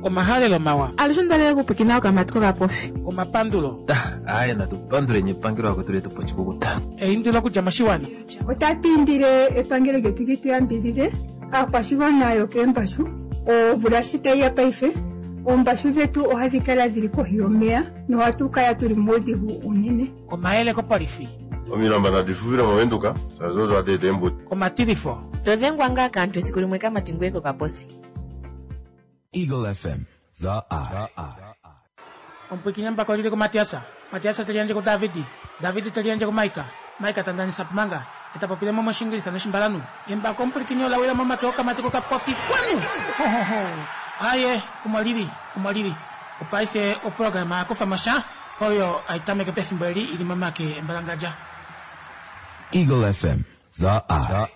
Omahalelo mawa. Alushe onda okupwikina okamati kokapofi. Omapandulo. Aaye natu panduleni epangelo akwetu letu po oshikukuta. Eindilo okudja moshiwana. Otatu indile epangelo lyetu li tu yambidhidhe aakwashigwana yokeembashu. Omvula shi tayi ya paife, oombashu dhetu ohadhi kala dhili kohi yomeya nohatu kala tuli muudhigu uunene. Omayele kopolifi. Omilamba nadi fuvile mOvenduka, shaashi odo hadi eta eembuto. Omatilifo. To dhengwa ngaa kaantu esiku limwe kamati ngoye kokaposi. Eagle FM, the eye. Omupwiikini embako olili kuMatiasa, Matiasa te liyandje kuDavidi, Davidi te liyandje kuMaika, Maika ta ndanisa Pumanga, e ta popile mo mOshingilisa nOshimbalanhu. Embako omupwilikini ola wila momake okamati kokapofi. Kwanu! Ho-ho-ho! Aaye, omo li li, omo li li. Opaife oprograma ya kufa mo sha, oyo hai tameke pefimbo eli i li momake embalangadja. Eagle FM, the eye.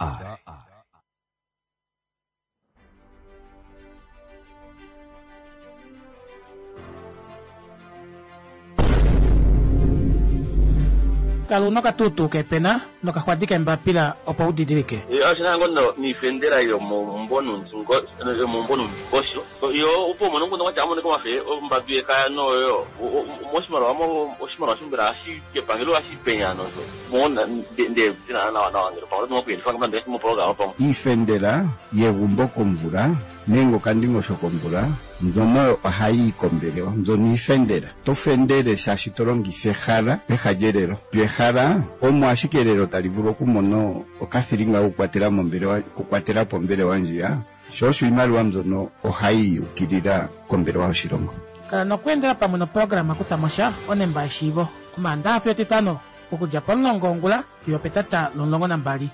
Kala una okatuutuu keepena nokaxwadi keembapila opo u didilike. Oshi na ngo niifendela yomomumvo nuundingosho yo opo umone omukundu gwatya amonike omafe ombambi yekaya noyo moshimaliwa oshimaliwa sho mbela ohashi kepangelo ohashi penya nosho mo nde nawa nawa ngele pamwe oto kuyelifa nande moprograma pamwe. Iifendela yegumbo komvula nenge okandingosho komvula mbyono oyo ohayi yi kombelewa mbyono iifendela. To fendele shaashi to longitha ehala peha lyelelo. Lyo ehala omo ashike elelo tali vulu okumona okathilinga kokukwatela mombelewa okukwatela po ombelewa ndjiya, sho osho iimaliwa mbyono ohayi ukilila kombelewa yoshilongo. Kala nokweendela pamwe noprograma Kutha mo sha, onemba yeshiivo, Omaandaxa fiyo Etitano, okudja pomulongo wongula fiyo opetata lomulongo nambali.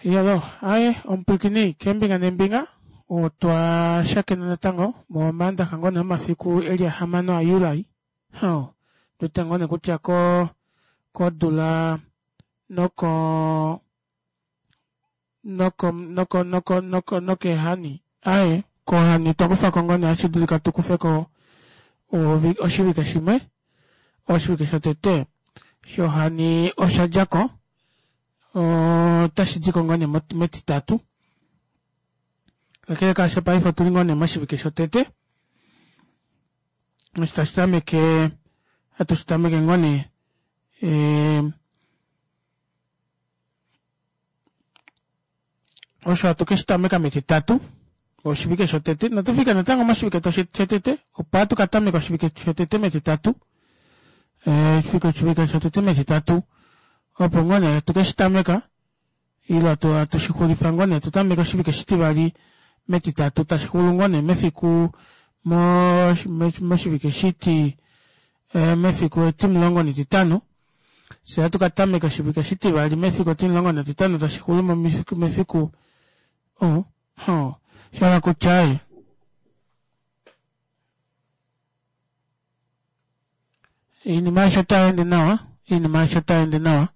Yalo, aye omupwiikini keembinga neembinga otwa shakena natango momaandaxa ngoo nee omafiku eli ahamano aJuli oh, ndwete ngoo nee kutya ko kodula noko noko noko noko noko nokeehani aye kohani twa kufa ko ngoo nee ohashi dulika tu kufe ko oshivike shimwe oshivike shotete shohani osha dja ko otashi di ko ngoo nee metitatu kakele kaasho paife otuli ngoo nee moshivike shotete osho tashi tameke hatu shi tameke ngoo nee Osho hatu ke shi tameka metitatu oshivike shotete. Inatu fika natango moshivike shotete, opo hatu ka tameka oshivike shotete metitatu. Eh, oshivike shotete metitatu opo ngoo nee hatu ke shi tameka ile hatu shi xulifa ngoo nee tu tameke oshivike shitivali metitatu tashi xulu ngoo nee mefiku moshivike shiti eh, mefiku etimulongo netitano Fye ohatu ka tameka oshivike shitivali mefiku etimulongo netitano tashi xulu mefiku oh, oh, sha hala kutya aye iinima aishe otai ende nawa iinima aishe otai ende nawa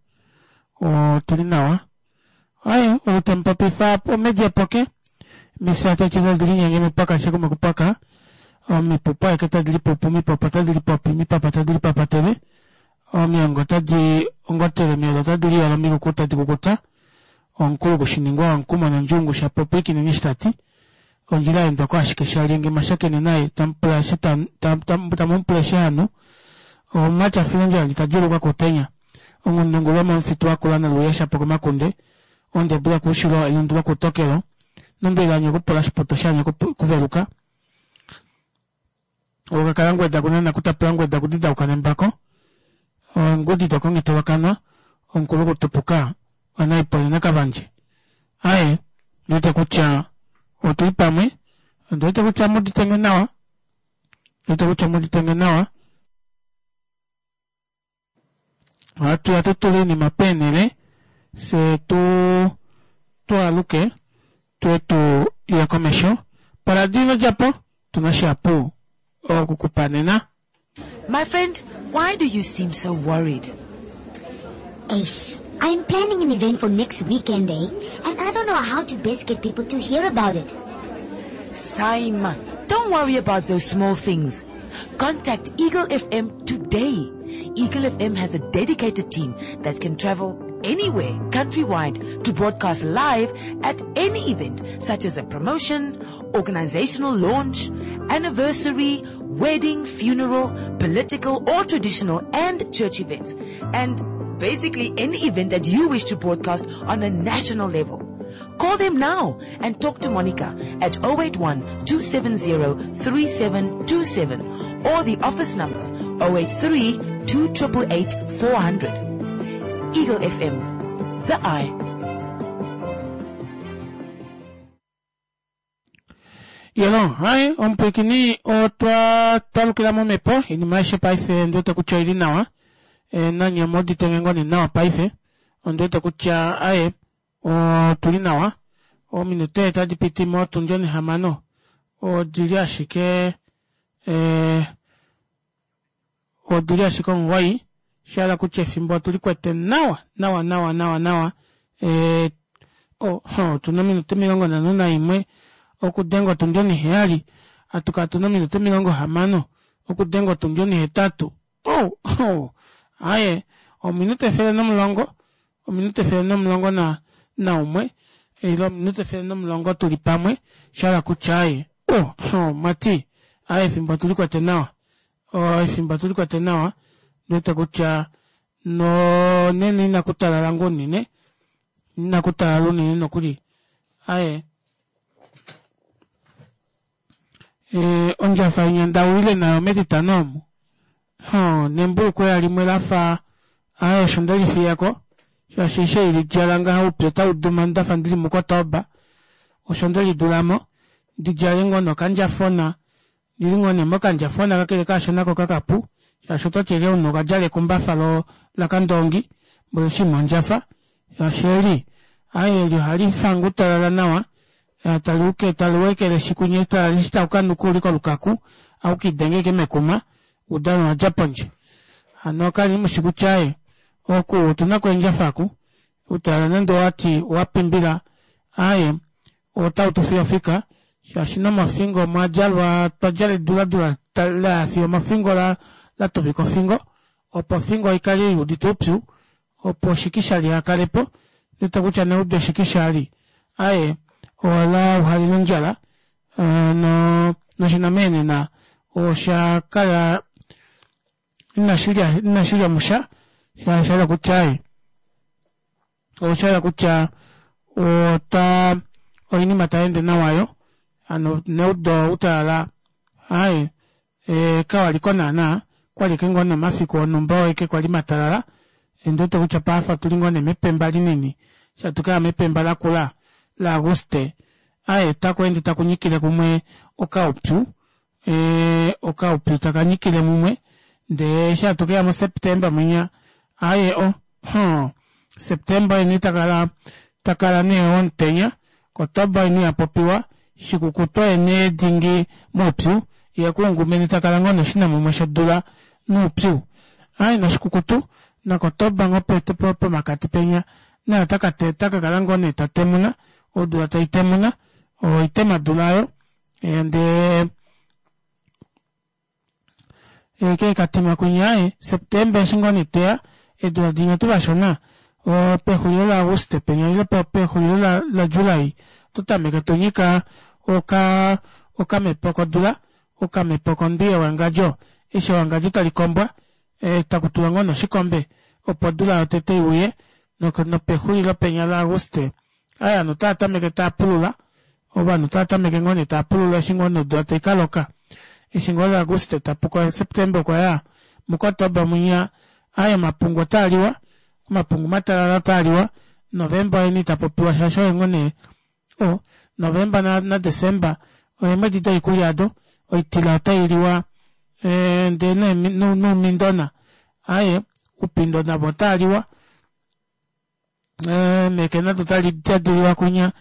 otuli nawa aye ou temu popifa omedi epoke mifya tati tadi linyenge mipaka shekume kupaka omipupu aeke tadi lipupu mipopo tadi lipopi mipapa tadi lipapatele Omilongo otadi ongotele, omiyelo otadi liyolo, omikuku tadi kukuta, omukulu kushiningwa omukumo nondjungu shapopi kinini ta ti. Ondjila ya endwa ko ashike shalyenge mwa shakene naye tamu pula eshi tamu mu pula eshi hanu. Omumati a fila ondjala ndji ta djuulukwa kuutenya. Onghundungu lwomomufitu wa kula noluuya shapo komakunde, ondebu lwokuushilo elundu lwokuutokelo, nombili anya okupula oshiputo shaanya okuveluka. Okakala ngweda kunana kutapula ngweda kudidauka nembako ongudi dokongitolokanwa omukulu kutupuka wanaipole nakavandje aye ndiwete kutya otuli pamwe ondiwete kutya muditenge nawa ndiwete kutya muditenge nawa Ohatu ya tu tule iinima peenhele fye tu twaaluke twe tu ye komesho. Poradio ino dja po, tu na shihapu oku ku pa nena. My friend, why do you seem so worried? Eish, I'm planning an event for next weekend, eh? And I don't know how to best get people to hear about it. Saima, don't worry about those small things. Contact Eagle FM today. Eagle FM has a dedicated team that can travel anywhere countrywide to broadcast live at any event such as a promotion, organizational launch, anniversary, wedding, funeral, political or traditional and church events. And basically any event that you wish to broadcast on a national level. Call them now and talk to Monica at 081 270 3727 or the office number 083 2888 400. Eagle FM, the eye. Yelo, hai, omupwilikini otwa twalukila momhepo, oinima aishe paife ondi wete kutya oili nawa. E, nanye omu udite ngoo nee nawa paife. Ondi wete kutya aye otuli nawa. Ominute tadi piti motundi onhihamano odili ashike e, odili ashike omugoyi shahala kutya efimbo otuli kwete nawa nawa nawa nawa nawa e, oh, otuna ominute 51 okudenga otundi oniheyali atukala tuna ominute 60 okudenga otundi onihetatu oh, oh, aye ominute 110 ominute 111 na naumwe ile ominute 110 tuli pamwe shahala kutya aye oh, oh, mati aye efimbo otuli kwete nawa oh, efimbo otuli kwete nawa ndiwete kutya nonene inaku talala ngoo unene inaku talala unene nokuli aye e, ondjafa inya ndawile nayo metitano omu ho nembulukweya limwe lafa aye osho ndelifiyako shaashi eshi eilidjala ngaha oupyu otau duma ndafa ndili mukotoba osho ndelidulamo ndidjale ngoo nokandjafona ndili ngoo nee mokandjafona kakele kaasho nako kakapu shaashi ototi eke omunhu okadjala ekumbafa lo lakandoongi mboli oshinima ondjafa shaashi eli aye eli ohali fange utalala nawa tali tali wekeleshi kunye talala eshi tau kanuka uli kolukaku aukidenge eke mekuma udano wadja pondje hano kali mushi kutya aye oku otuna ko eendjafa aku utalala nande owati owapimbila aye otau tu fiyo ofika shaashi nomofingo omwa djalwa twa djala eduladula la fiyo omofingo la la tuvika ofingo opo ofingo ikale i udite oupyu opo oshikisha lihakale po ndete kutya neudo eshikisha ali aye ola uhalile ondjala no noshinameenena osha kala inashilya inashilya musha sha kutya aye osha hala kutya ota oinima tai ende nawa yo hano neudo utalala aye e, kawaliko naana kwali eke ngoo nomafiku onhumba eke kwali matalala ndiwete kutya paife otuli ngoo nee mepemba linini shatukaya mepemba lakula la Aguste aye taku ende taku nyikile kumwe okaupyu e, okaupyu taka nyikile mumwe ndee eshi hatu keya muSeptemba mwinya aye o ho Septemba eni takala takala nee omutenya Kotoba eni yapopiwa shikukutu ene dingi moupyu ye kuungumeni takala ngoo noshinamumwe shodula noupyu aye noshikukutu naKotoba ngoo pomakati penya naye otaka kakala ngoo nee tatemuna odula taitemuna oitemadula oyo ndee ke katima kwinya aye Septemba eshi ngoo nee teya eedula dinya tuu vashona pexulilo laAguste penya ile pexulilo laJuli oto tameke tonyika oka okamepo kodula okamepo kondwi yewangadjo eshi ewangadjo tali kombwa e, taku tulwa ngoo noshikombe opo odula yotete iuye nopexulilo penya laAguste aye ovanhu otava tameke tava pulula ovanhu otava tameke ngoo nee tava pulula eshi ngoo nodula tai kaloka eshi ngoo Auguste tapuko September okwa ya muKotoba mwinya aye omapungu otaa liwa omapungu matalala otaa liwa November oyeni itapopiwa shaashi oye ngoo nee o November na, na December oyeemwedi doikulya ado oitila otai liwa e, ndee noumindona aye upindo navo otaa liwa eemeke nado tali diliwa kunya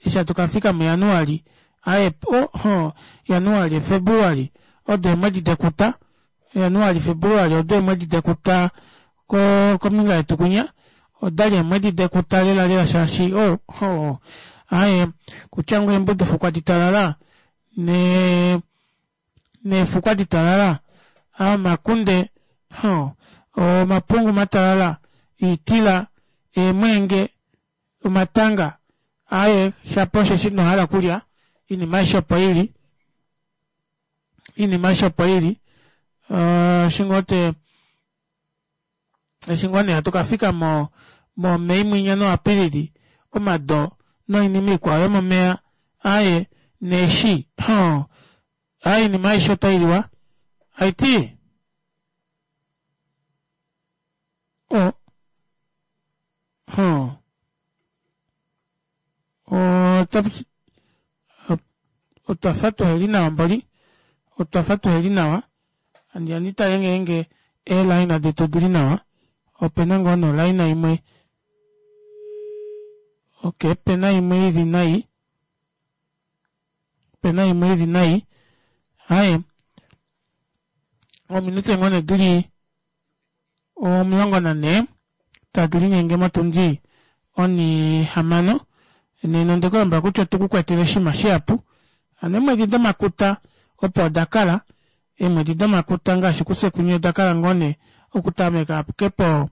eshi hatu kafika mujanuali aye oho januali februali odo eemwedi dekuta januali februali odo eemwedi dekuta ko kombinga yetu kunya odali eemwedi dekuta lela lela shaashi oho aye kutya ngoo eembudufukwa ditalala ne neefukwa ditalala Omakunde, omapungu matalala, oitila, eemweenge, omatanga, aaye shapo osheshi inohala okulya, oinima aishe opo ili, oinima aishe opo ili. Eshi ngoo te eshi ngoo nee hatu kafika mo mo mei mwinya no apilili omado noinima ikwao yomomeva aaye neeshi hoo aaye oinima aishe otailiwa haiti o hoo otwafa tuheli nawa mboli otwafa tuheli nawa handi ya nditale ngeenge eelaina detu odili nawa opena ngoo nee olaina imwe ok opena imwe ili nai opena imwe ili nai aaye ominute ngoo nee dili 14 tadi linyenge motundi onihamano nena onde ku lombwela kutya otu ku kwetele oshinima shihapu hano eemwedi domakuta opo oda kala eemwedi domakuta ngaashi kufye kunye oda kala ngoo nee okutameka ashike po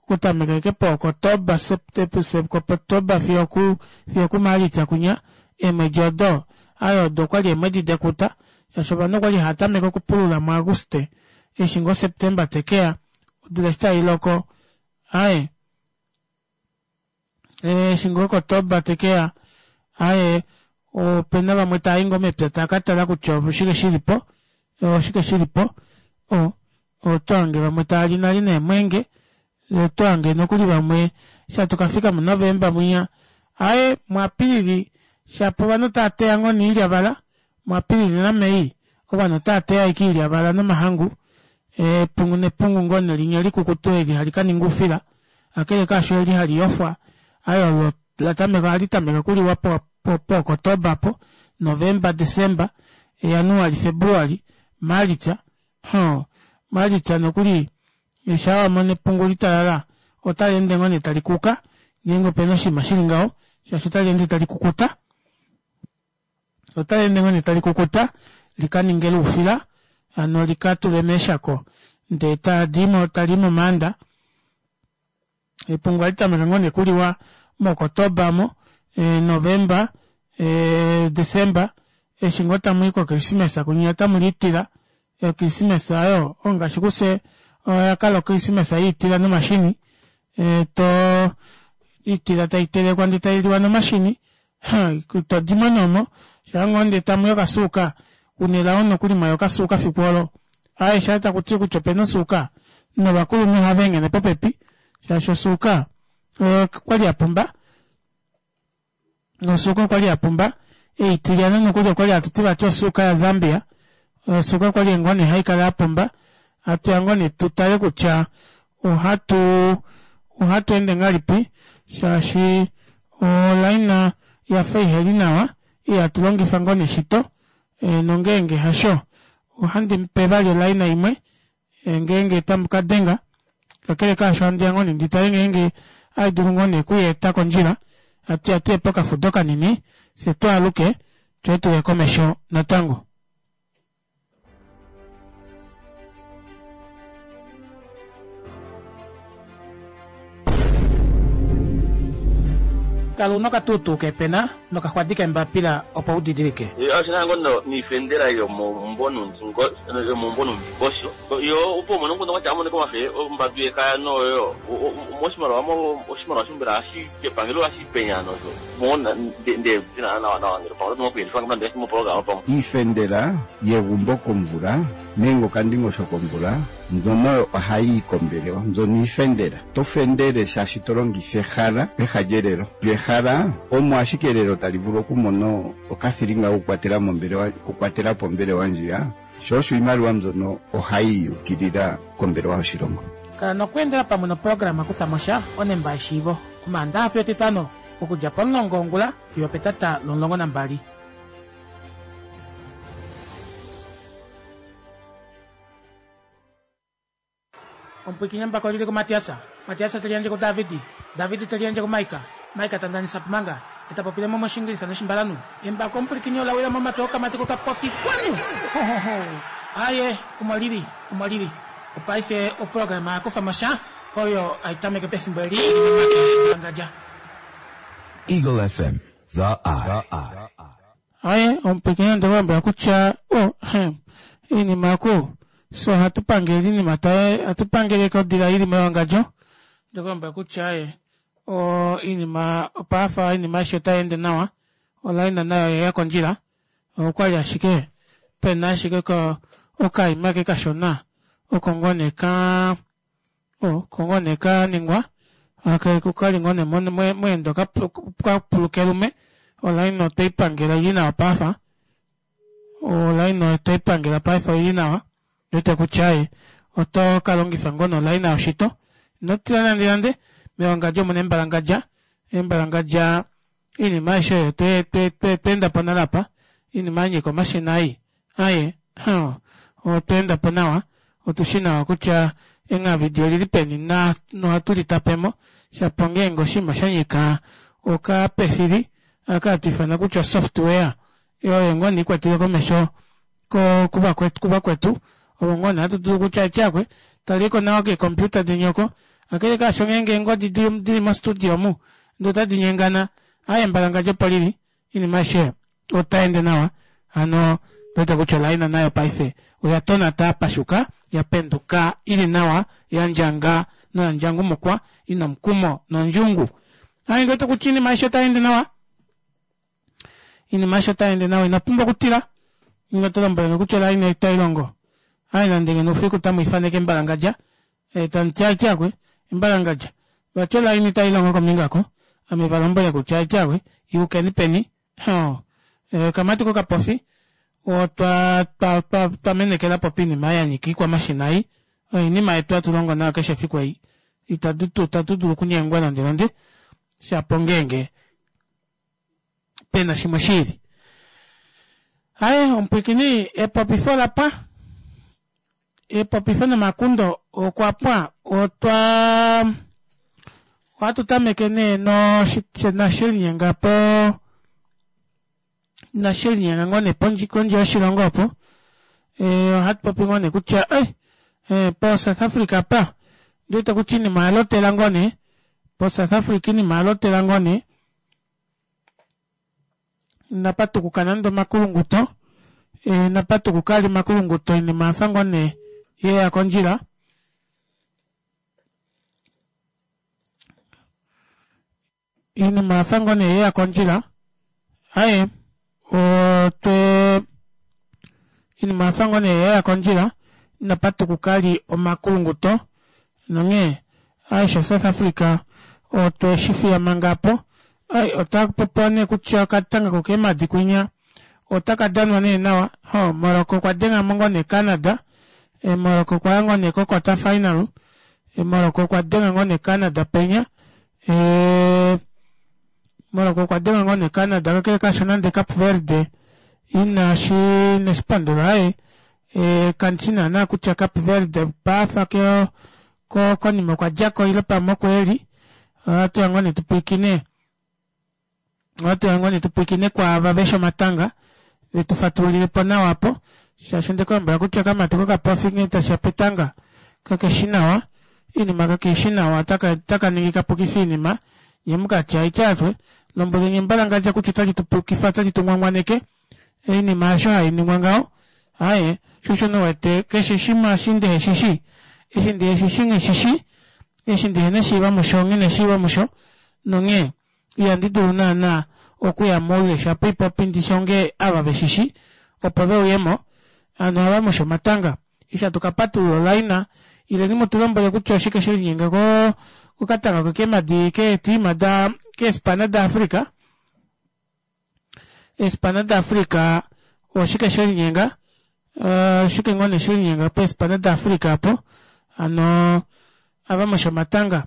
okutameka ashike po October October fiyo oku fiyo okuMaalitsa kunya eemwedi odo aye odo okwali eemwedi dekuta shaashi ovanhu okwali hava tameke okupulula muAguste eshi ngoo September tekeya odula eshi tailoko aaye eshi ngoo Kotoba tekeya aaye opena vamwe taayi ngoo mepya tava katala kutya oshike shilipo oshike shilipo oto hange vamwe taali nale neemwenge oto hange nokuli vamwe eshi hatu kafika mu November mwinya aaye muApilili shapo ovanhu otava teya ngoo niilyavala muApilili naMei ovanhu otava teya ashike iilyavala nomahangu epungu nepungu ngoo nee linya likukutu eli hali kaninga oufila kakele kaasho eli hali yofwa aye olo latameka ohali tameke okuliwa pooKotoba apo Novemba Desemba Januali Februali Maalitsa hoo Maalitsa nokuli shaa wamono epungu litalala otali ende ngoo nee tali kuka ngeenge opena oshinima shili ngaho shaashi otali ende tali kukuta. Otali ende ngoo nee tali kukuta li ka ninge loufila hano li ka tulwe meeshako ndee tali i momaanda. Epungu ohali tameke ngoo nee okuliwa moKotoba mo, Novemba, Desemba eshi ngoo tamu i kokrismesa kunya otamu liitila. Okrismesa oyo ongaashi kufye oya kala okrismesa yiitila nomashini to iitila tai telekwa ndee tailiwa nomashini to dimo nee omo shaa ngoo ndee tamuya okasuuka una elao nokuli mwaya okasuuka fiku olo aaye shaa takuti kutya opena osuuka novakulunhu ohava enghene popepi shaashi osuuka okwali yapumba nosuuka okwali yapumba eitilyana nokuli okwali hatuti vati osuuka ya Zambia osuuka okwali ngoo nee haikala yapumba hatuya ngoo nee tutale kutya ohatu ohatu ende ngahelipi shaashi olaina yafa iheli nawa ihatu longifa ngoo nee shito nongeenge hasho ohandi mupe vali olaina imwe ngeenge tamu ka denga kakele kaasho handi ya ngoo nee ndi tale ngeenge ohai dulu ngoo nee okuyeeta kondjila hatu ya tuye pokafudo kanini fye twaaluke twe tuye komesho natango. Kala una okatuutuu keepena nokaxwadi keembapila opo u didilike. Oshi na ngoo niifendela yomomumvo nuundingosho yo opo umone omukundu kwatya amonike omafe ombandu yekaya noyo moshimaliwa oshimaliwa sho mbela ohashi epangelo ohashi penya nosho mo nde nawa nawa ngele pamwe oto okuyelifa nande moprograma pamwe. Iifendela yegumbo komvula nenge okandingosho komvula mbyono ohayi yi kombelewa mbyono iifendela. To fendele shaashi to longitha ehala peha lyelelo. Lyo ehala omo ashike elelo tali vulu okumona okathilinga kokukwatela mombelewa okukwatela po ombelewa ndjiya, sho osho iimaliwa mbyono ohayi yi ukilila kombelewa yoshilongo. Kala nokweendela pamwe noprograma Kutha mo sha onemba yeshiivo Omaandaxa fiyo Etitano okudja pomulongo wongula fiyo opetata lomulongo nambali. Omupwiikini embako oli li kuMatias, Matias te liyandje kuDavid, David te liyandje kuMaika, Maika ta ndanisa Pumanga, ye ta popile mo mOshiingilisa nOshimbalanhu. Embako omupwilikini ola wila momake okamati kokapofi. Xwanu! Ho-ho-ho! Aye, omo lili, omo lili. Opaife oprograma ya kufa mo sha oyo hai tameke pefimbo eli ili momake Mbalangadja. Eagle FM, The Eye. Aye, omupwiikini onde ku lombwela kutya o, hem, iinima oku, fye ohatu pangele iinima taye, ohatu pangele kodila ili mewangadjo. Onde ku lombwela kutya aye, o, iinima, opafa iinima aishe otai ende nawa, olaina nayo oyeya kondjila. Okwali ashike pena ashike ko okaima ke kashona oko ngoo nee ka oko ngoo nee ka ningwa kali ngoo nee mweenda okapulukelume olaina otwei pangela ili nawa paife olaina otwei pangela paife oili nawa ndiwete kutya aaye oto ka longifa ngoo nee olaina yoshito ino tila nande nande mewangadjo omuna embalangadja embalangadja Iinima aishe oyo twe, twe, twe, tweenda po nale apa, iinima ya nyika omashina ei. Aye, huh, otwa enda po nawa. Otu shi nawa kutya enghavidi oli li peni na, nohatu li tape mo. Shapo ngeenge oshinima sha nyika okapefili, aka hatu ifana kutya osoftware, oyo ngoo nee ikwatele komesho ko, kuvakwetu, kuvakwetu, ovo ngoo nee hatu dulu kutya etyakwe, taliko nawa keecomputer deni oko, kakele kaasho ngeenge eengodi di, dili mostudio omu, ndee otadi nyengana, aaye embalangadjo opo lili, oinima aishe otai ende nawa, hano wete kutya olaina nayo paife oya tonata ya pashuka, ya penduka ili nawa, ya ndjanga noya ndjangumukwa, ina omukumo nondjungu. Aaye ndi wete kutya oinima aishe otai ende nawa. Iinima aishe otai ende nawa ino pumbwa okutila. Ninga oto lombwele nge kutya olaina itai longo. Aaye nande ngeno oufiku tamu ifaneke embalangadja, eh, tamu ti aiti akwe, embalangadja. Vati olaina itai longo kombinga oko. Ame va lombwele kutya aiti akwe, yukeni peni. Hoo. Eh, okamati kokapofi, otwa, twa, twa, twa menekela po piinima ya nyika ikwamashina ei. Oinima yetu hatu longo nayo keshe efiku ei. Itatu, itatu dulu okunyengwa nande nande. Shapo ngeenge pena shimwe shiili. Aye, omupwiikini, epopifo ola pwa. Epopifo nomakundo okwa pwa. Otwa ohatu tameke nee no nashe linyenga po nashe linyenga ngoo nee pondje kondje yoshilongo opo. Eh, ohatu popi ngoo nee kutya eh, eh, po South Africa pa ndiwete kutya iinima oya lotela ngoo nee po South Africa iinima oya lotela ngoo nee Inapa tukuka nande omakulunguto, inapa tukuka ali omakulunguto oinima oya fa ngoo nee ye ya kondjila. Iinima oya fa ngoo nee ye ya kondjila. Aye, otwe iinima oya fa ngoo nee ye ya kondjila, inapa tukuka ali omakulunguto nonghee aishe South Africa otwe shi fiya manga apo. Ai, ota popiwa nee kutya okatanga kokeemadi kwinya otaka danwa nee nawa. Ho, Morocco okwa denga mo ngoo nee Canada. E, Morocco okwa ya ngoo nee ko quarter final. E, Morocco okwa denga ngoo nee Canada penya. E, Morocco okwa denga ngoo nee Canada kakele kaasho nande Cape Verde inashi ineshi pandula aye. E, kandi shi naanaa kutya Cape Verde paafa ke ko konima okwa dja ko ile pamwe oko e li. Ohatu ya ngoo nee tu pwilikine, ohatu ya ngoo nee tu pwilikine kwaava veshi omatanga ve tu fatululile po nawa apo, shaashi onde ku lombwela kutya okamati kokapofi nghee tashi ya petanga kakeshi nawa, iinima kakeishi nawa, otaka otaka ningi ka pukife iinima, nye mu ka tye aitya fye, lombweleni embalangadja kutya otali tu pukifa, otali tu ngwangwaneke, Oinima hasho hai ningwa ngaho. Aaye, sho osho nee wete keshe shimwe eshi ndihe shi shii, eshi ndihe shi shii nghi shi shii, eshi ndihe na eshiivo musho nghi na eshiivo musho, nonghee ihandi dulu naana okuya moule shapo ipopi ndi shonge ava ve shi shii opo ve uye mo, hano ava mushi omatanga. Eshi hatu ka patulula olaina, ileni mu tu lombwele kutya oshike she linyenga ko, kokatanga kokeemadi keetiima da, keespana daAfrica. Eespana daAfrica oshike she linyenga? Oshike ngoo nee she linyenga peespana daAfrica apo? Hano ava moshomatanga.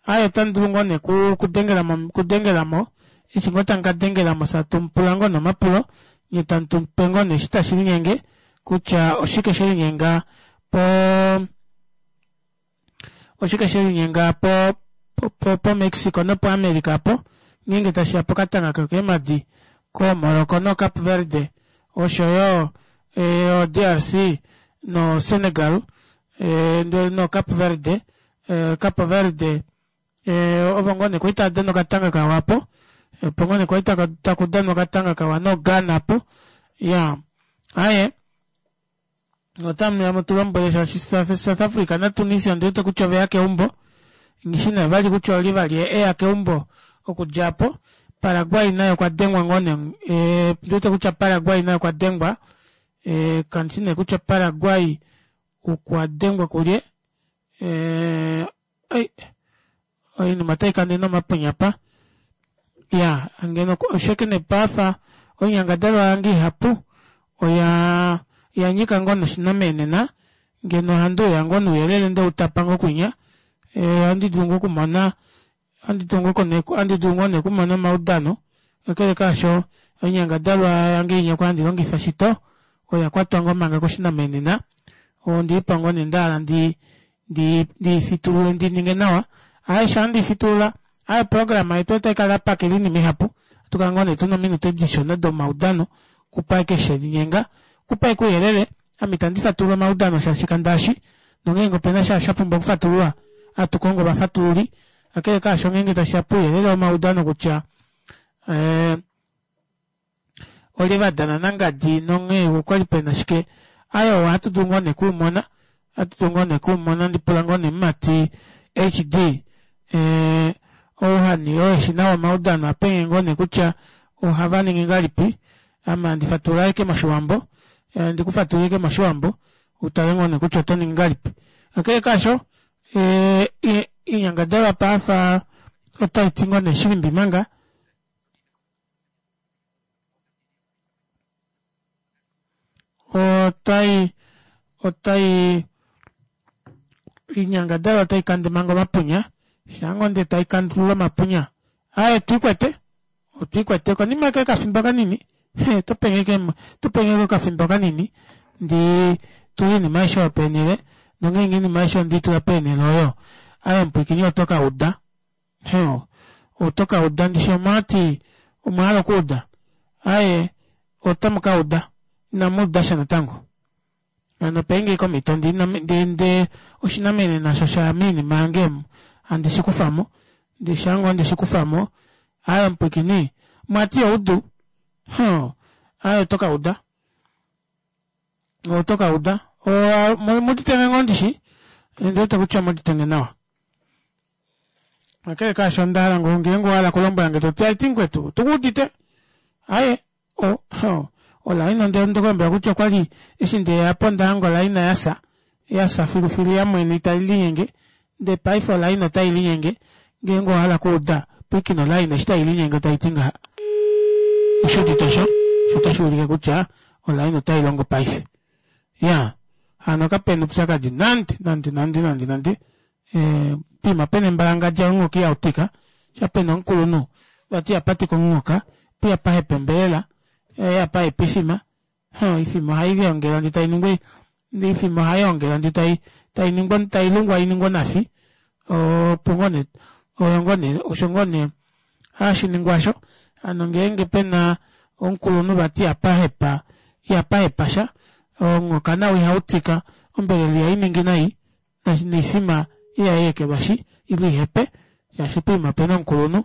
Aaye otamu dulu ngoo nee kudengela mo, kudengela mo, eshi ngoo tamu ka dengela mo fye atu mu pula ngoo nee omapulo, nye tamu tu pe ngoo nee eshi tashi linyenge kutya oshike she linyenga po Oshike she linyenga po, po, po Mexico nopo America apo, ngeenge tashi ya pokatanga kokeemadi koMorocco noCape Verde, osho yo e, oDRC. no Senegal ndele no Cape Verde Cape Verde ovo ngoo nee kwali tava dana okatanga kawa apo opo ngoo nee kwali takudanwa okatanga kawa no Ghana apo iyaa aaye otamuya mutulombwele shaashi South Africa na Tunisia ondiwete kutya oveya keumbo nghishi nee vali kutya oli vali eya keumbo okudja apo Paraguay naye okwa dengwa ngoo nee ondiwete kutya Paraguay naye okwa dengwa kandishi nee kutya Paraguay okwa dengwa kulye oinima otai kande nomapunya apa ya ngeno osheke nepafa oinyangadalwa yange ihapu oya yanyika ngoo noshinamenena ngeno ohandi uya ngoo nouyelele ndeutapa ngoo kwinya ohandi dulu ngoo okumona ohandi dulu ngoo nee okumona omaudano kakele kaasho oinyangadalwa yange inya kwali handi longifa shito oya kwatwa ngoo manga koshinamenena ondiipa ngoo nee ndahala ndi ndiifitulule ndininge nawa aaye shaa ndiifitulula aaye oprograma yetu otaikala yapakela oinima ihapu atukala ngoo nee tuna ominute dishona domaudano okupa ashike shelinyenga okupa ashike ouyelele ame itandi fatulula omaudano shaashi kandaashi nongeenge opena sha shapumbwa okufatululwa ohatu kongo ovafatululi kakele kaasho ngeenge tashiya pouyelele womaudano kutya olye vadana nangadi nonghee okwali pena shike aaye ohatu dulu ngoo nee okuumona ohatu dulu ngoo nee okuumona handipula ngoo nee mumati HD ouhani oo eshi nawa omaudano apenge ngoo nee kutya ohava ningi ngahelipi ame handi fatulula ashike moshiwambo handi kufatulula ashike moshiwambo utale ngoo nee kutya oto ningi ngahelipi kakele kaasho oinyangadalwa paafa otaiti ngoo nee shilimbi manga otai otai oinyangadalwa otai kande manga omapunya shaango ndee tai kandulula omapunya aaye twiikwete otwiikwete konima ashike yokafimbo kanini topenge topenge okafimbo kanini ndi tule oinima aishe oyo peenhele nongeenge oinima aishe ondeitula peenhele oyo aaye omupwiikini oto kauda Heeno, oto ka uda. Ndishi omwa ti omwa hala okuuda? Aaye, otamu ka uda. Inamu uda sha natango. Hano penge ashike omhito ndi, ndi, ndi, oshinamene nasho sha ya moinima yange omu, handi shi kufa mo. Ndi sha ngoo nde shi kufa mo. Aaye, omupwiikini, omwa ti oudu? Huh. Aaye, oto ka uda. Oto ka uda. Omu udite ngoo ndishi? Ondi wete kutya omu udite nge nawa. Kakele kaasho onda hala ngoo ngeenge owa hala okulombwela nge to ti aiti mukwetu otu ku udite. Aye o olaina onde ku lombwela kutya okwali eshi ndeya po onda hanga olaina yafya yafya filufilu yamwene itali linyenge ndee paife olaina otai linyenge ngeenge owa hala okuuda pwiikina olaina eshi tai linyenge tai ti ngaha. Oshi udite osho? Osho otashi ulike kutya olaina otai longo paife. Iyaa hano kapena oupyakadi nande nande nande nande nande. Poima pena embalangadja omunghoka ihau tika, sha pena omukulunhu vati ihapa tika omunghoka, po ihapa hepa ombelela, ihapa hepa oifima, oifima ohai liongelwa ndee tai ningwa oifima ohai ongelwa ndee tai tai ningwa tai lungwa iningwe onafi, opo ngoo nee oyo ngoo nee osho ngoo nee hashi ningwa osho, hano ngeenge pena omukulunhu vati ihapa hepa ihapa hepa sha, omunghoka nao ihau tika, ombelela ihai ningi nai. noifima ihai ekelwashi ile ihepe shaashi poima opena omukulunhu.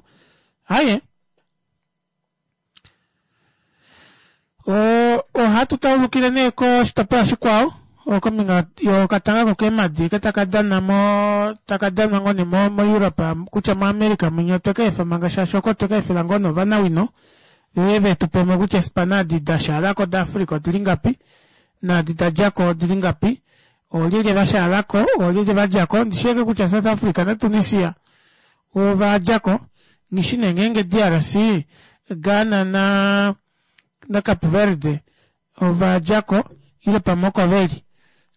Aaye ohatu taulukile nee koshitopolwa shikwao kombinga yokatanga kokeemadi eke taka dana mo taka danwa ngoo nee mo moEurope kutya moAmerica mwinya otwe ka efa manga shaashi oko otwe ka efela ngoo nee ovanawino veuye vetu pemo kutya eespana edi da shaalako daAfrica odili ngapi naadi da djako odili ngapi Oolyelye va shaala ko, oolyelye va dja ko? Ndi shii kutya South Africa naTunisia ova dja ko. Nghi shi nee ngeenge DRC, Ghana na naCape Verde ova dja ko ile pamwe oko ve li.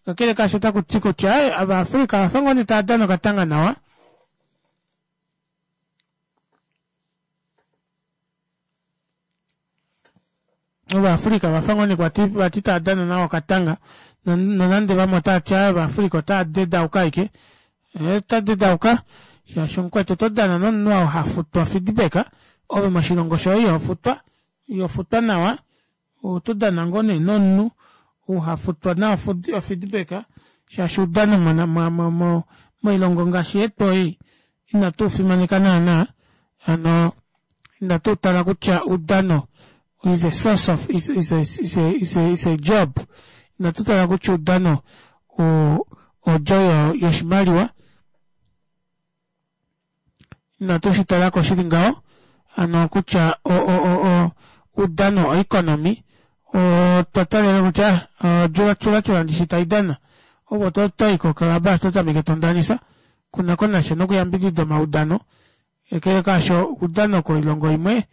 Kakele kaasho otaku ti kutya Ovaafrica ova fa ngoo nee tava dana okatanga nawa. Ovaafrika va fa ngoo nee kwati vati tava dana nawa okatanga nonande vamwe otava ti aaye Ovaafrika otava dedauka ashike. Ota dedauka shaashi omukwetu oto dana nomunhu oo ha futwa feedback ove moshilongo shoye iho futwa, iho futwa nawa. Oto dana ngoo nee nomunhu. Uhafutwa nawa ofeedback shaashi oudano moilongo ngaashi yetu ei inatu ufimaneka naana hano inatu utala kutya oudano is a source of is, is, a, is, a, is, a, is a job inatu tala kutya oudano odjo yoshimaliwa Inatu shi tala ko shili ngaho hano kutya oudano oeconomy otwa talela kutya odjula ndishi tai dana ove oto i kokalaba to tameke to ndanisa kuna ko nasha nokuyambidida omaudano kakele kaasho oudano koilongo imwe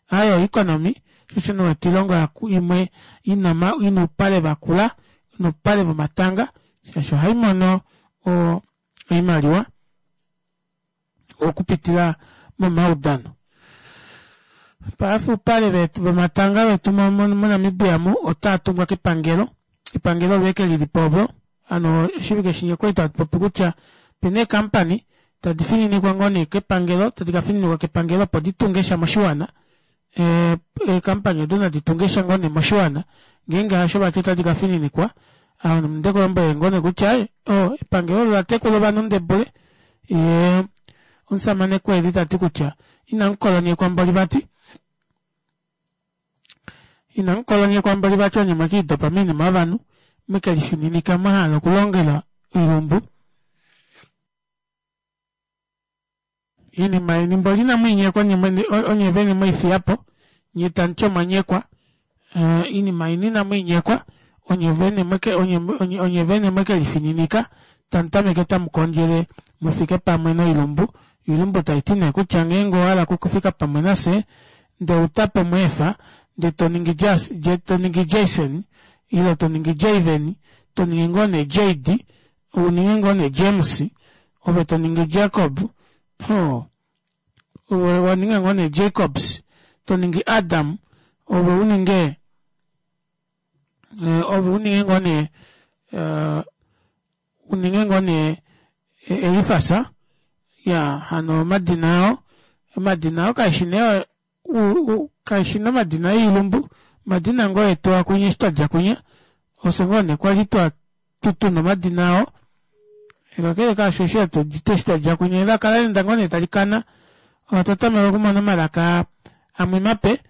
ayo oeconomy shosho nee wete oilongo imwe ina oupale vakula ina oupale vomatanga shaashi ohai mono oimaliwa okupitila momaudano. Paife oupale vomatanga vetu moNamibia mu otaa tungwa kepangelo, epangelo olo ashike lili po opo, hano oshivike shinya okwali tatu popi kutya opena eekampani tadi fininikwa ngoo nee kepangelo, tadi ka fininikwa kepangelo opo di tunge sha moshiwana, eekampani odo nadi tunge sha ngoo nee moshiwana, ngeenge hasho vati otadi ka fininikwa, ovanhu onde kulombwele ngoo nee kutya epangelo olo ola tekula ovanhu ndebule, yee omusamane Kwedhi ta ti kutya inamu kolonyekwa mboli vati inamu kolonyekwa mboli vati onye mwekiidopa moinima yovanhu mwekelifininika mwa hala okulongela oilumbu Iinima yeni mboli inamu i nyekwa onye mwene onye vene mwei fiya po, nye tamu ti omwa nyekwa. Iinima yeni inamu i nyekwa, onye vene mweke onye onye vene mweke lifininika tamu tameke tamu kondjele mu fike pamwe noilumbu. Oilumbu tai ti nee kutya ngeenge owa hala okufika pamwe nafye ndee outapi omweefa ndee to ningi Jas to ningi Jason ile to ningi Javen to ningi ngoo nee Jade u ninge ngoo nee James ove to ningi Jacob ho ove wa ninga ngoo nee Jacobs to ningi Adam ove u ninge eh, ove u ninge ngoo nee eh, u ninge ngoo nee eh, Elifas ya hano omadina ao omadina ao kaishi nee kaishi nee omadina oilumbu omadina ngoo etu akunya eshi twa dja kunya ofye ngoo nee kwali twa tuna omadina ao kakele kaasho eshi eshi twa dja kunya elaka la enda ngoo nee tali kana otwa tameka okumona omalaka amwe mape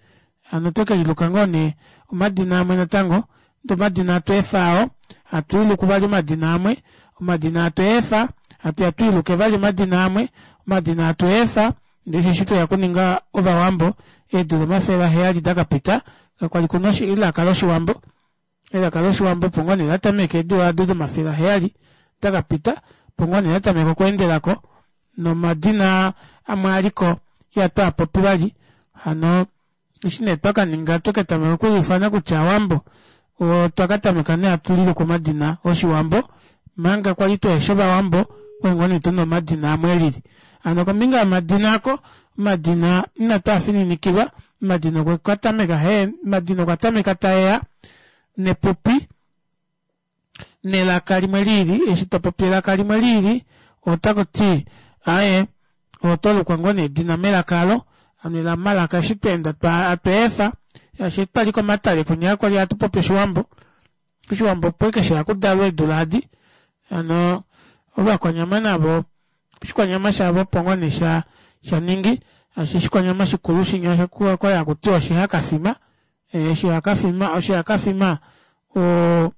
hano otwe ke liluka ngoo nee omadina amwe natango ndee omadina hatu efa ao hatu iluku vali omadina amwe omadina hatu efa hatu ya twiiluke vali omadina amwe omadina hatu efa Ndele eshi tweya okuninga Ovawambo eedula 700 da ka pita, kakwali ku na elaka lOshiwambo. Elaka lOshiwambo opo ngoo nee la tameka eedula ado do700 da ka pita, opo ngoo nee la tameka okweendela ko, nomadina amwe a li ko ihatu a popi vali. Hano eshi nee twa ka ninga twe ka tameka okuliufana kutya Aawambo, otwa ka tameka nee hatu liluku omadina Oshiwambo, manga kwali tuheshi Ovawambo, okwali ngoo nee tuna omadina amwe e lili. Hano kombinga yomadina ako, omadina inatu a fininikilwa, omadina okwe ka tameka hee, omadina okwa tameka tae ya nepupi, nelaka limwe liili, eshi to popi elaka limwe liili, otaku ti aaye oto lukwa ngoo nee edina melaka alo, hano omalaka eshi twa enda atwa efa, shaashi eshi twali komatale kwinya kwali hatu popi oshiwambo, oshiwambo opo ashike sheya okudalwa eedula adi, hano ovakwanyama navo oshikwanyama shavo opo ngoo nee sha shaningi, shaashi oshikwanyama shikulu shinya okwali hakutiwa oshihakafima, Oshihakafima, oshihakafima o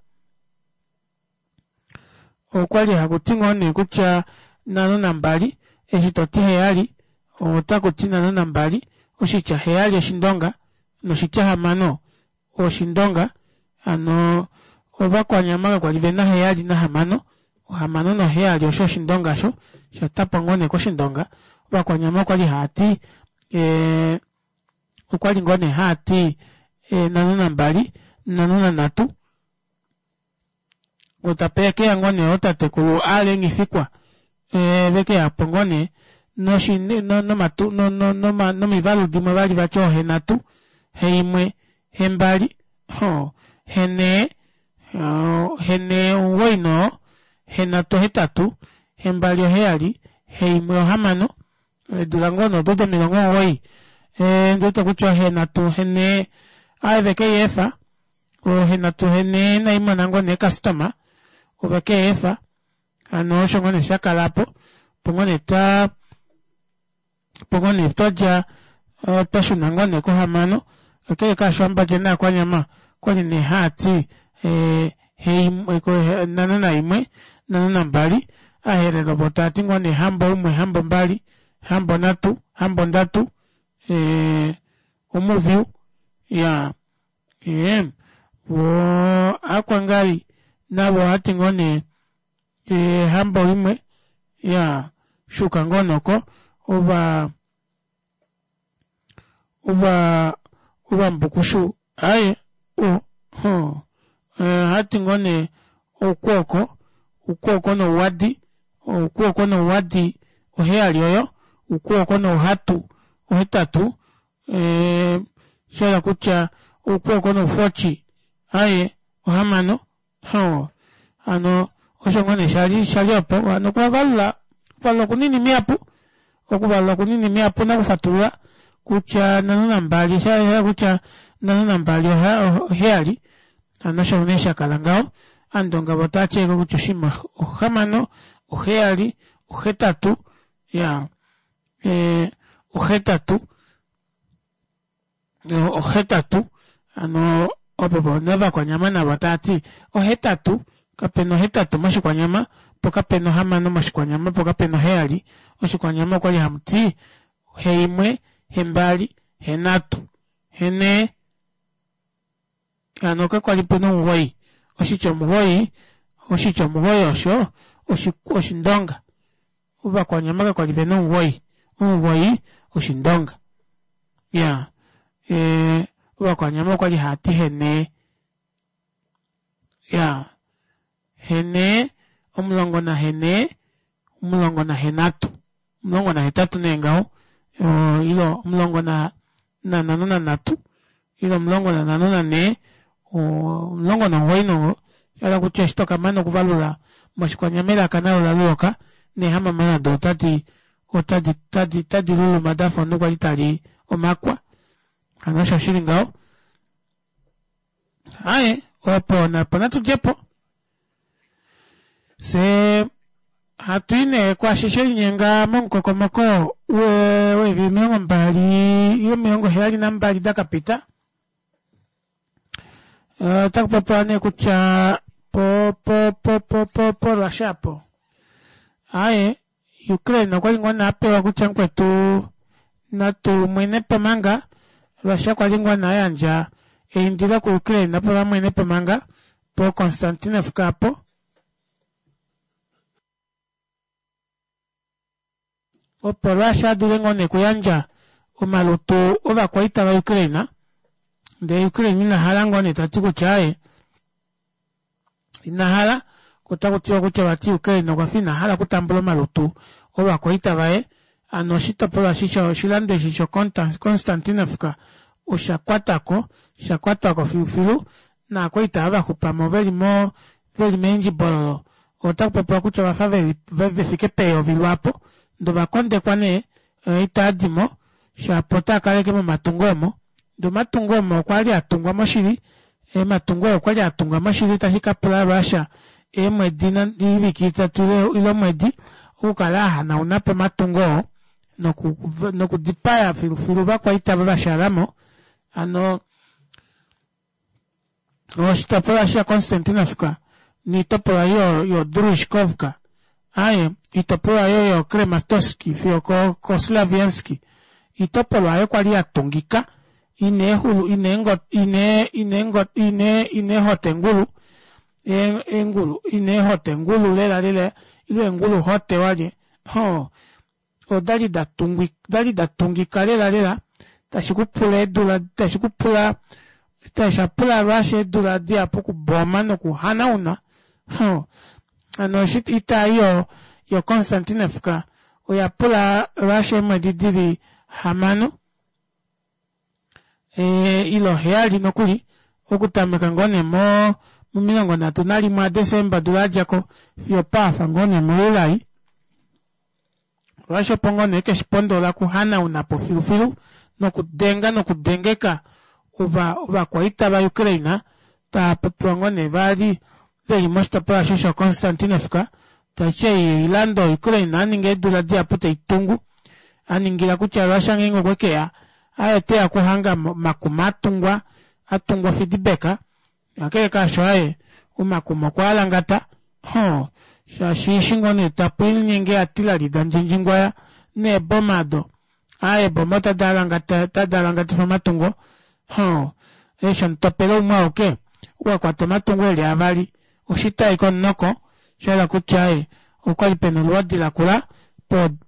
okwali haku ti ngoo nee kutya nhano nambali, eshi to ti heyali otaku ti nhano nambali, oshitya heyali oshindonga noshitya hamano oshindonga, hano ovakwanyama kakwali ve na heyali nahamano, ohamano noheyali osho oshindonga osho, sha tapwa ngoo nee koshindonga, ovakwanyama okwali hava ti ee okwali ngoo nee haa ti nhano nambali, nhano nanhatu. Otape ke ya ngoo nee ootatekulu Aale Nghifikwa ve ke ya po ngoo nee noshi nomatu nomivalu dimwe vali vati oohenhatu, heimwe, hembali, hoo, henhee, henhee omugoyi noo, henhatu ohetatu, hembali oheyali, heimwe ohamano. Eedula ngoo nee odo domilongo omuwoi, ndi wete kutya ohenhatu, ohenhee, aaye veke i efa. Oohenatu henee inaimona ngoo nee ecustoma ovekeefa hano osho ngoo nee shakala aapo opo ngoo nee twaa opo ngoo nee twadja twashuna ngoo nee kohamano kakele kaasho Aambandja naakwanyama okwali nee haati heimwe nhano naimwe nhano nambali aaherero voo taati ngoo nee hambo umwe hambo mbali hambo nhatu hambo ndatu omuviyu iyaa ee voo aakwangali navo ohaati ngoo nee hambo imwe iyaa shuuka ngoo nee oko ovaa ovaa ovambukushu aaye ohoo ohaati ngoo nee oukwooko oukwooko nouwadi oukwooko nouwadi oheyali oyo oukwooko nouhatu ohetatu shahala kutya oukwooko noufotyi aaye ohamano hoo hano osho ngoo nee shali shali opo hano okuvalula okuvalula okunini mihapu okuvalula okunini mihapu nakufatulula kutya nhano nambali oshahala kutya nhano nambali oheyali hano osho nee shakala ngaho aandonga voo otaati ashike kutya oshinima ohamano oheyali ohetatu iyaa ohetatu ohetatu hano opo novakwanyama navo taati ohetatu kapena ohetatu moshikwanyama poo kapena ohamano moshikwanyama poo kapena oheyali moshikwanyama okwali hamuti heimwe hembali henhatu henee hano kakwali pena omugoyi oshitya omugoyi oshitya omugoyi osho oshindonga ovakwanyama kakwali vena omugoyi omugoyi oshindonga iyaa ovakwanyama okwali haati henee iyaa henee omulongo nahenee omulongo nahenhatu omulongo nahetatu nee ngaho ile omulongo nanhano nanhatu ile omulongo nanhano nanhee omulongo nomugoyi shahala kutya eshi tokamana okuvalula moshikwanyama elaka nalo olaloloka neehamama nado otadi otadi otadi luluma dafa omunhu kwali tali omakwa hano osho shili ngaho aaye opo napo natudjepo fyee hatui nee kwaashi shelinyenga momukokomoko weevili 20 ile 72 dakapita otaku popiwa nee kutya po po po po po po Russia apo aaye Ukraine okwali ngoo nee apewa kutya mukwetu natu mwenepo manga Russia kwali ngoo nee ayandja eindilo ku Ukraine opo vamwenepo manga po Konstantinovka apo. Opo Russia adule ngoo nee okuyandja omalutu ovakwaita va Ukraine ndee Ukraine ina hala ngoo nee tati kutya aaye ina hala otaku tiwa kutya vati Ukraine okwa fa ina hala okutambula omalutu ovakwaita vaye hano oshitopolwa eshi oshilando eshi sho Konstantinovka osha kwatako sha kwatwako filufilu naakwaita ava vaxupamo veli mo veli meendjibololo otaku popiwa kutya ovafa veli vefike peyovi lwaapo ndee ovakondekwa nee itaadimo shapo otaa kaleke momatungo omo ndee omatungo omo okwali atungwa moshili Ematungo oo okwali atungwa moshili tashi ka pula Russia eemwedi oivike itatu ile omwedi okukala ahanauna po omatungo oo noku nokudipaya filufilu ovakwaita ava vashalamo hano oshitopolwa sha Konstantinovka niitopolwa yo yo Druzhkovka aaye iitopolwa yo yo Krematorsk fiyo ko ko Slaviansk iitopolwa oyo kwali yatungika ina eehulu ina eengo ina ina eengo ina ina eehotengulu eengulu ina eehotengulu lela lela ile eengulu hote walye hoo odali da tungwi dali da tungika lela lela tashi ku pula eedula tashi ku pula sha pula Russia eedula dihapu okuboma nokuhanauna hoo hano eshi oita ei yo yo Konstantinovka oya pula Russia eemwedi dili hamano ile oheyali nokuli okutameka ngoo nee mo 31 aDesemba odula yadjako fiyo paafa ngoo nee muJuli Russia opo ngoo nee keshipondola okuhanauna po filufilu nokudenga nokudengeka ovakwaita vaUkraine. Taapopiwa ngoo nee vali veli moshitopolwa osho sho Konstantinovka, tashi ei oilando Ukraine aninga eedula dihapu taitungu aningila kutya Russia ngeenge okwekeya aye oteya okuhanga omakuma atungwa atungwa ofidibeka kakele kaasho aye omakuma okwaalangata hoo shaashi eshi ngoo nee tapu linyenge atilali dandjindjingwaya neeboma ado aaye eeboma otadi alangatifa omatungo hoo eshi omutopelo umwe auke wakwata omatungo eli avali oshita ashike omunoko shahala kutya aaye okwali pena olwoodi lakula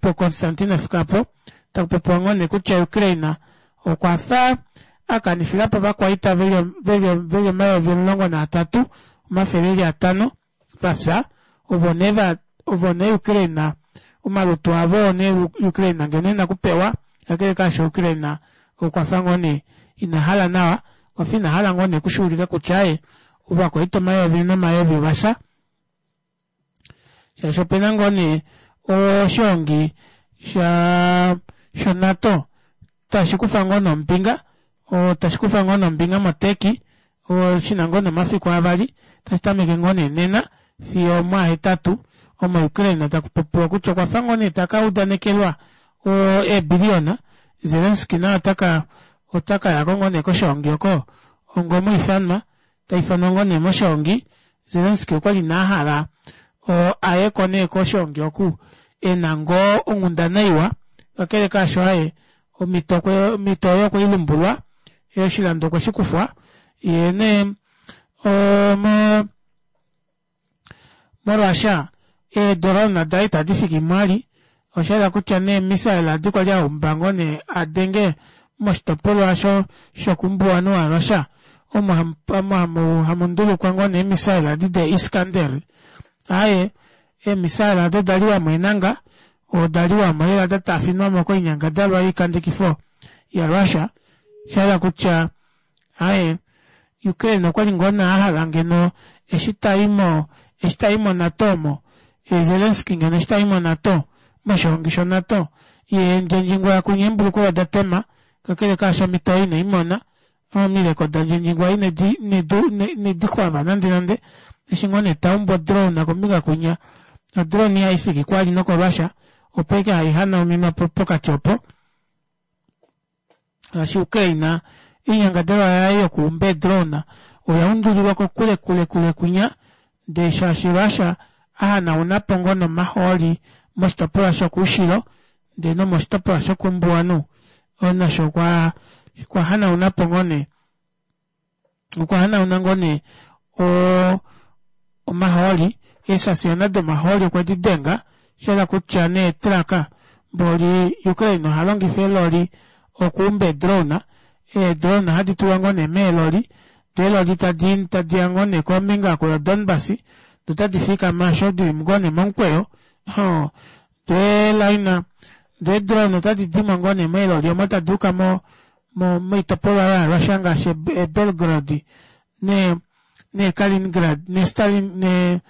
po Konstantinovka apo takupopiwa ngoo nee kutya Ukraine okwafa akanifilapo ovakwaita veli 13500 vafya ovo nee va ovo nee Ukraine omalutu avo oo nee Ukraine ngeno ena okupewa kakele kaasho Ukraine okwafa ngoo nee ina hala nawa okwafa ina hala ngoo nee okushuulika kutya aaye ovakwaita omayovi nomayovi ovafya shaashi opena ngoo nee oshoongi sha shoNATO tashi kufa ngoo nee ombinga tashi kufa ngoo nee ombinga moTurkey shina ngoo nee omafiku avali tashi tameke ngoo nee nena fiyo omwaahetatu omo Ukraine taku popiwa kutya okwafa ngoo nee taka udanekelwa eebiliyona Zelensky naye otaka otaka yako ngoo nee koshoongi oko onga omwiifanwa taifanwa ngoo nee moshoongi Zelensky okwali nee ahala ayeko nee koshoongi oku ena ngoo onghundana iwa kakele kaasho aye omhito omhito oyo okweilumbulwa oshilando okwe shikufwa yee nee omo molwaasha eedolona daye itadi fiki mwali oshayela kutya nee missile adi kwali aumba ngoo nee adenge moshitopolwa sho shokumbuwanhu waRussia omo omo hamu ndulukwa ngoo nee missile adi de Iskander aaye eemissile ado odali wamo enanga odali wamo lela da taafinwamo koinyangadalwa yoikandekifo yaRussia shayela kutya Aaye, Ukraine okwali ngoo nee ahala ngeno eshi tai mo eshi tai moNATO omo, Zelensky ngeno eshi tai moNATO, moshoongi shoNATO, yee Ndjendjingwa kunya eembulukweya oda tema, kakele kaasho omhito oyo inei mona, omileko daNdjendjingwa inedi inedi xwava nande nande, eshi ngoo nee taumbu odrone kombinga kunya, odrone ihaifiki kwali nokoRussia, opo ashike haihanaunina pokati opo. Ngaashi Ukraine, oinyangadalwa yaye yokuumba eedrone oya undulilwa kokule kule kule kwinya, ndee shaashi Russia a hanauna po ngoo nomahooli moshitopolwa shokoushilo ndee nomoshitopolwa shokoumbuwanhu nasho okwa okwa hanauna po ngoo nee okwa hanauna ngoo nee o omahooli eesasiona domahooli okwe di denga shayela kutya neetraka mboli Ukraine oha longifa eeloli okuumba eedrone eedrone ohadi tulwa ngoo nee meeloli doo eeloli tadi tadiya ngoo nee kombinga oku yoDonbas doo otadi fikama osho dili ngoo nee momukweyo hoo doo eelaina doo eedrone otadi dimo ngoo nee meeloli omo tadi uka mo moitopolwa yaRussia ngaashi eBelgorod ne neKaliningrad neStalin ne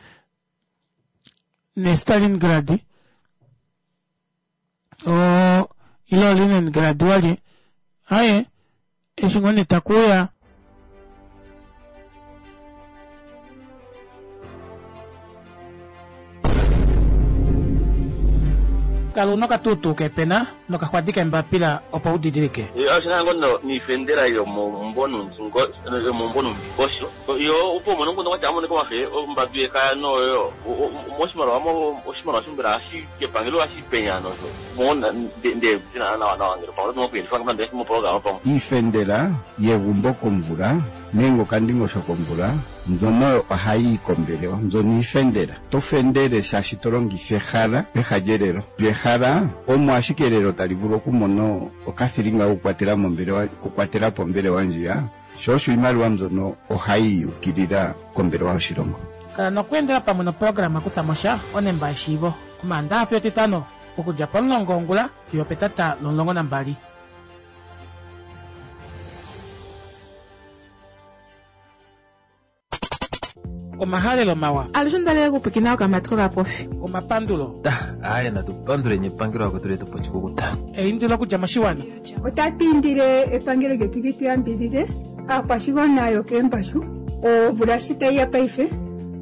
neStalingrad o ile Leningrad walye aye eshi ngoo nee takuuya Kala una okatuutuu keepena nokaxwadi keembapila opo u didilike. Oshina ngo no niifendela yomomumvo yomomumvo nuundingosho yo opo umone omukundu kwatya amonike omafe ombambi yekaya noyo moshimaliwa mo oshimaliwa shombela hashi kepangelo hashi penya nosho mo nde nawa nawa ngele pamwe oto okuyelifa nande moprograma pamwe. Iifendela yegumbo komvula nenge okandingosho komvula mbyono oyo ohayi yi kombelewa. Mbyono iifendela. To fendele shaashi to longitha ehala peha lyelelo. Lyo ehala omo ashike elelo tali vulu okumona okathilinga kokukwatela mombelewa, okukwatela po ombelewa ndjiya, sho osho iimaliwa mbyono ohayi yi ukilila kombelewa yoshilongo. Kala nokweendela pamwe noprograma Kutha mo sha, onemba yeshiivo, Omaandaha fiyo Etitano, okudja pomulongo wongula fiyo opetata lomulongo nambali. Omahalelo mawa. Alushe onda lela okupwiikina okamati kokapofi. Omapandulo. Aaye natu panduleni epangelo lakwetu letu po oshikukuta. Eindilo okudja moshiwana. Otatu indile epangelo lyetu li tu yambidhidhe aakwashigwana yokeembashu. Omvula shi tayi ya paife,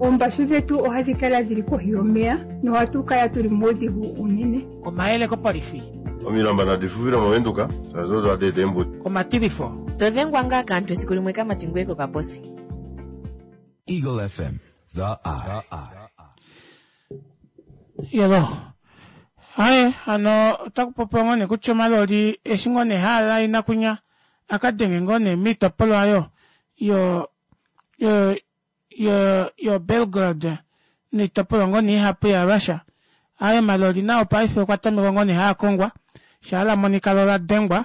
oombashu dhetu ohadhi kala dhili kohi yomeya nohatu kala tuli muudhigu uunene. Omayele kopolifi. Omilamba nadi fuvile mOvenduka, shaashi odo hadi eta eembudi. Omatilifo. To dhengwa ngaa kaantu esiku limwe kamati ngoye kokaposi. Eagle FM, the eye. Yelo. Aye, hano otaku popiwa ngoo nee kutya omaloli eshi ngoo nee haa laina kwinya a ka denge ngoo nee moitopolwa oyo yo yo yo yo Belgorod noitopolwa ngoo nee ihapu ya Russia. Aye omaloli nao paife okwa tamekwa ngoo nee haa kongwa shaa la monika lo la dengwa.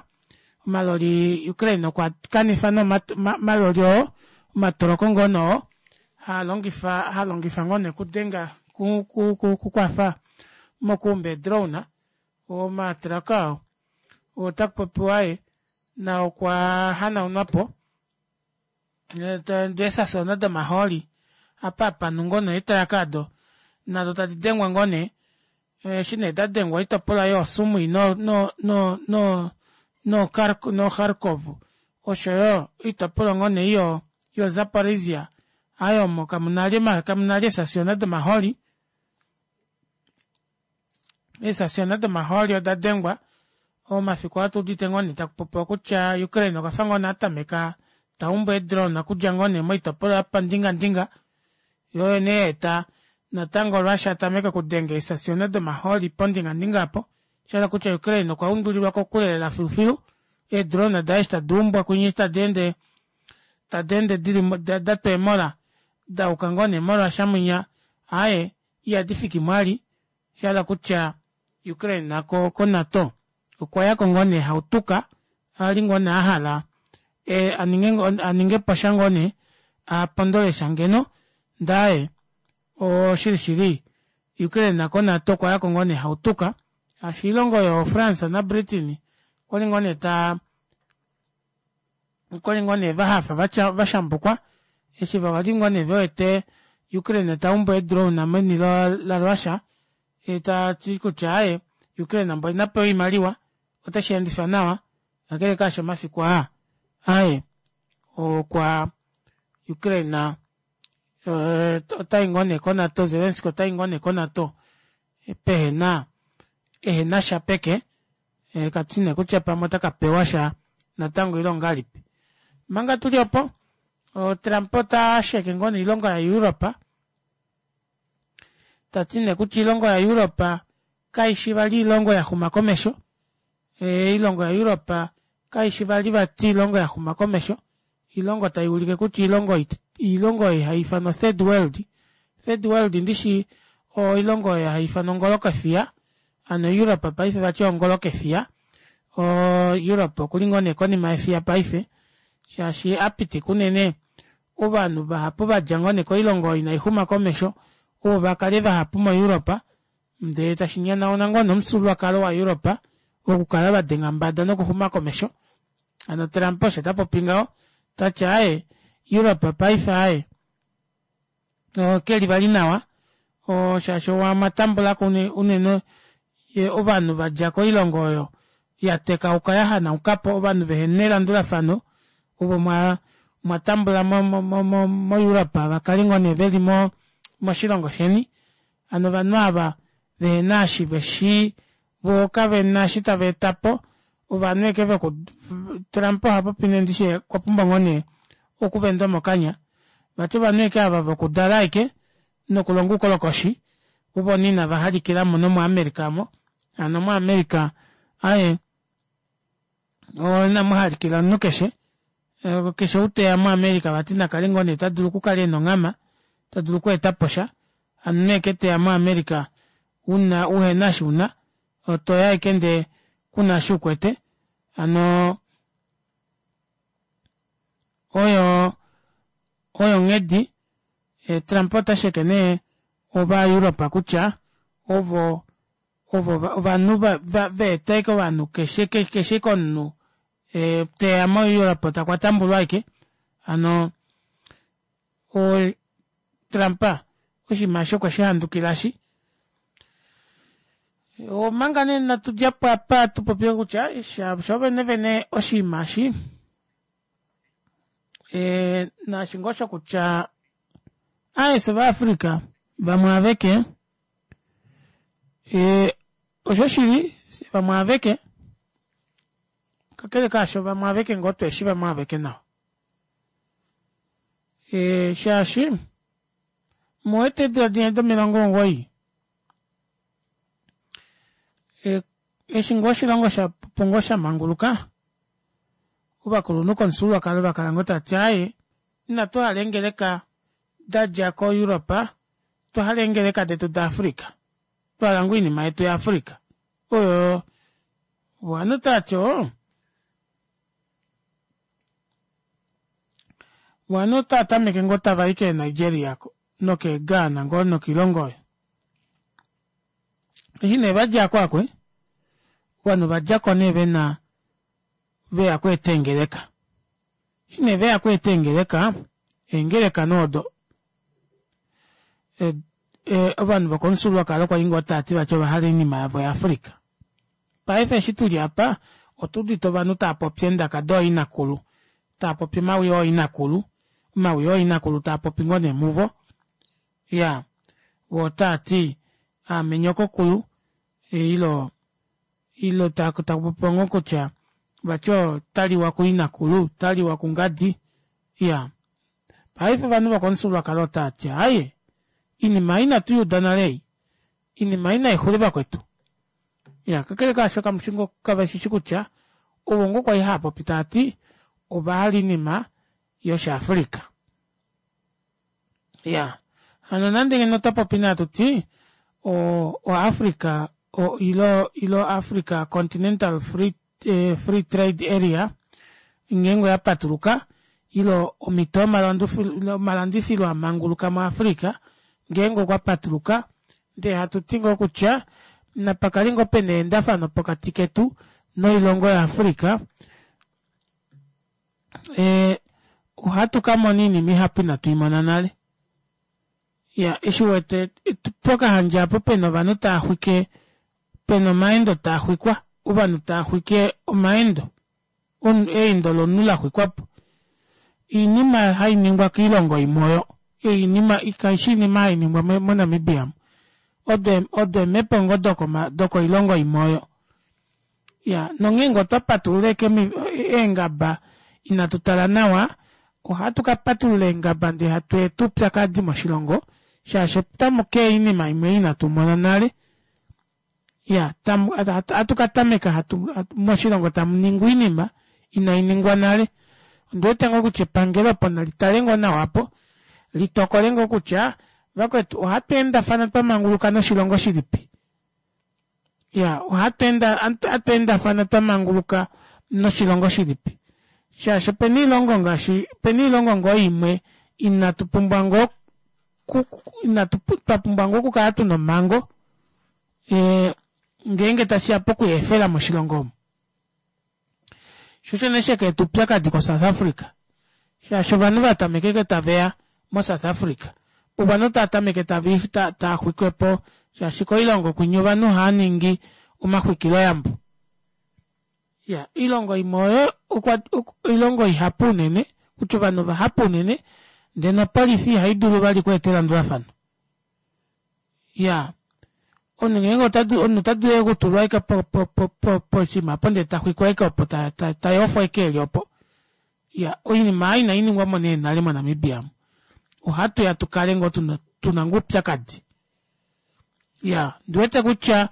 Omaloli Ukraine okwa kanifa nee omaloli oo omatoloko ngoo nee oo haa longifa ha longifa ngoo nee okudenga ku ku ku kukwafa mokuumba eedrone omatraka oo otaku popiwa aye nao okwa hanaunwa po eesasiona domahooli apa hapa nu ngoo nee eetraka odo nado tadi dengwa ngoo nee eshi nee dadengwa oitopolwa yooSumui no no no no no Kharkov oshoyo oitopolwa ngoo nee yo yo Zaporizhia aayo omo kamuna li eesasiona domahooli Eesasiona domahooli oda dengwa omafiku aa tuudite ngoo nee taku popiwa kutya Ukraine okwafa ngoo nee atameka taumbu eedrone okudja ngoo nee moitopolwa yopandingandinga yoo oyo nee yaeta natango Russia atameke okudenga eesasiona domahooli pondingandinga opo shahala kutya Ukraine okwa undulilwa kokule lela filufilu eedrone daye eshi tadi umbwa kunye eshi tadi ende tadi ende dili datwa eemola dauka ngoo nee moRussia mwinya aaye ihadi fiki mwali Sha hala kutya Ukraine nako ko NATO okwa yako ngoo nee hautuka ali ngoo nee ahala e, aninge, aninge po sha ngoo nee apondole sha ngeno ndaaye oshili shili Ukraine nako NATO okwa yako ngoo nee hautuka shaashi oilongo yo France na Britain okwali ngoo nee taa okwali ngoo nee vahafa vatya vashambukwa eshi vali ngoo nee vewete Ukraine ta umbu eedrone meni laRussia ta ti kutya aaye Ukraine mboli na pewe oimaliwa oteshi endifa nawa kakele kaasho omafiku aa aaye okwa Ukraine otai ngoo nee koNato Zelensky otai ngoo nee koNato pehena ehena sha peke Eh, katu nee kutya pamwe ota ka pewa sha natango ile ongalipi. Manga tuli opo, Trump ota sheke ngoo nee oilongo yaEurope, ta ti nee kutya oilongo yaEurope kai shi vali oilongo ya xuma komesho. Eh, oilongo yaEurope kai shi vali vati oilongo ya xuma komesho. Oilongo tai ulike kutya oilongo oilongo oyo hai ifanwa third world. Third world ndishi oilongo oyo hai ifanwa ongolokefiya. Hano Europe paife vati ongolokefiya. O Europe okuli ngoo nee konima yefiya paife. Shaashi a pitika unene ovanhu vahapu vadja ngoo nee koilongo oyo inai xuma komesho ovo va kale vahapu moEurope ndee tashi nyanauna ngoo nee omufyuululwakalo waEurope wokukala va denga mbada nokuxuma komesho. Hano Trump osho ta popi ngaho, ta ti aaye Europe paife aaye ke li vali nawa shaashi omwa tambula ko unene ovanhu va dja koilongo oyo ya tekauka ya hanauka po, ovanhu vehe na elandulafano ovo mwa mwa tambula moEurope va kale ngoo nee ve li moshilongo sheni. Hano ovanhu ava vehe na eshi ve shii Voo kave na eshi tava eta po, ovanhu eke veku Trump oha popi nee ndishi okwa pumbwa ngoo nee okuvendwa mokanya. Vati ovanhu eke ava vokudala aike nokulonga oukolokoshi ovo nee inava halikilamo nomoAmerica mo. Hano moAmerica aaye inamu halikila omunhu keshe. Keshe ou teya moAmerica vati nakale ngoo nee ta dulu okukala ena onghama, ta dulu okweeta po sha. Hano nee ke teya moAmerica una uhena eshi una, otoya ashike ndee kuna eshi ukwete. Hano oyo oyo onghedi Trump ota sheke nee ovaEurope kutya ovo ovo ovanhu va eta ashike ovanhu keshe keshe komunhu teya moEurope takwa tambulwa ashike. Hano Trump oshinima eshi okwe shi handukila shi. Omanga nee natu dja po apa tu popye kutya sho vene vene oshinima eshi. E, naashi ngoo shokutya aye vaAfrica vamwe aveke e, oshoshili vamwe aveke kakele kaasho vamwe aveke ngoo tweeshi vamwe aveke nawa e, shaashi muwete eedula dinya do90 e, eshi ngoo oshilongo shapupu ngoo shamanguluka ovakulunhu komufyuululwakalo vakala ngoo tati aaye inatu hala eengeleka dadja ko Europe otwa hala eengeleka detu da Africa twahala ngoo oinima yetu ya Africa oyo ovanhu tati oo ovanhu otava tameke ngoo tavai kee Nigeria nokee Ghana ngoo nokoilongo oyo eshi nee vadjako akwe ovanhu vadjako nee vena veya kweeta eengeleka eshi nee veya kweeta eengeleka eengeleka nee odo e, e, ovanhu vokomufyuululwakalo kwali ngoo tava ti vati ovahala oinima yavo yaAfrica paife eshi tuli apa otuudite ovanhu tava popi eendaka dooinakulu tava popi omawi ooinakulu omawi ooinakulu taa popi ngoo nee muvo ya voo taa ti aame nyokokulu ilo ilo takupopiwa ngoo kutya vati otaliwa kuinakulu otaliwa kungadi iya paife ovanhu vokomufyuululwakalo otava ti aaye inima ei inatu yuuda nale ei inima ei naixule vakwetu ya kakele kaasho kamushi ngoo kaveshishi kutya ovo ngoo kwali hava popi tava ti ovahala oinima yoshiAfrica ya hano nande ngeno otwa popi nee hatuti o oAfrica o ilo ilo Africa Continental Free, eh, Free Trade Area ngeenge oya patuluka ilo omhito yomalandifilo a manguluka muAfrica ngeenge okwa patuluka ndee hatu ti ngoo kutya napa kale ngoo pena eendafano pokati ketu noilongo yaAfrica e, ohatu ka mona oinima ihapu inatu i mona nale ya eshi wete pokahandja apo pena ovanhu tava xwike pena omaendo taa xwikwa ovanhu tava xwike omaendo eindo lomunhu la xwikwapo oinima hai ningwa koilongo imwe oyo oinima kaishi oinima hai ningwa moNamibia odo odo eemhepo ngoo dokoilongo imwe oyo ya nongeenge otwa patulula eke eengaba inatu tala nawa ohatu ka patulula eengaba ndee hatu eta oupyakadi moshilongo shaashi otamu keya oinima imwe inatu mona nale ya ohatu ka tameka hatu moshilongo tamu ningwa oinima inai ningwa nale ondi wete ngoo kutya epangelo opo nali tale ngoo nawa apo litokole ngoo kutya vakwetu ohatu endafana twa manguluka noshilongo shilipi ya ohatu endafana twa manguluka noshilongo shilipi shaashi opena oilongo ngaashi opena oilongo ngoo imwe inatu pumbwa ngoo inatu twa pumbwa ngoo okukala tuna omhango e, ngeenge tashiya pokuyeefela moshilongo omu sho osho nee sheka eta oupyakadi koSouth Africa shaashi ovanhu vatameka eke taveya moSouth Africa ovanhu tava tameke tava xwikwepo shaashi koilongo kwinya ovanhu ohava ningi omaxwikiloyambo ya oilongo imwe oyo oilongo ihapu unene kutya ovanhu vahapu unene ndee nopolifi ihai dulu vali okweeta elandulafano ya omunhu ngeenge omunhu ota dulu okutulwa ashike poshinima opo ndee taxwikwa ashike opo tayofwa ashike eli opo ya oinima ei inai ningwamo nee nale moNamibia omu ohatu ya tukale ngoo tuna ngoo oupyakadi ya ndiwete kutya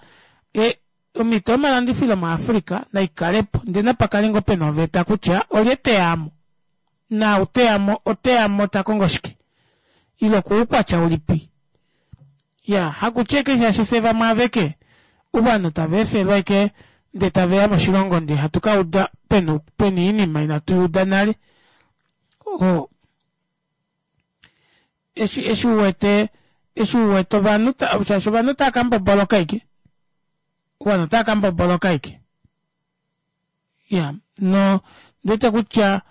e, omhito yomalandifilo muAfrica naikalepo ndee napakale ngoo pena oveta kutya olye teyamo naau teyamo oteyamo takongo shike ile okuukwatya ulipi ya hakutya eke shaashi fye vamwe aveke ovanhu tava efelwa eke ndee taveya moshilongo ndee hatu ka uda pena pena oinima inatu yuuda nale o eshi eshi uwete eshi uwete ovanhu shaashi ovanhu otava ka mboboloka eke ovanhu otava ka mboboloka eke ya no ndiwete kutya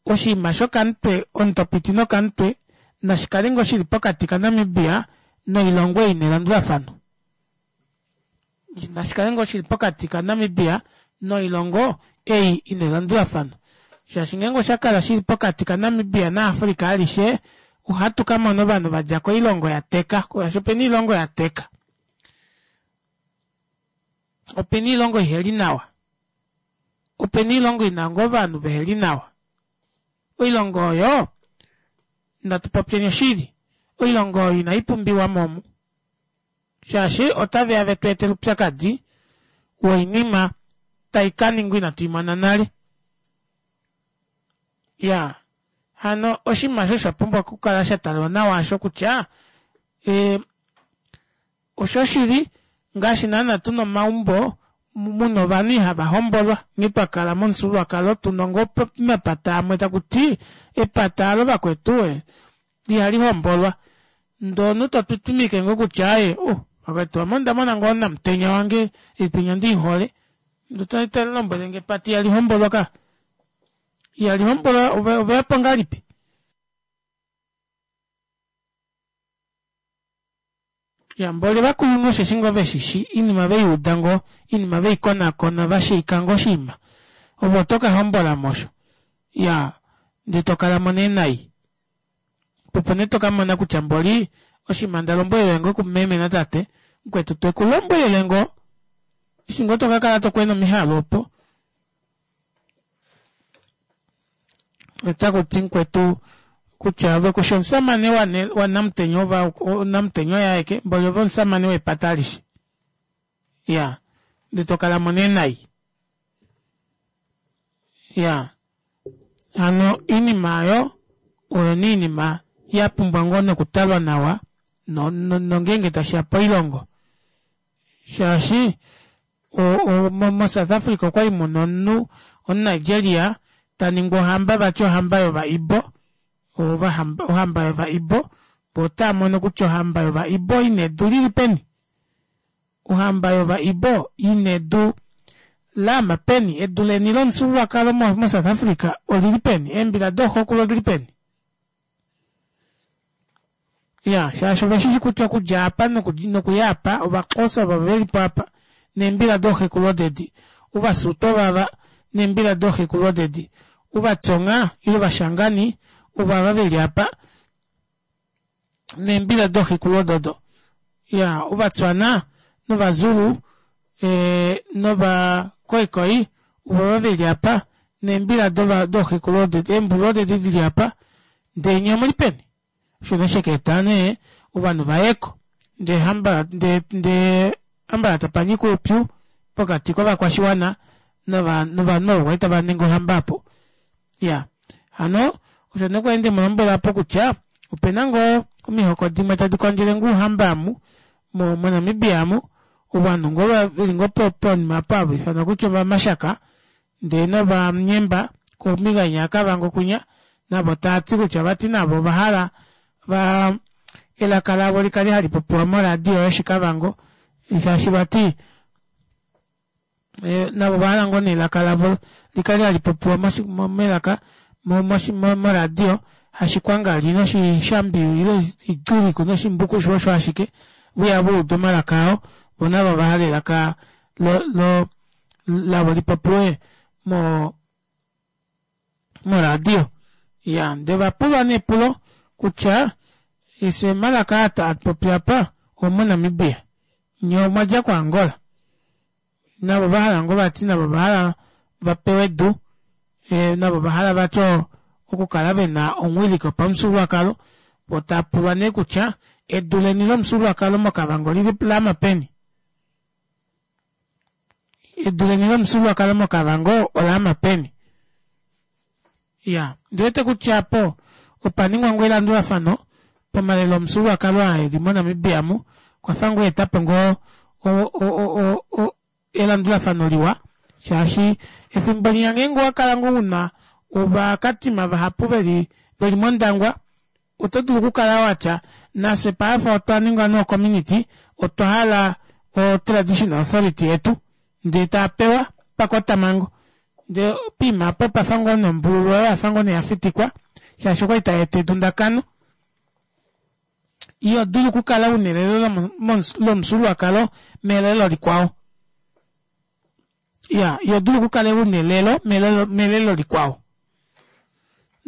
oshinima shokamutwe omutopiti nokamutwe nashi kale ngoo shili pokati kaNamibia noilongo ei ina elandulafano nashi kale ngoo shili pokati kaNamibia noilongo ei ina elandulafano. Shaashi ngeenge osha kala shili pokati kaNamibia naAfrica alishe, ohatu ka mona ovanhu va dja koilongo ya teka, shaashi opena oilongo ya teka. Opena oilongo iheli nawa. Opena oilongo ina ngoo ovanhu veheli nawa. Oilongo oyo, natu popyeni oshili, oilongo oyo inai pumbiwa mo omu. Shaashi otave ya vetu etele oupyakadi woinima tai ka ningwa inatu i mona nale. Ya, hano oshinima osho sha pumbwa okukala sha talwa nawa osho kutya e, oshoshili ngaashi naana tuna omaumbo muna ovanhu ihava hombolwa nghee twa kala momufyuululwakalo tuna ngoo mapata amwe taku ti epata alo vakwetu e, ihali hombolwa ndee omunhu to twitwimike ngoo kutya aaye oh vakwetu ame onda mona ngoo namutenya wange oipinya ondiihole ndee to lombwelenge epata ihali hombolwa ka ihali hombolwa oveyapo ngahelipi Ya mboli ovakulunhu osheshi ngoo veshishi iinima veiuda ngoo iinima veikonakona vashiika ngoo oshinima ove oto ka hombolamo osho ya ndee tokalamo nee nai opo nee tokamona kutya mboli oshinima ndalombwelele ngoo kumeme natate mukwetu twekulombwelele ngoo eshi ngoo tokakala tokwena omihalu opo otaku ti mukwetu kutya ove kushi omusamane wanamutenya ova namutenya oye aeke mboli ove omusamane wepata alishe ya ndee to kala mo nee nai ya hano iinima oyo oyo nee iinima ya pumbwa ngoo nokutalwa nawa nongeenge tashiya poilongo shaashi moSouth Africa okwali muna omunhu omuNigeria ta ningwa ohamba vati ohamba yOvaibo ohamba yOvaibo vo otava mono kutya ohamba yOvaibo ina edu lili peni ohamba yOvaibo ina edu laama peni edu leni lomufyuululwakalo moSouth Africa olili peni eembila dooxokulu odili peni Ya, shaashi ove shi shi kutya okudja apa nokuya apa, Ovaxhosa ovo ve li po apa, neembila dooxekulu odedi. Ovasutu ovava, neembila dooxekulu odedi. Ovatsonga, ile Ovashangani, ovava ve li apa, neembila dooxekulu ododo. Ya, Ovatswana, nOvazulu, e, nOvakoikoi, ovava ve li apa, neembila dooxekulu odedi, eembulu odedi di li apa. Ndee nye omu li peni? Osho nee sheka eta nee ovanhu va yeko ndee hamba ndee ndee hambala tapa nyika oupyu pokati kovakwashiwana nova novanhu ovo kwali tava ningi ohamba apo. Ya hano osho nee kwali ndemu lombwela apo kutya opena ngoo omihoko dimwe tadi kondjele ngoo ouhamba amu mo moNamibia amu ovanhu ngoo veli ngoo ponima apo hava ifanwa kutya ovamashaka Ndee novanyemba kombinga inya yaKavango kwinya navo tava ti kutya vati navo ova hala va elaka lavo li kale hali popiwa moradio yOshikavango shaashi vati e, navo ova hala ngoo nee elaka lavo li kale hali popiwa melaka moradio hashikwangali noshishambi ile igiriku noshimbukushu osho ashike vuya va uda omalaka ao vo navo ova hala elaka lo, lo lavo li popiwe mo moradio ya nde va pulwa nee epulo kutya ese omalaka aa taa popi apa omoNamibia nye omwa dja koAngola navo va hala ngoo vati navo va hala va pewe edu e, navo va hala vati okukala ve na omuwiliki wopamufyuululwakalo vo tava pulwa nee kutya edu leni lomufyuululwakalo moKavango lili lama peni Edu leni lomufyuululwakalo moKavango ola ama peni? Ya, ndi wete kutya apo opa ningwa ngoo elandulafano pomalelo omufyuululwakalo aa eli moNamibia mu, okwa fa ngoo eta po ngoo elandulafano liwa shaashi efimbo linya ngeenge owa kala ngoo una ovakatima vahapu veli veli mOndangwa Oto dulu okukala wa tya, Nafye paife otwa ninga nee-community, otwa hala o-traditional authority yetu, ndee taa pewa pakotamhango. Ndee poima apa opa fa ngoo nee ombululu oyo oya fa ngoo nee ya fitikwa, shaashi okwali tai eta edundakano. Iho dulu okukala una elelo lomufyuululwakalo melelo likwao. Ya, iho dulu okukala una elelo melelo likwao.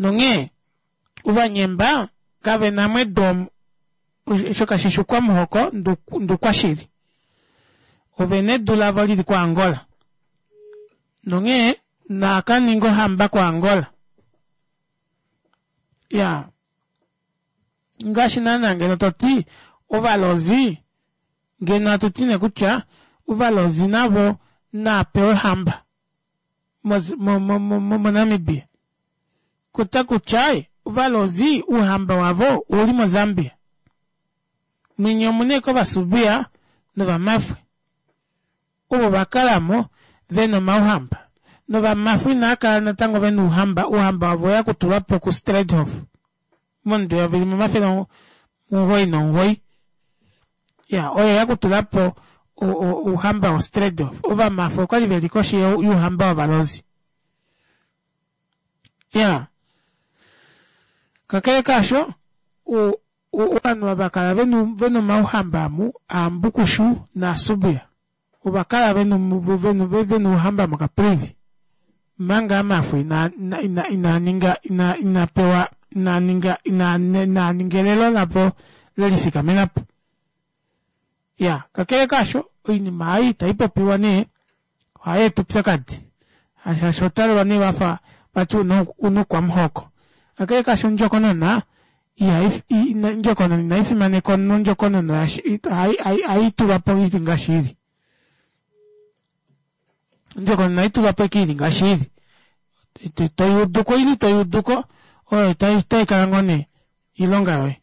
Nonghee Ovanyemba kave na mo edu omu, osho kashi shi oukwamuhoko ndee oukwashili. Ove na edu lavo li li koAngola. Nonghee naa ka ninge ohamba koAngola. Iyaa, ngaashi naana ngeno to ti Ovalozi, ngeno hatu ti nee kutya Ovalozi navo naa pewe ohamba. moNamibia kuta kutya ovalozi ouhamba wavo ouli moZambia. Mwinya omuna ashike ovasubia novamafwe ovo vakalamo vena omauhamba novamafwe inavakala natango vena ouhamba, ouhamba wavo oweya okutulwapo kuStraithof momudo eyovi limwe 909 ya oye ya kutulapo ouhamba woStraithof. Ovamafwe okwali veli koshi youhamba wovalozi. Ya kakele kaasho ovanhu ava kala vena omauhamba amu aambukushu naasubia. Ova kala vena ouhamba moCaprivi omanga Amafwe ina ina ina ninga ina ina pewa ina ninga ina ina ninga elelo lavo lelifikamena po. Ya kakele kaasho oinima ei taipopiwa nee ohai eta oupyakadi shaashi oto talelwa nee wafa vati una oukwamuhoko. Kakele kaasho ondjokonona ondjokonona inai fimaneka omunhu ondjokonona ohai tulwa po ili ngaashi ili. Ondjokonona ohai tulwa po ashike ili ngaashi ili. Toyuuduko ile itoyuuduko oyo otaikala ngoo nee oilonga yoye.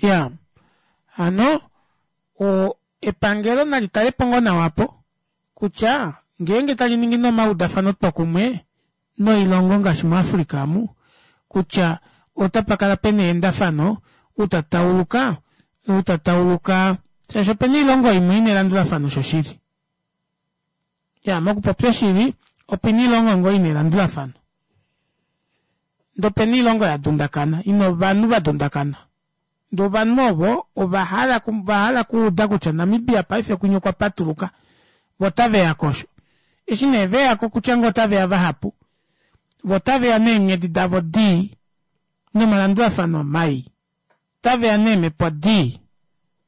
Iyaa hano epangelo nali talepo ngoo nawa opo kutya ngeenge tali ningi nee omaudafano twokumwe noilongo ngaashi muAfrica omu kutya otapa kala pena eendafano ou ta tauluka ou ta tauluka shaashi opena oilongo imwe ina elandulafano shoshili. Ya mokupopya oshili opena oilongo ngoo ina elandulafano ndee opena oilongo ya dundakana ina ovanhu va dundakana. Ndee ovanhu ovo ova hala va hala okuuda kutya Namibia paife kwinya okwa patuluka vo otave ya ko osho. Eshi nee ve ya ko kutya ngoo otave ya vahapu vo otave ya neenghedi davo dii nomalandulafano mai. Otave ya neemhepo dii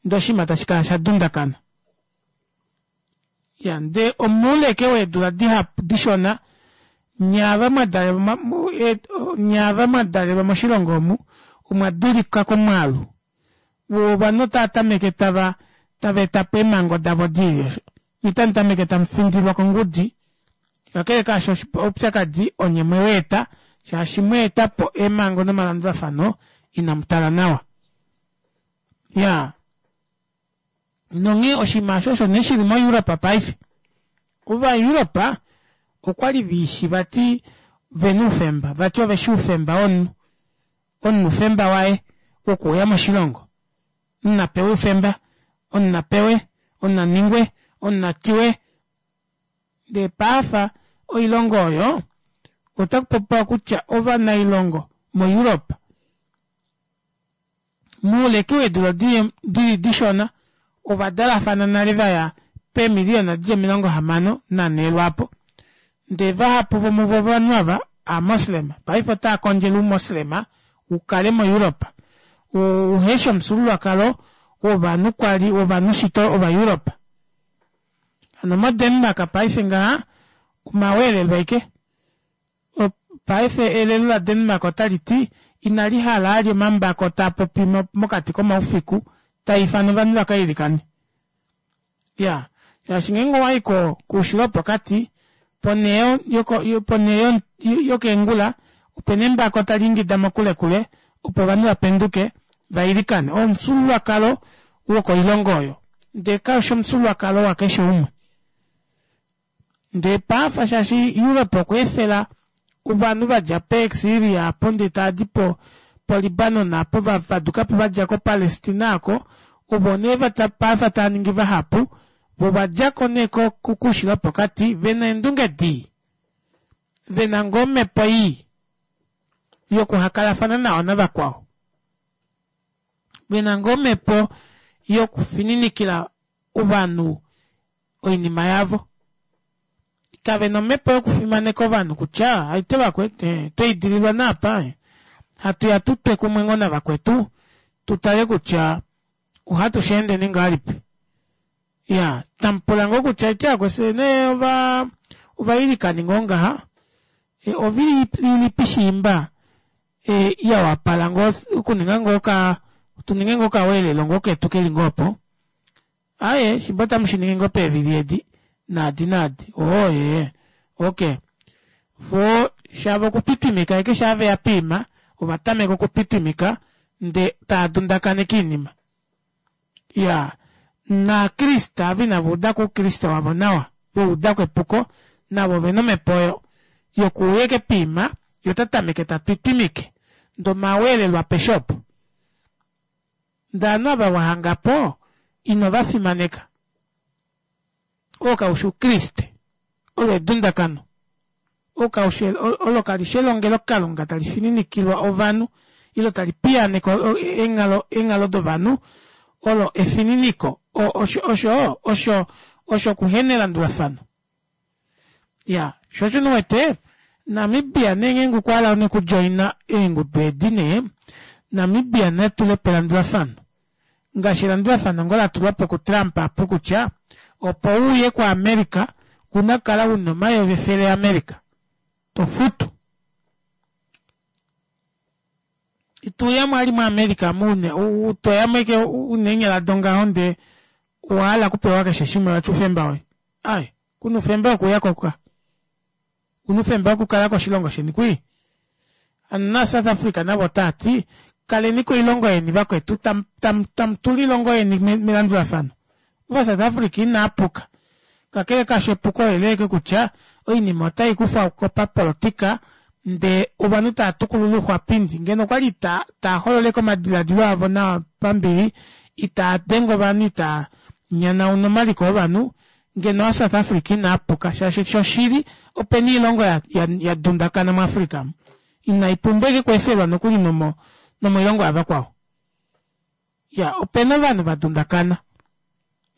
ndee oshinima tashi kala sha dundakana. Ya ndee omoule ashike weedula dihapu dishona nye ava mwa dalelwa nye ava mwa dalelwa moshilongo omu omwa dulika komwaalu woo ovanhu otava tameke tava tava etapo eemhango davo diili osho nye otamu tameke tamu findilwa kongudi kakele kaasho oupyakadi onye mweweeta shaashi mweetapo eemhango nomalandulafano inamu tala nawa ya Nonghee oshinima osho osho nee shili moEurope paife. OvaEurope okwali viishi vati vena oufemba, vati oveshi oufemba womunhu. Omunhu oufemba waye wokuuya moshilongo. Omunhu na pewe oufemba, omunhu na pewe, omunhu na ningwe, omunhu na tiwe. Ndee paafa oilongo oyo otaku popiwa kutya ovanailongo moEurope Mouleke weedula di li dishona, ova dalafana nale va ya peemiliyona di li 64 lwaapo. Ndee vahapu vomuvo ovanhu ava Aamoslema. Paife otava kondjele Oumoslema u kale moEuropa, oo uhe shi omufyuululwakalo wovanhu kwa li wovanhu shito Ovaeuropa. Hano moDenmark paife ngaha omaweelelo aike. Paife elelo laDenmark otali ti inali hala ali omambako taa popi mokati komaufiku taa ifana ovanhu va ka ilikane. Ya, shaashi ngeenge owa i ko koushilo wopokati, ponhele ponhele yokeengula opena embako tali ingida mokulekule opo ovanhu va penduke va ilikane. Oo omufyuululwakalo wokoilongo oyo, ndee kau shi omufyuululwakalo wakeshe umwe. Ndee pafa shaashi Europe okwa efela ovanhu va dja peeSyria apo ndee tava di po poLibanon apo va faduka po va dja koPalestina oko, ovo nee pafa tava ningi vahapu, vo va dja ko nee koushilo wopokati ve na eendunge dii, ve na ngoo omhepo ii yokuhakalafana nawa navakwao, ve na ngoo omhepo yokufininikila ovanhu oinima yavo. Kave na omhepo yokufimaneka ovanhu kutya aite vakwetu eh, tweidililwa naapa eh. Hatu ya tu twe kumwe ngoo navakwetu tu tale kutya ohatu shi endeni ngahelipi. Ya, tamu pula ngoo kutya aite vakwetu nee ova ovailikani ngoo ngaha e, ovili ilipi shiimba e, ya wapala ngoo okuninga ngoo ka tu ninge ngoo okaweelelo ngoo ketu keli ngoo opo. Aye, shimba otamu shi ningi ngoo peevili edi, naadi naadi. Oo, ee. Ok. Vo shava okupipimika eke shaa ve ya piima, ova tameka okupipimika nde taa dundakaneke iinima. Ya. NaKriste ava inava uda ko Oukriste wavo nawa, va uda ko epuko, navo ove na omhepo oyo yokuuya eke piima, ye ota tameke ta twitwimike. Nde omaweelelo apeshe opo. Ndele ovanhu ava wa hanga po, ino va fimaneka. Oo kau shi Oukriste. Olo edundakano. Oo kau shi, olo kali shi elongelokalunga tali fininikilwa ovanhu, ile tali piyaaneke eenghalo, eenghalo dovanhu. Olo efininiko. O, osho, osho, osho, osho okuhenelandulafano. Ya, sho osho nee uwete, Namibia nee ngeenge okwa hala nee okudjoina eengudu edi nee, Namibia na tule po elandulafano. Ngaashi elandulafano ngoo la tulwa po kuTrump apo kutya, opo u ye kuAmerica, ou na okukala u na omayovi efele aAmerica to futu. Ito uya mo ali muAmerica mu une, to ya mo ashike una eenyala dongaho ndee owa hala okupewa keshe shimwe vati oufemba woye. Ai, ku na oufemba wokuya ko ka. Ku na oufemba wokukala koshilongo sheni kwii. Hano naSouth Africa navo otaa ti, kaleni koilongo yeni vakwetu, tam, tam, tamu tula oilongo yeni melandulafano. OvaSouth Africa inaa puka. Kakele kaasho epuko oleleeke kutya oinima otai kufwa ko papolotika ndee ovanhu taa tukulula ouxwapindi. Ngeno okwali taa, taa hololeke omadiladilo avo nawa pambili, itaa denge ovanhu, itaa nyanauna omaliko ovanhu, ngeno aaSouth Africa inaa puka shaashi shoshili opena oilongo ya, ya, ya dundakana muAfrica mu inai pumbwa eke kweefelwa nokuli nomo, nomoilongo yavakwao. Ya, opena ovanhu va dundakana.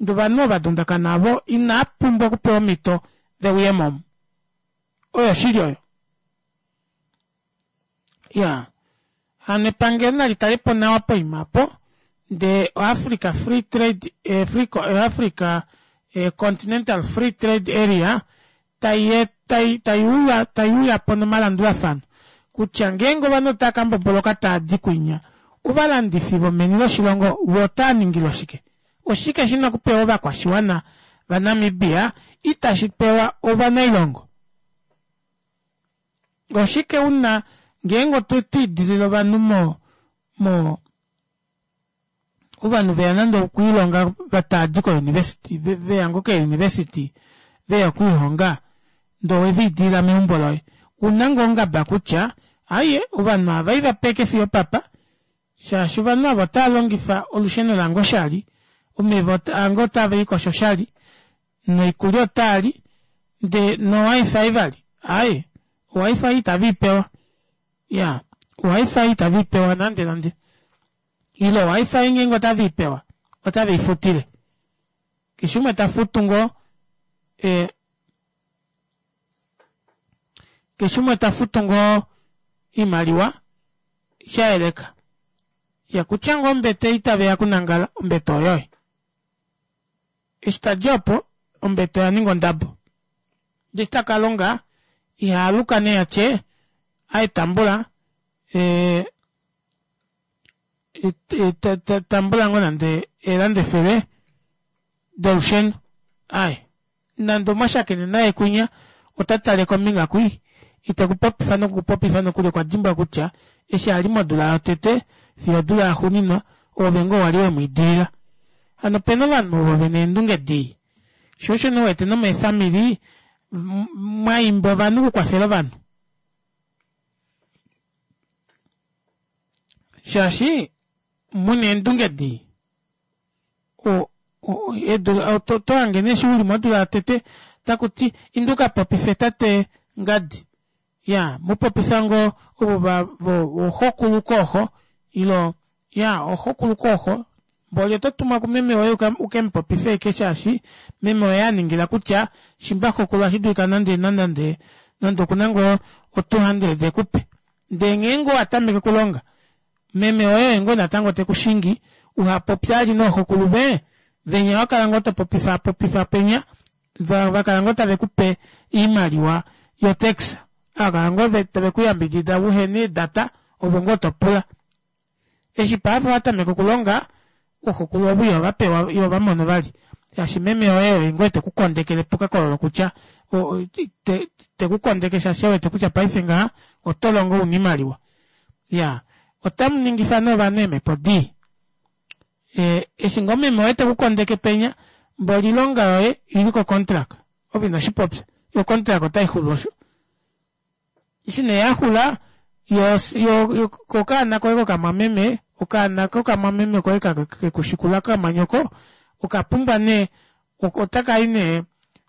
Ndee ovanhu ovo va dundakana avo inaa pumbwa okupewa omhito ve uye mo omu. Oyo oshili oyo. Ya, hano epangelo nali tale po nawa poima opo, ndee oAfrica Free Trade, eh, Free, eh, Africa eh, Continental Free Trade Area tai, tai, tai uya, tai uya po nomalandulafano kutya ngeenge ovanhu otava ka mboboloka taa di kwinya, ovalandifi vomeni loshilongo vo otaa ningilwa shike? Oshike shi na okupewa ovakwashiwana vaNamibia itashi pewa ovanailongo? Oshike u na ngeenge otwe idilila ovanhu mo, mo, ovanhu veya nande okwiilonga va tava di kouniversity, veya ngoo keeuniversity veya okwiihonga ndee oweva idilila meumbo loye, u na ngoo ongaba kutya aaye ovanhu ava iva peke fiyo opapa shaashi ovanhu ava otava longifa olusheno lange oshali, omeva ange otave likosho oshali, noikulya otaa li ndee no wifi vali aaye owifi itave i pewa ya owifi itave i pewa nande nande ile owifi ngeenge otave i pewa otave i futile keshe umwe ta futu ngoo e, keshe umwe ta futu ngoo iimaliwa sha yeleka ya kutya ngoo ombete itave ya kunangala ombete oyoye Eshi ta dja opo, ombete oya ninga ondabo. Ndee eshi ta ka longa, iha aluka nee a tye, Aye tambula, e, tambula ngoo nande eelanda efele dolusheno. Aye, nande omwa shakene naye kwinya, ota tale kombinga kwi, ite ku popifa noku ku popifa nokuli okwa dimbwa kutya eshi a li modula yotete fiyo odula yaxuuninwa, oove ngoo wa li we mu idilila. Hano opena ovanhu ovo vena eendunge dii. Sho osho nee uwete nomeefamili mwa imba ovanhu okukwafela ovanhu. Shaashi muna eendunge dii. O, o, eedula, oto, oto hange nee eshi uli modula yotete taku ti inda uka popife tate ngadi. Ya, mu popifa ngoo ovo va, vo, voxokulu kooxo ilo, ya, oxokulu kooxo. Mboli oto tumwa kumeme woye u ke mu popife ashike shaashi meme oye a ningila kutya shimba xokulu ohashi dulika nande nande nande oku na ngoo o 200 e ku pe. Ndee ngeenge owa tameke okulonga, meme woye oye ngoo natango te ku shingi uha popye vali nooxokulu ve venya wa kala ngoo to popifa popifa penya va va kala ngoo tave ku pe oimaliwa yo tax ava kala ngoo tave ku yambidida uhena eedata ovo ngoo to pula. Eshi paife wa tameka okulonga, ooxokulu ovo ihova pewa ihova mono vali shaashi meme woye oye ngoo teku kondekele pokakololo kutya te, te ku kondeke shaashi e wete kutya paife ngaha oto longo una oimaliwa. Ya, otamu ningifa nee ovanhu eemhepo dii. E, eshi ngoo meme woye teku kondeke penya, mboli oilonga yoye ili ko contract. Ove ino shi popya. Yo ocontract otai xulu osho. Eshi nee ya xula, yo, yo, yo kokaana koye kokamwameme, okaana kokamwameme koye ka keku shikula kamwanyoko, oka pumbwa nee, otaka i nee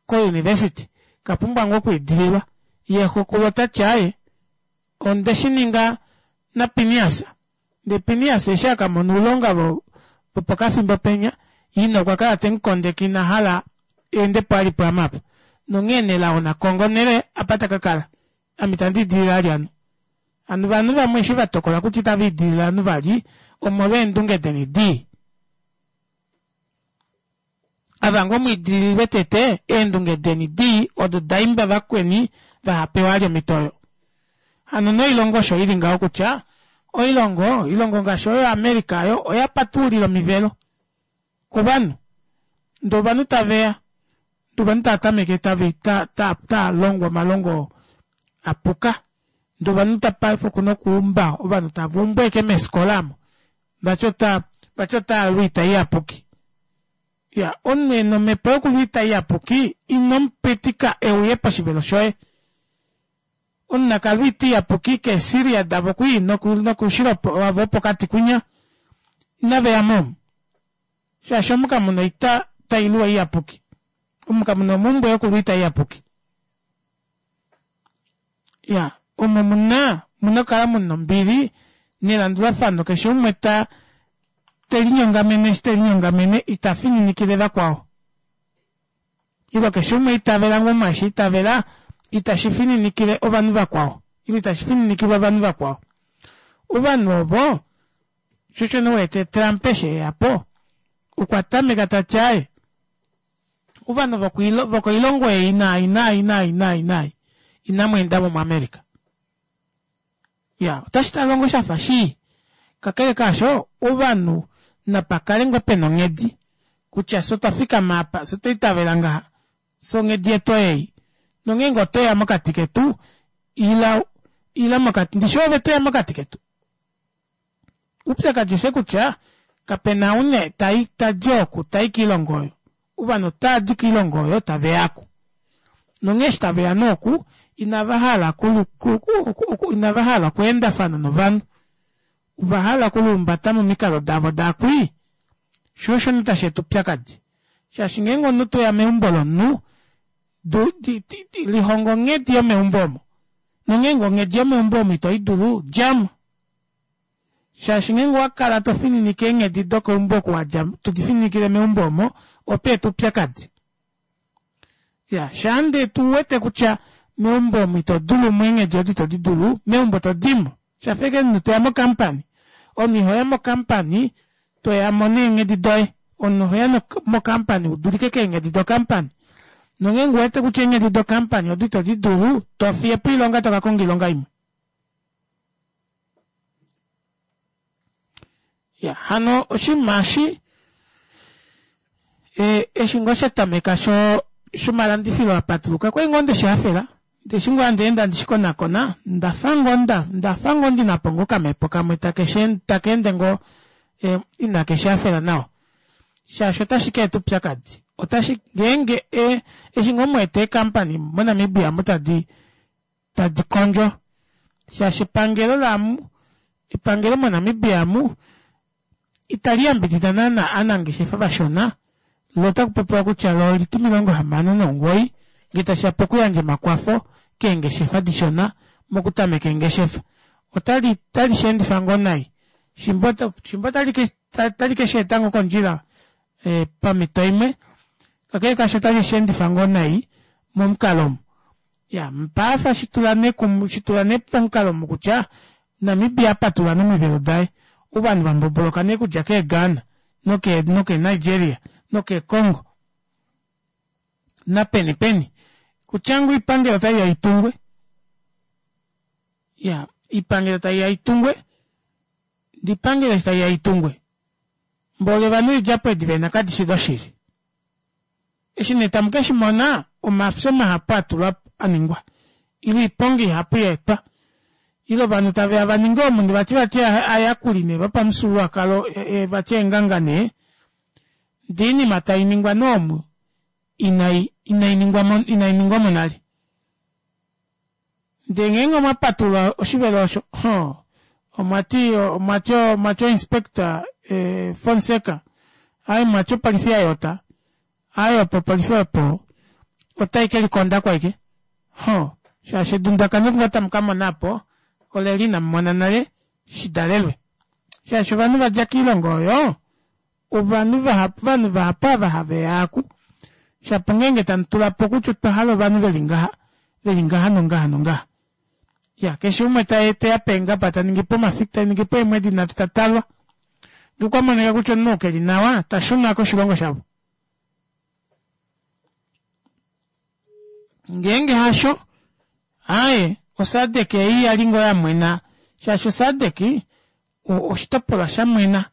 kouniversity, ka pumbwa ngoo okwiidililwa. Ye xokulu ota ti aaye, onde shi ninga naPinias. Ndee Pinias eshi a ka mona oulonga vo, vopokafimbo penya, ina okwa kala te mu kondeke ina hala eende po ali pwaame apa. Nonghee Nelao na konge onhele apa ta ka kala. Ame itandi idilile vali ovanhu. Hano ovanhu vamwe eshi va tokola kutya itava idilile ovanhu vali omolweendunge deni dii. Ava ngoo mu idililwe tete, eendunge deni dii odo da imba vakweni vaha pewe vali omhito oyo. Hano noilongo osho i li ngaho kutya oilongo, oilongo ngaashi oyo America oyo oya patululila omivelo kovanhu. Ndee ovanhu tave ya, ndee ovanhu tava tameke tava ta ta ta longwa omalongo a puka. Ndee ovanhu ta paife okuna okuumba ovanhu tava umbu ashike meefikola omo. Vati ota vati ota lu oita iyapuki. Ya, omunhu e na omhepo yokulwa oita iyapuki ino mu pitika e uye poshivelo shoye. Omunhu na ka lwe oita iyapuki keeSyria davo kwii nokoushilo wavo wopokati kwinya. Inave ya mo omu. Shaashi omu kamu na oita tai luwa iyapuki. Omu kamu na omhumbwe yokulwa oita iyapuki. Ya, omo mu na, mu na okukala mu na ombili nelandulafano, keshe umwe ta, te linyongamene eshi te linyongamene, ita fininikile vakwao. Ile keshe umwe a itavela ngoo mwaashi a itavela, itashi fininikile ovanhu vakwao, ile itashi fininikilwa ovanhu vakwao. Ovanhu ovo, sho osho nee u wete Trump eshi e ya po, okwa tameka ta ti aaye, ovanhu vokoilongo ei naai naai naai naai naai inamu enda mo muAmerica. Ya, otashi talwa ngoo sha fa shii. Kakele kaasho, ovanhu napa kale ngoo pe na onghedi kutya fye otwa fikama apa, fye otwa itavela ngaha, fye onghedi yetu oyei. Nongeenge oto ya mokati ketu, ila, ila mokati, ndishi ove to ya mokati ketu. Uupyakadi oshe kutya kape na une ta ta di oku ta i kiilongo oyo. Ovanhu otava di kiilongo oyo tave ya oku. Nonghee eshi tave ya nee oku inava hala ku, ku, ku, inava hala okweendafana novanhu. Ova hala okuluumbata momikalo davo daakwii. Sho osho nee tashi eta oupyakadi. Shaashi ngeenge omunhu to ya meumbo lomunhu, du, di, di, di, lihonga onghedi yomeumbo omo. Nongeenge onghedi yomeumbo omo ito i dulu, dja mo. Shaashi ngeenge owa kala to fininike eenghedi dokeumbo oku wa dja to di fininikile meumbo omo, oto eta oupyakadi. Ya, shaa ndee tu wete kutya meumbo omu ito dulu mo eenghedi odo ito di dulu, meumbo to di mo. Sha fa ashike omunhu to ya mokampani. Omunhu iho ya mokampani to ya mo neenghedi doye. Omunhu oho ya mokampani u dulike keenghedi dokampani. Nongeenge u wete kutya eenghedi dokampani odo ito di dulu, to fiye po oilonga to ka konga oilonga imwe. Ya, hano oshinima eshi e, eshi ngoo sha tameka sho shomalandifilo a patuluka kwali ngoo nde shi hafela ndee eshi ngoo handi ende handi shi konakona ndafa ngoo nda ndafa ngoo ndi na po ngoo okamhepo kamwe take shi taka ende ngoo e, inake shi hafela nawa shaashi otashi ka eta oupyakadi otashi ngeenge e, eshi ngoo mu wete eekampani moNamibia mu tadi tadi kondjo shaashi epangelo lamu epangelo moNamibia amu itali yambidida naana aanangeshefa vashona lo otaku popiwa kutya lo oliti 69 ngee tashi ya pokuyandja omakwafo keengeshefa dishona mokutameka eengeshefa otali otali shi endifa ngoo nai. Shimba otali ke shi eta ngoo kondjila pamhito imwe, kakele kaasho otali shi endifa ngoo nai momukalo omu. Ya, paife shitula nee kum, shitula nee pomukalo omu kutya Namibia apatulula nee omivelo daye, ovanhu vamboboloka nee okudja kee Ghana noke noke Nigeria noke Congo napeni peni kutya ngoo oipangelo otaiya itungwe. Ya, oipangelo taiya itungwe, ndee oipangelo eshi taiya itungwe mboli ovanhu eedjapo edi vena kadishi doshili. Eshi nee tamu ke shi mona, omafyo mahapu a tulwa a ningwa, ile oiponga ihapu ya etwa, ile ovanhu tave ya va ninge omunhu vati vati aayakuli nee vopamufyuululwakalo vati eenganga nee, ndee oinima tai ningwa nee omu inai inai ningwa mo inai ningwa mo nale. Ndee ngeenge omwa patulula oshivelo osho, hoo, omwa ti, omwa ti, omwa ti oinspector eh, Fonseca, aye mwa ti opolifi ya yota, aye opo opolifi opo otai ke likonda kwaike. Hoo, shaashi edundakano ngo tamu ka mona apo, oleli inamu mona nale shidalelwe. Shaashi ovanhu va dja kiilongo oyo, ovanhu vahapu, ovanhu vahapu ava have ya aku, shapo ngeenge tamu tula po kutya otwa hala ovanhu ve li ngaha, ve li ngaha nongaha nongaha. Ya, keshe umwe ta, te ya peengaba ta ningi po omafiku, ta ningi po eemwedi nhatu ta talwa. Ngee okwa monika kutya omunhu ou ke li nawa, ta shuna koshilongo shavo. Ngeenge hasho, aaye, oSADC ei ya li ngoo ya mwena, shaashi oSADC oshitopolwa sha mwena.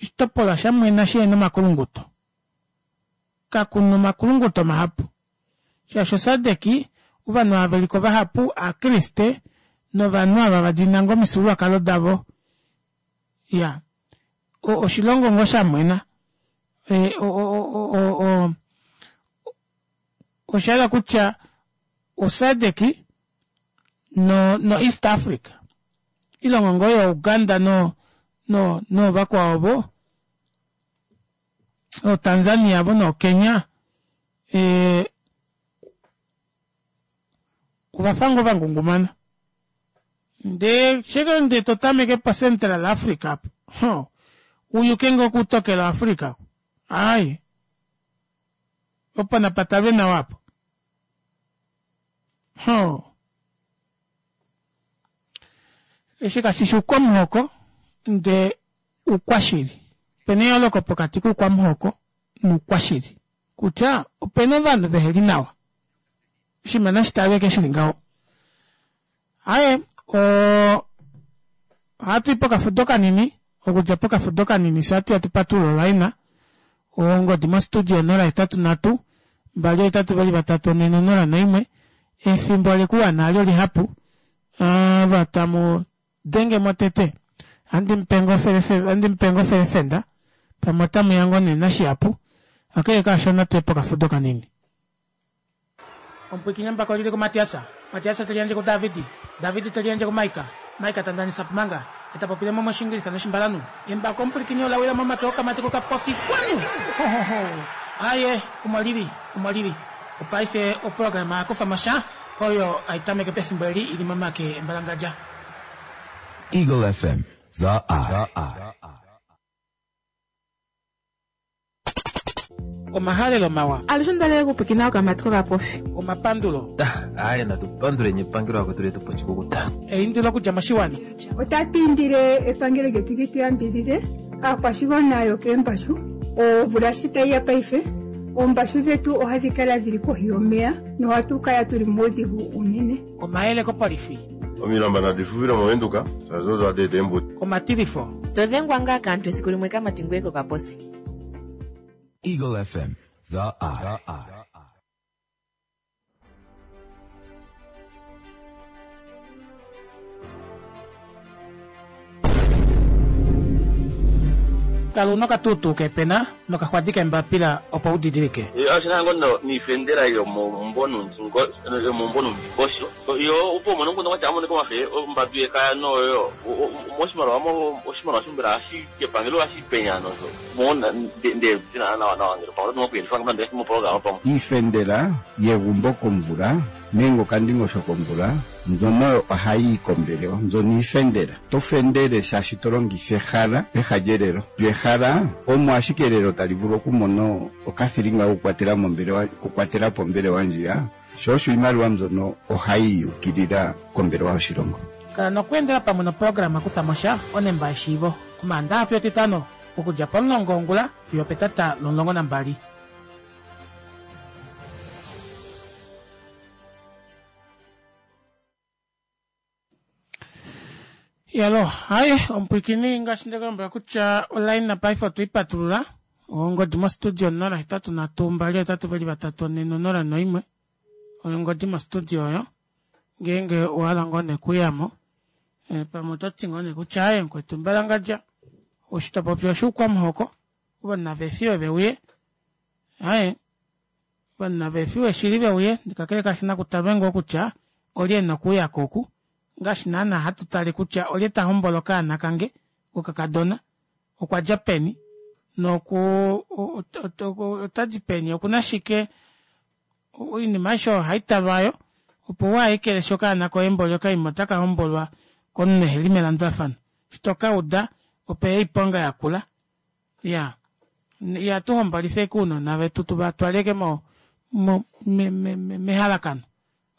Oshitopolwa sha mwena shihena omakulunguto. Kakuna omakulunguto mahapu shaashi oSADC ovanhu ava veliko vahapu aakriste novanhu ava va diinina ngoo omifyuululwakalo davo. Iya, oshilongo ngoo sha mwena. Osha hala kutya oSADC no no East Africa ilongo ngoo yo Uganda no no noovakwao ovo oo Tanzania vo noo Kenya eh, ovafa ngoo vangungumana ndee sheke nde to tameke po Central Africa apo ho uyuke ngoo kutokela Africa aye opo napatalwe nawa apo Hoo. Eshi kashi shi oukwamuhoko, ndee oukwashili. Opena eyooloko pokati koukwamuhoko noukwashili. Kutya opena ovanhu veheli nawa. Oshinima nashi talwe ashike shili ngaho. Aaye, oo ohatu i pokafudo kanini, okudja pokafudo kanini fye ohatu ya tu patulule olaina. Ongodi mostudio 083 282 401. Efimbo olekuwana halyo lihapu. Ava tamu denge mo tete ohandi mu pe ngoo ofelefenda pamwe otamu ya ngoo nee nashihapu. Kakele kaasho natu ye pokafudo kanini. Omupwiikini embako oli li kuMatias, Matias te liyandje kuDavid, David te liyandje kuMaika, Maika ta ndanisa Pumanga, e ta popile mo mOshiingilisa nOshimbalanhu. Embako omupwilikini ola wila momake okamati kokapofi. Kwanu! Hohoho! Aaye, omo li li, omo li li. Opaife oprograma ya kufa mo sha, oyo hai tameke pefimbo eli i li momake embalangadja. Eagle FM, The Eye. Omahalelo mawa. Alushe onda li okupwiikina okamati kokapofi. Omapandulo. Aaye natu panduleni epangelo lakwetu letu pa oshikukuta. Eindilo okudja moshiwana. Otatu indile epangelo lyetu li tu yambidhidhe aakwashigwana yokeembashu. Omvula shi tayi ya paife, oombashu dhetu ohadhi kala dhili kohi yomeya nohatu kala tuli muudhigu uunene. Omayele kopolifi. Omilamba nadi fufile mOvenduka, shaashi odo hadi eta eembudi. Omatilifo. To dhengwa ngaa kaantu esiku limwe kamati ngoye kokaposi. Eagle FM, The Eye. Kala una okatuutuu keepena nokaxwadi keembapila opo u didilike. Oshi na ngoo niifendela yomomumvo yomomumvo nuundingosho yo opo umone omukundu kwatya amonike omafe ombadu yekaya noyo oshimaliwa oshimaliwa shombela ohashi kepangelo ohashi penya nosho. Opo nde dina nawa nawa ngele pamwe oto okuyelifa nande moprograma pamwe. Iifendela yegumbo komvula nenge okandingosho komvula mbyono ohayi yi kombelewa mbyono iifendela. To fendele shaashi to longitha ehala peha lyelelo. Lyo ehala omo ashike elelo tali vulu okumona okathilinga kokukwatela mombelewa okukwatela po ombelewa ndjiya, sho osho iimaliwa mbyono ohayi yi ukilila kombelewa yoshilongo. Kala nokweendela pamwe noprograma Kutha mo sha, onemba yeshiivo, Omaandaha fiyo Etitano, okudja pomulongo wongula fiyo opetata lomulongo nambali. Yalo, hai omupwikini ngaashi nde kulombwela kutya olaina paife otwe i patulula ongodi mostudio 083 2 3 4 0 1 oyo ongodi mostudio oyo ngeenge owa hala ngoo nee okuyamo eh, pamwe oto ti ngoo nee kutya aye mukwetu mbalangadja osho to popi oshuukwamuhoko ovanhu nava efiwe ve uye aye ovanhu nava efiwe shili ve uye kakele kashi na kutalwe ngoo kutya olye e na okuuya ko oku ngaashi naana hatu tale kutya olye ta hombola okaana kange kokakadona okwa dja peni noku ota di peni oku na shike Oinima aishe oyo ohai talwa yo, opo waa ekeleshi okaana koye mboli okaima otaka hombolwa komunhu eheli melandulafano. Eshi to ka uda, ope ya oiponga yakula. Iya. Ihatu hombolifa ashike ounona vetu tu va twale ashike mo, mo, me, me, me, mehalakano.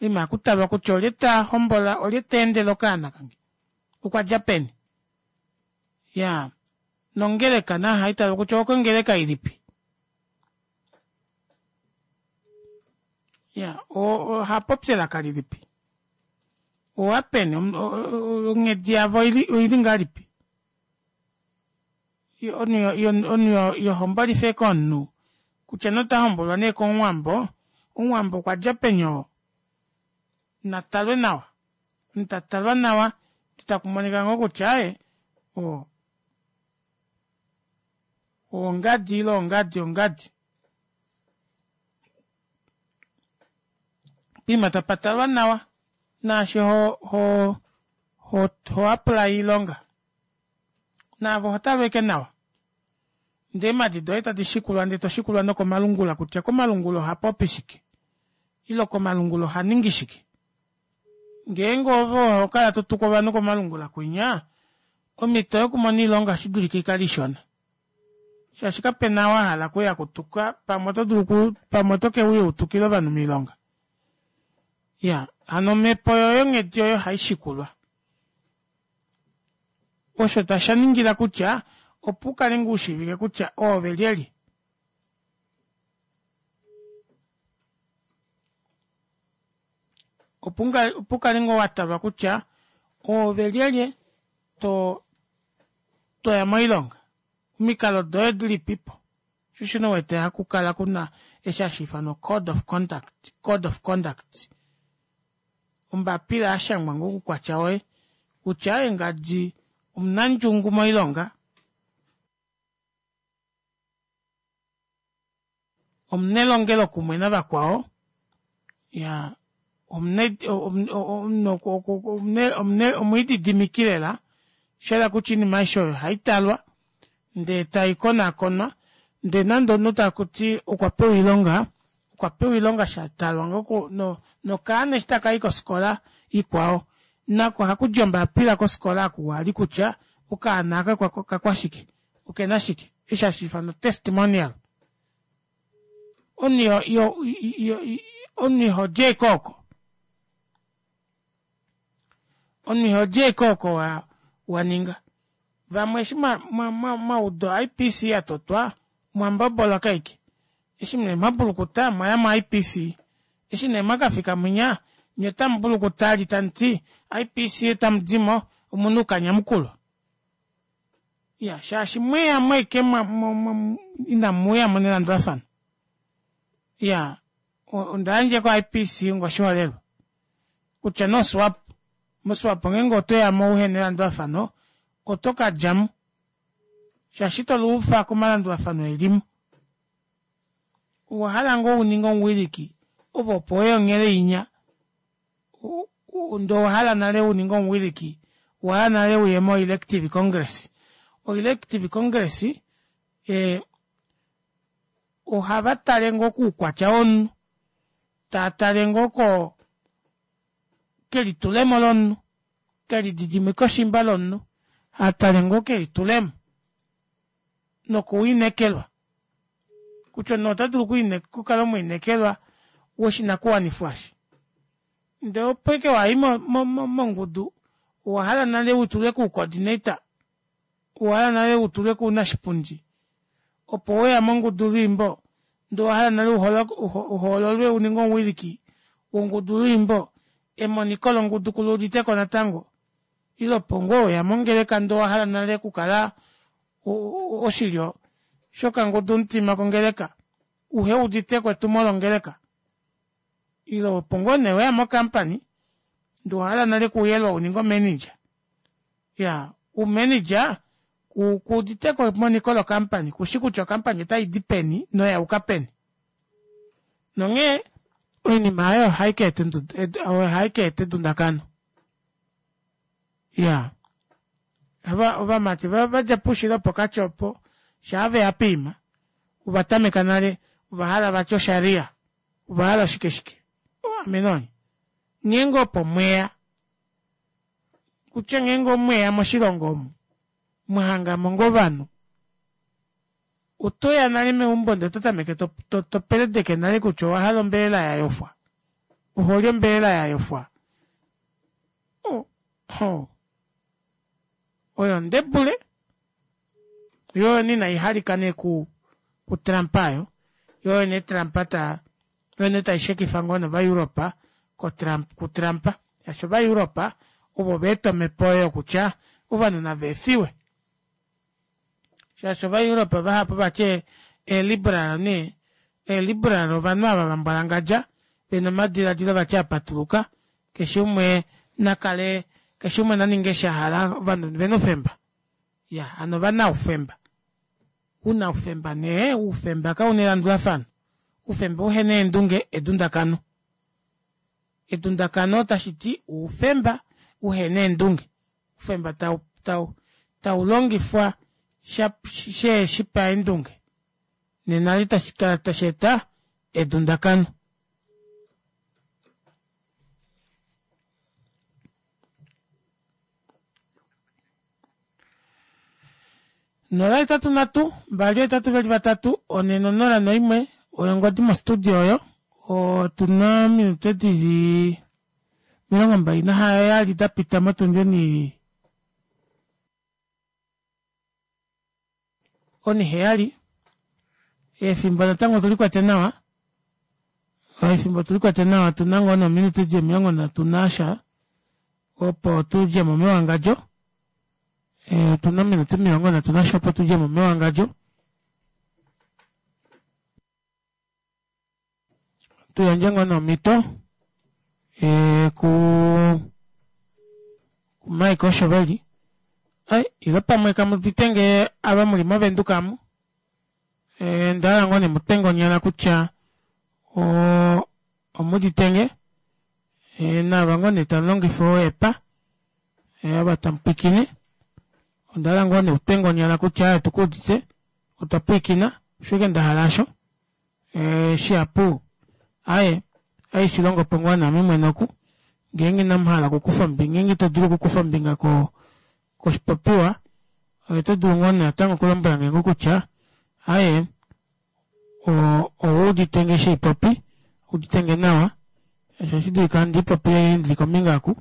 Oinima ohaku talwa kutya olye ta hombola, olye ta endele okaana kange. Okwa dja peni? Iya. Nongeleka nayo ohai talwa kutya okongeleka ilipi. Ya, oha popi elaka lilipi? Owapeni onghedi yavo oili ngahelipi? Omunhu yohombolife komunhu kutya nota hombolwa nee komuwambo, omuwambo okwa dja peni oo? Na talwe nawa. Omunhu ta talwa nawa taku monika ngoo kutya aye o ongadi ile ongadi ongadi. Poima tapa talwa nawa naashi ho ho ho ho apply iilonga naavo oho talwa eke nawa ndee eemadi doye tadi shikulwa ndee to shikulwa nokomalungula kutya komalungula oha popi shike ile komalungula oha ningi shike ngeenge ove oho kala to tuku ovanhu komalungula kwinya omhito yokumona oilonga ohashi dulika ikale ishona shaashi kape na wa hala okuya kutuka pamwe oto dulu ku pamwe oto ke uya utukile ovanhu moilonga ya hano omhepo yoye onghedi yoye ohai shikulwa osho tasha ningila kutya opo u kale ngoo ushiivike kutya oove lyelye opo u kale ngoo wa talwa kutya oove lyelye to toya moilonga omikalo doye dilipipo sho shino wete haku kala kuna eshi hashi ifanwa code of conduct code of conduct ombapila ya shangwa ngoo kukwatya woye kutya engadi omunandjungu moilonga omunelongelokumwe navakwao ya omwiididimiki lela shela kutya iinima aishe oyo ohayi talwa ndee tayi konakonwa ndee nande omunhu taku ti okwa pewa iilonga okwa pewa iilonga sha talwa ngoo nokaana eshi taka yi kosikola ikwao nako ohaku di ombapila kosikola aku wali kutya okaana aka okakwashike okena shike eshi hashi ifanwa testimonial omunhu yo omunhu iho di ashike oko omunhu iho di ashike oko wa wa ninga vamwe eshi mwa mwa mwa mwa uda IPC ya totwa mwa mbobola kaike eshi nee mwa bulukuta mwa ya mo IPC eshi nee mwa kafika mwinya nye otamu bulukuta ali tamu ti IPC otamu dimo omunhu kanyamukulwa Ya, shaashi mweya mweke mwa, mwa, mwa, inamu uya mo nelandulafano. Ya, onda yandje ko-IPC ngoshiholelwa. Kutya noSWAP, moSWAP ngeenge oto ya mo uhe nelandulafano, oto ka dja mo. Shaashi ito luufa komalandulafano e li mo. Owa hala ngoo u ninge omuwiliki, ove opo we onhele inya, ndee owa hala nale u ninge omuwiliki, owa hala nale uye moelective congress. Oelective congress. E, ohava tale ngoo koukwatya womunhu, taa tale ngoo ko kelitulemo lomunhu, kelididimikoshimba lomunhu, ha tale ngoo kelitulemo nokuwinekelwa. Kutya omunhu ota dulu okukala omwiinekelwa woshinakuwanifwa eshi. Ndee opo ike wayi mongudu owa hala nale utulwe kuucoordinator, owa hala nale utulwe kuunashipundi, opo weya mongudu lwiimbo ndee owa hala nale uhoololwe uninge omuwiliki wongudu lwiimbo, emoniko longudu kuluuditeko natango, ile opo ngoo weya mongeleka ndee owa hala nale okukala oshilyo shokangudu mutima kongeleka uhe uditeko etumo longeleka. Ile opo ngoo nee weya mo company ndee owahala nale okuyelwa uninge o manager. Iyaa, u manager kuuditeko emoniko lo company, kushi kutya o company otaidi peni noyayuka peni. Nonghee oinima aayo ohai ka eta edundakano. Iyaa, ovamati vadja poushilo wopokati opo shaa veya poima ovatameka nale ovahala vati osharia. Ova hala shike shike? Amenoni. Ngeenge opo mweya, kutya ngeenge omweya moshilongo omu, mwa hanga mo ngoo ovanhu, oto ya nale meumbo ndele oto tameke to, to, to peledeke nale kutya owa hala ombelela ya yofwa. Oholi ombelela ya yofwa. Oh, oh. Oyo ndebule, yo oyo nina ihalika nee ku, ku Trump ayo. Yo oyo nee Trump ta, oyo nee taishekifa ngoo novaEuropa ko Trump, ku Trump. Shaashi ovaEuropa ovo va eta omhepo oyo kutya ovanhu nava efiwe. Shaashi ovaEuropa vahapu vati eeliberal nee, eeliberal ovanhu ava va mbwalangadja, vena omadiladilo vati a patuluka, keshe umwe na kale, keshe umwe na ninge eshi a hala, ovanhu vena oufemba. Ya, hano ovana oufemba. Una oufemba nee, oufemba kauna elandulafano. Oufemba uhena eendunge, edundakano. Edundakano tashi ti oufemba uhena eendunge. Oufemba tau, tau, tau longifwa sha, she shi paendunge. Nena itashi kala tashi eta edundakano. Nola etatu nhatu mbali ohetatu veli vatatu one nonola noimwe oyo ongodi mostudio oyo otuna ominute dili 27 da pita motundi oni oniheyali efimbo natango otuli kwete nawa efimbo otuli kwete nawa otuna ngoo nominute di 30 nasha opo tudjemo mewangadjo otuna ominute 30 nasha opo tudjemo mewangadjo tuyandje ngoo nomhito ku Mike Oshoveli ai ile pamwe kamudite nge ava muli movenduka amu ndahala ngoo nemutwe ngonyala kutya omudite nge naava ngoo nee tamu longifa oepa ava tamu pwiikine ondahala ngoo neutwe ngonyala kutya otukuudite otwa pwiikina osho ashike ndahala asho shihapu aye aye shilongo po ngoo naame mwene oku ngeenge inamu hala okukufa ombinga ngeenge ito dulu okukufa ombinga ko koshipopiwa oto dulu ngoo natango okulombwela nge ngoo kutya aye ouudite nge sheipopi udite nge nawa osho ohashi dulika handi ipopile ndili kombinga aku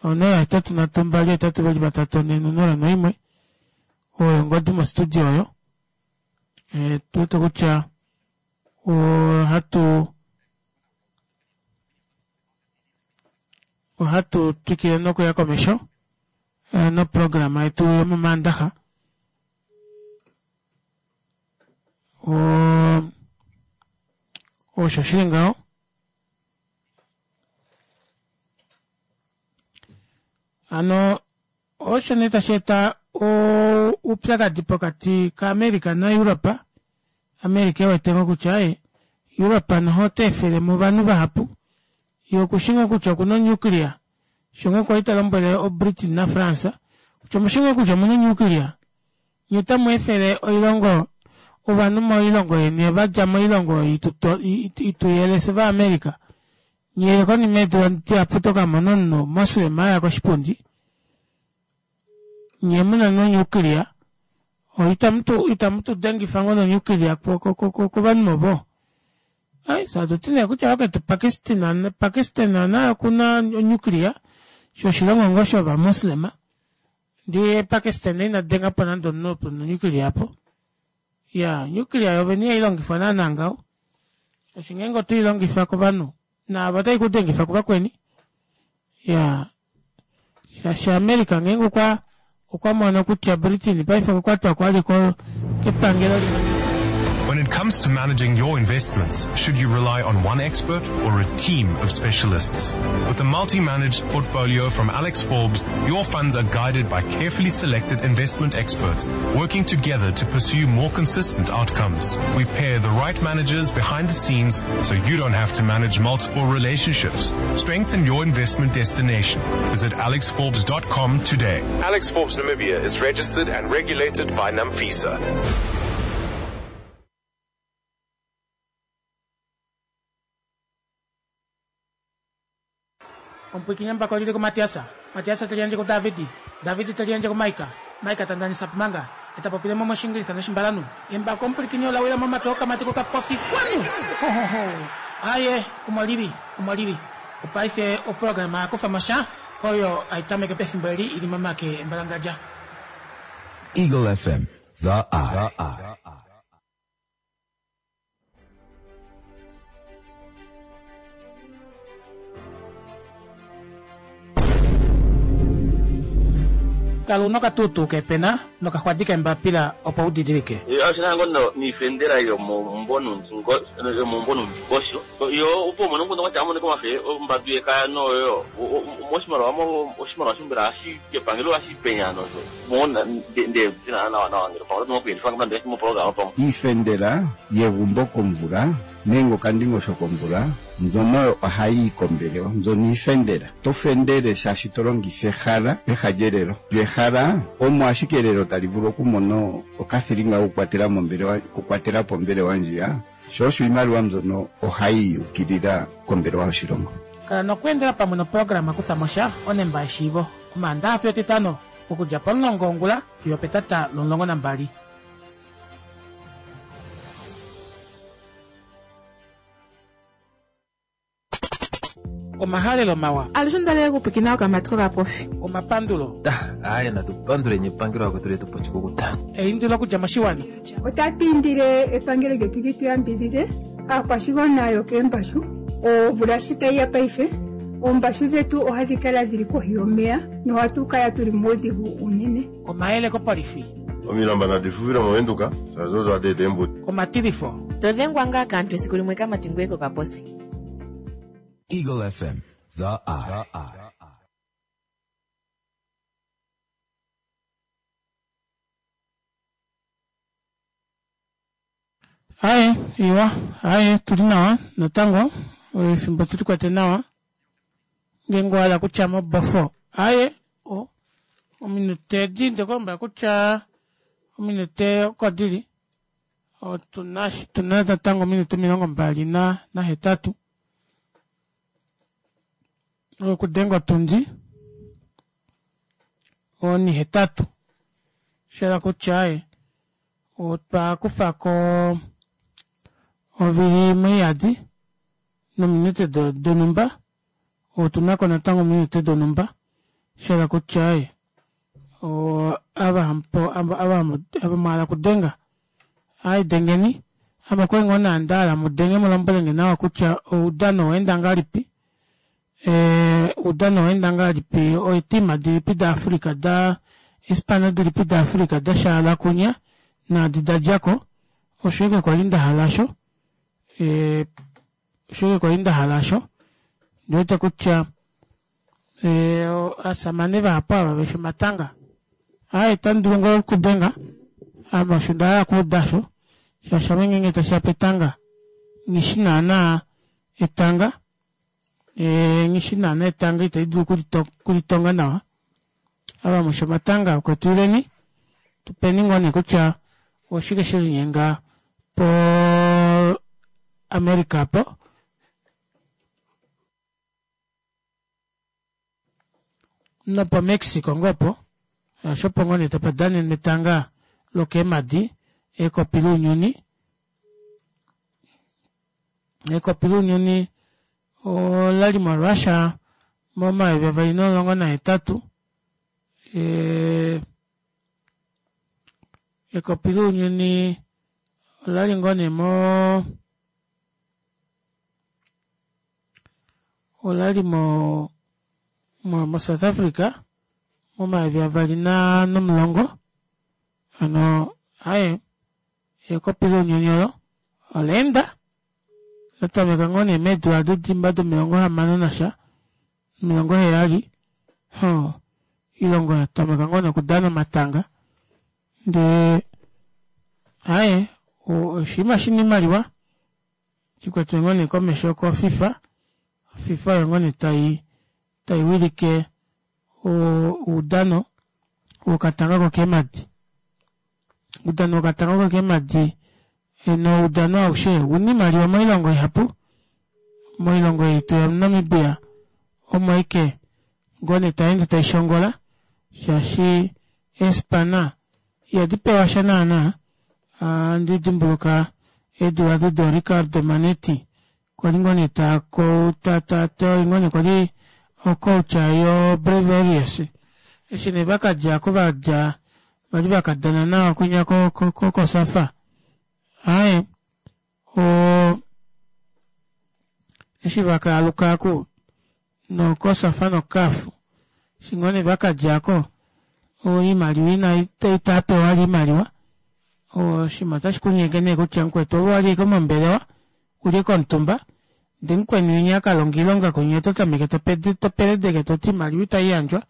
0 8 3 2 8 2 3 4 0 1 oyo ongodi mostudio oyo tu wete kutya ohatu ohatu twikile nokuya komesho noprograma yetu yomomaandaxa osho shili ngaho hano Osho nee tashi eta oupyakadi pokati kaAmerica naEurope. America e wete ngoo kutya aaye Europe noho ota efele mo ovanhu vahapu, ye okushi ngoo kutya okuna onuclear, sho ngoo kwali ta lombwele oBritain naFrance kutya omushi ngoo kutya omuna onuclear? Nye otamu efele oilongo ovanhu moilongo yeni va dja moilongo ituyele fye vaAmerica. Nye konima yeedula dihapu to ka mona omunhu Moslem a ya koshipundi. Nye mu na nonyuklia. Itamu tu dengifa ngoo nonyuklia kovanhu ovo? Ai, fye hatu ti nee kutya vaketu Pakistan, Pakistan naye oku na onyuklia, sho oshilongo ngoo shovamoslema. Ndee Pakistan ina denga po nande omunhu opo nonyuklia apo. Ya, onyuklia yovene ihai longifwa naana ngaho. Shaashi ngeenge oto i longifa kovanhu, naave otai ku dengifa kuvakweni. Ya, shaashi America ngeenge okwa okwa mono kutya Britain paife okwa kwatwa ko ali kepangelo limwe. When it comes to managing your investments, should you rely on one expert or a team of specialists? With a multi-managed portfolio from Alex Forbes, your funds are guided by carefully selected investment experts working together to pursue more consistent outcomes. We pair the right managers behind the scenes so you don't have to manage multiple relationships. Strengthen your investment destination. Visit alexforbes.com today. Alex Forbes Namibia is registered and regulated by NAMFISA. Omupwiikini embako oli li kuMatias, Matias te liyandje kuDavid, David te liyandje kuMaika, Maika ta ndanisa manga, e ta popile mo mOshiingilisa nOshimbalanhu. Embako omupwilikini ola wila momake okamati kokapofi Kwanu! Ho, ho, ho! Aaye, omo li li, omo li li. Opaife oprograma ya kufa mo sha, oyo hai tameke pefimbo eli i li momake embalangadja. Eagle FM, The Eye. Kala u na okatuutuu keepena nokaxwadi keembapila opo u didilike. Oshi na ngo niifendela yomomumvo nuundingosho yo opo umone omukundu kwatya amonike omafe ombandu yekaya noyo moshimaliwa oshimaliwa shombela ohashi epangelo ohashi penya nosho Iifendela yegumbo komvula nenge okandingosho komvula mbyono oyo ohayi yi kombelewa. Mbyono iifendela. To fendele shaashi to longitha ehala peha lyelelo. Lyo ehala omo ashike elelo tali vulu okumona okathilinga kokukwatela mombelewa, okukwatela po ombelewa ndjiya. Sho osho iimaliwa mbyono ohayi yi ukilila kombelewa yoshilongo. Kala nokweendela pamwe noprograma Kutha mo sha, onemba yeshiivo, Omaandaha fiyo Etitano, okudja pomulongo wongula fiyo opetata lomulongo nambali. Omahalelo mawa. Alushe onda li okupwiikina okamati kokapofi. Omapandulo. Aaye natu panduleni epangelo vakwetu letu po oshikukuta. Eindilo okudja moshiwana. Otatu indile epangelo lyetu li tu yambidhidhe aakwashigwana yokeembashu. Omvula shi tayi ya paife, oombashu dhetu ohadhi kala dhili kohi yomeya nohatu kala tuli muudhigu uunene. Omayele kopolifi. Omilamba nadi fuvile mOvenduka, shaashi odo hadi eta eembudi. Omatilifo. To dhengwa ngaa kaantu esiku limwe kamati ngoye kokaposi. Eagle FM, The Eye. Aye, iwa, aye, tuli nawa natango, efimbo tuli kwete nawa. Ngeenge owa hala kutya mobofo, aye, o, ominute edi ndeku lombwela kutya ominute oko dili. Otuna tuna natango ominute 28 na nahetatu. Okudenga otundi onihetatu. Sha kutya aye, Otwa kufa ko ovili imwe iyadi nominute donhumba. Otu na ko natango ominute donhumba. Sha hala kutya ava ava mwa hala okudenga, ai dengeni. Ame okwali ngoo nee nda hala mu denge mu lombwele nge nawa kutya oudano owa enda ngahelipi. Oudano owa enda ngahelipi, oetima dilipi daAfrica da eespana dilipi daAfrica da shaala kunya naadi da dja ko. Osho ashike kwa li nda hala osho. Osho ashike kwa li nda hala osho. Ondi wete kutya ovasamane vahapu ava veshi omatanga. Aaye, otamu dulu ngoo okudenga, ame osho nda hala okuuda osho, shaashi ame ngeenge tashi ya petanga, nghi shi naana etanga. Nghi shi naana etanga itali dulu okulitonga nawa. Ava mushi omatanga okwetu ileni. Tupeni ngoo nee kutya oshike shelinyenga po America apo. Nopo Mexico ngoo opo. Shaashi opo ngoo nee tapa danenwa etanga lokeemadi, ekopi lounyuni. Ekopi lounyuni olali moRussia momayovi avali nomulongo nahetatu. Ekopi lounyuni olali ngoo nee mo olali mo moSouth Africa momayovi avali nomulongo hano aaye ekopi lounyuni olo olaenda latameka ngoo nee meedula dodimba domilongo hamano nasha 70 hoo oilongo ya tameka ngoo nee okudana omatanga ndee aaye oshinima shina oimaliwa shikwetwe ngoo nee komesho ko FIFA, FIFA oyo ngoo nee tai tai wilike oudano wokatanga kokeemadi. Oudano wokatanga kokeemadi noudano aushe ouna oimaliwa moilongo ihapu, moilongo yetu yaNamibia omo aike ngoo nee tayeende taishongola shaashi eespana ihadi pewa sha naana. Ohandi dimbuluka eedula odo dooRicardo Manetti kwali ngoo nee oye ngoo nee kwali ocoach yoBrave Warriors eshi nee vakadja oko vadja vali vakadana nawa kwinya koSafa aaye eshi vakaaluka oku nokosafa noCAF eshi ngoo nee vakadjako oimaliwa ina itapewa vali oimaliwa oshinima otashi kunyenge nee kutya mukwetu ove owali ashike mombelewa uli ashike omutumba ndee mukweni winya akalonga oilonga kwinya oto tameke topeledeke toti oimaliwa itaiyandjwa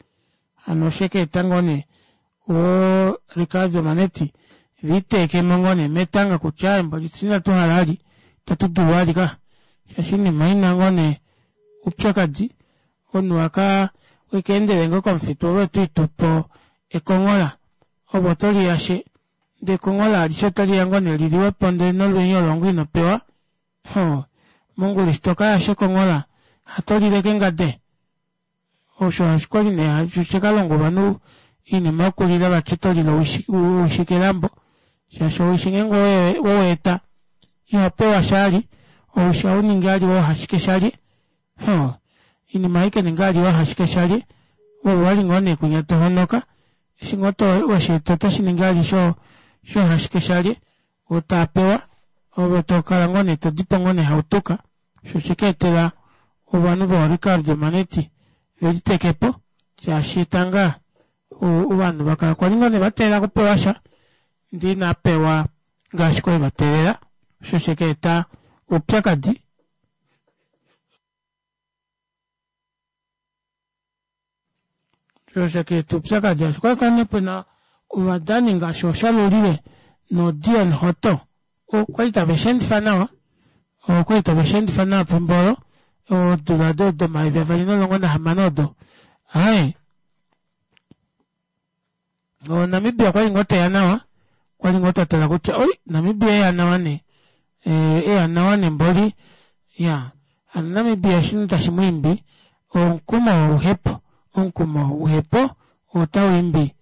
hano oshekeeta ngoo nee oo Ricardo Manetti viteekemo ngoo nee metanga kutya aaye mboli fye inatu hala vali itatu dulu vali ka shaashi oinima ina ngoo nee oupyakadi omunhu aka wekeendele ngoo komufitu ove otwiitupo ekonghola ove otoliyashe ndee ekonghola alishe otaliya ngoo nee liliwepo ndee nolwenya olo ngoo inopewa hoo mongula eshi tokayasha ekonghola hatolile kengade Osho okwali nee shekalonga ovanhu oinima yokulila vati oto lile owishi kelambo shaashi owishi ngeenge oweeta iho pewa shali owishi ohauningi ali woohashike shalye hoo oinima ohaikaninga ali woohashike shalye ove owali ngoo nee kwinya tohonoka eshi ngoo wesheeta otashiningi ali shoohashike shalye oo taapewa ove tokala ngoo nee todipo ngoo nee hautuka Osho oshe ka etela ovanhu vooRicardo Manetti ve liteke po shaashi etanga ovanhu va kala kwali ngoo nee va teelela okupewa sha ndee inaa pewa ngaashi kwali va teelela osho she ka eta oupyakadi. Osho she ka eta oupyakadi shaashi okwali kwali nee pena ovadani ngaashi ooShalulile nooDion Hotto okwali tave shi endifa nawa okwali tave shi endifa nawa pefimbo olo odula do domayovi avali nomulongo nahamano odo aaye Namibia okwali ngoo teya nawa okwali ngoo twatala kutya oi Namibia eya nawa nee eya nawa nee mboli ya hano Namibia eshi tashi mu imbi omukumo woluhepo omukumo woluhepo otau imbi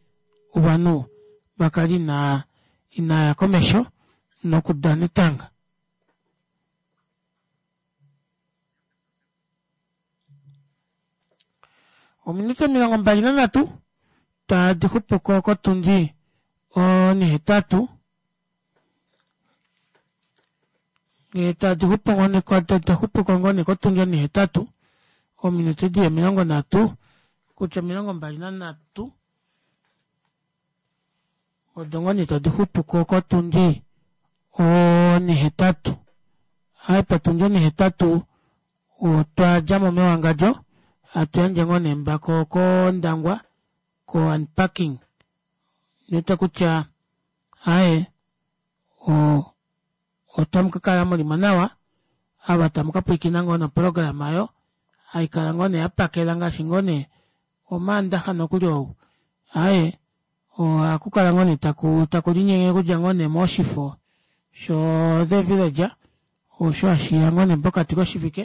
ovanhu vakale inaa inaya komesho nokudana etanga. Ominute 23 tadi xupuko kotundi onihetatu ngee tadi xupu xupuko ngoo nee kotundi onihetatu ominute dili 30 kutya 23 odo ngoo nee tadi xupuko kotundi onihetatu aaye potundi onihetatu otwa djamo mewangadjo hatu yandje ngoo nee embako kOndangwa ko unpacking niwete kutya aaye otamu ka kala mulimo nawa ava tamu ka pwilikina ngoo noprograma oyo haikala ngoo nee yapakela ngaashi ngoo nee omaandaxa nokuli ou aaye. Ohakukala ngoo nee taku taku linyenge okudja ngoo nee moshifo sho The Villager osho hashiya ngoo nee pokati koshivike.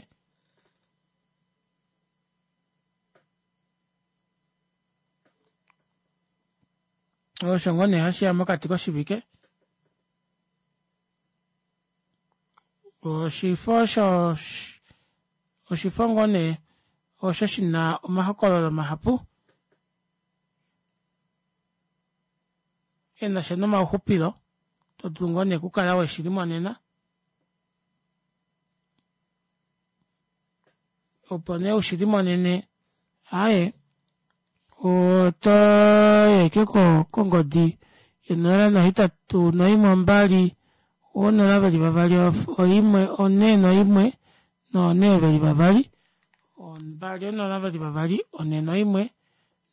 Osho ngoo nee hashiya mokati koshivike. Oshifo osho oshifo ngoo nee osho shina omahokololo mahapu enasha nomauxupilo to dulu ngoo nee okukala weshi limonena opo nee ushi limonene aaye oto yeke kongodi yonola nohetatu noimwe ombali onola veli vavali oimwe one noimwe nonhe veli vavali ombali onola veli vavali one noimwe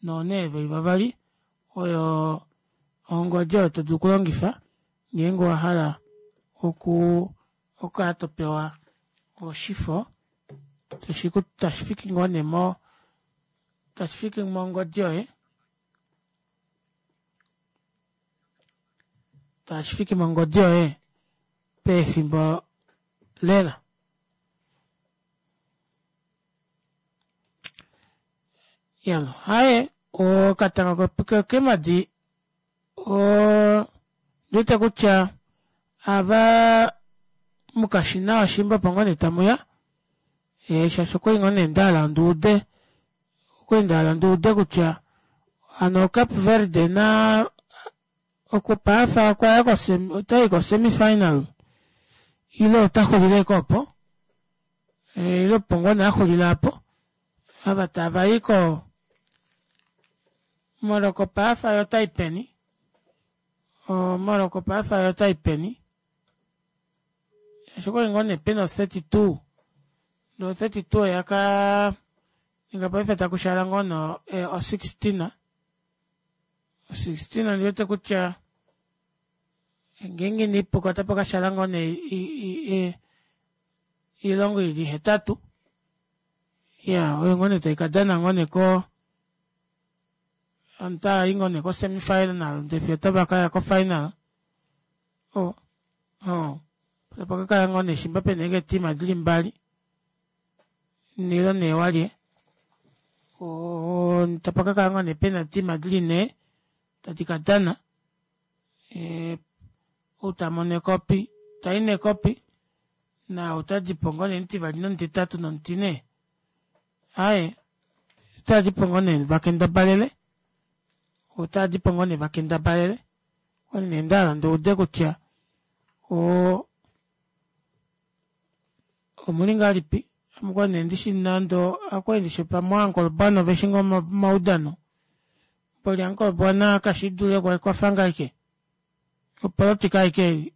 nonhe veli vavali oyo ongodi oyo to dulu okulongifa ngeenge owahala oku okukala topewa oshifo tashi fiki ngoo nee mo tashi fiki mongodi yoye tashi fiki mongodi yoye pefimbo lela. Yalo haye okatanga kokemadi ondiwete kutya ava mukashina washimba opo ngoo nee tamuya shaashi okwali ngoo nee ndahala nduude okwali ndahala nduude kutya hano Cape Verde na okupaafa okwaya otayi ko semi final ile ota xulile ko opo ile opo ngoo nee axulile apo ava tavayi ko Morocco paafa yo otai peni Morocco paafa yo otai peni shaashi okwali ngoo nee pena o 32 no 32 oya ka ninga paife takushala ngoo no o 16 o 16 ondiwete kutya ngeenge inaipuka otapa kashala ngoo nee oilongo ili hetatu ya oyo ngoo nee taikadana ngoo nee ko otava i ngoo nee ko semi final ndee fiyo otava kaya ko final o o tapa kakala ngoo nee shimba pena ashike eetima dili mbali nilo nee walye o tapa kakala ngoo nee pena eetima dili nhee tadi kadana ou tamono ekopi tai nekopi naau tadipo ngoo nee omutivali nomutitatu nomutine aaye otadipo ngoo nee vakendabalele otadipo ngoo nee vakendabalele okwali nee ndahala ndiude kutya o omuli ngahelipi ame okwali nee ndishi nande okwali ndishi pamwe ooAnkolobwana oveshi ngoo omaudano mboli Ankolobwana kashidule kwafa ngoo ashike opolitika ashike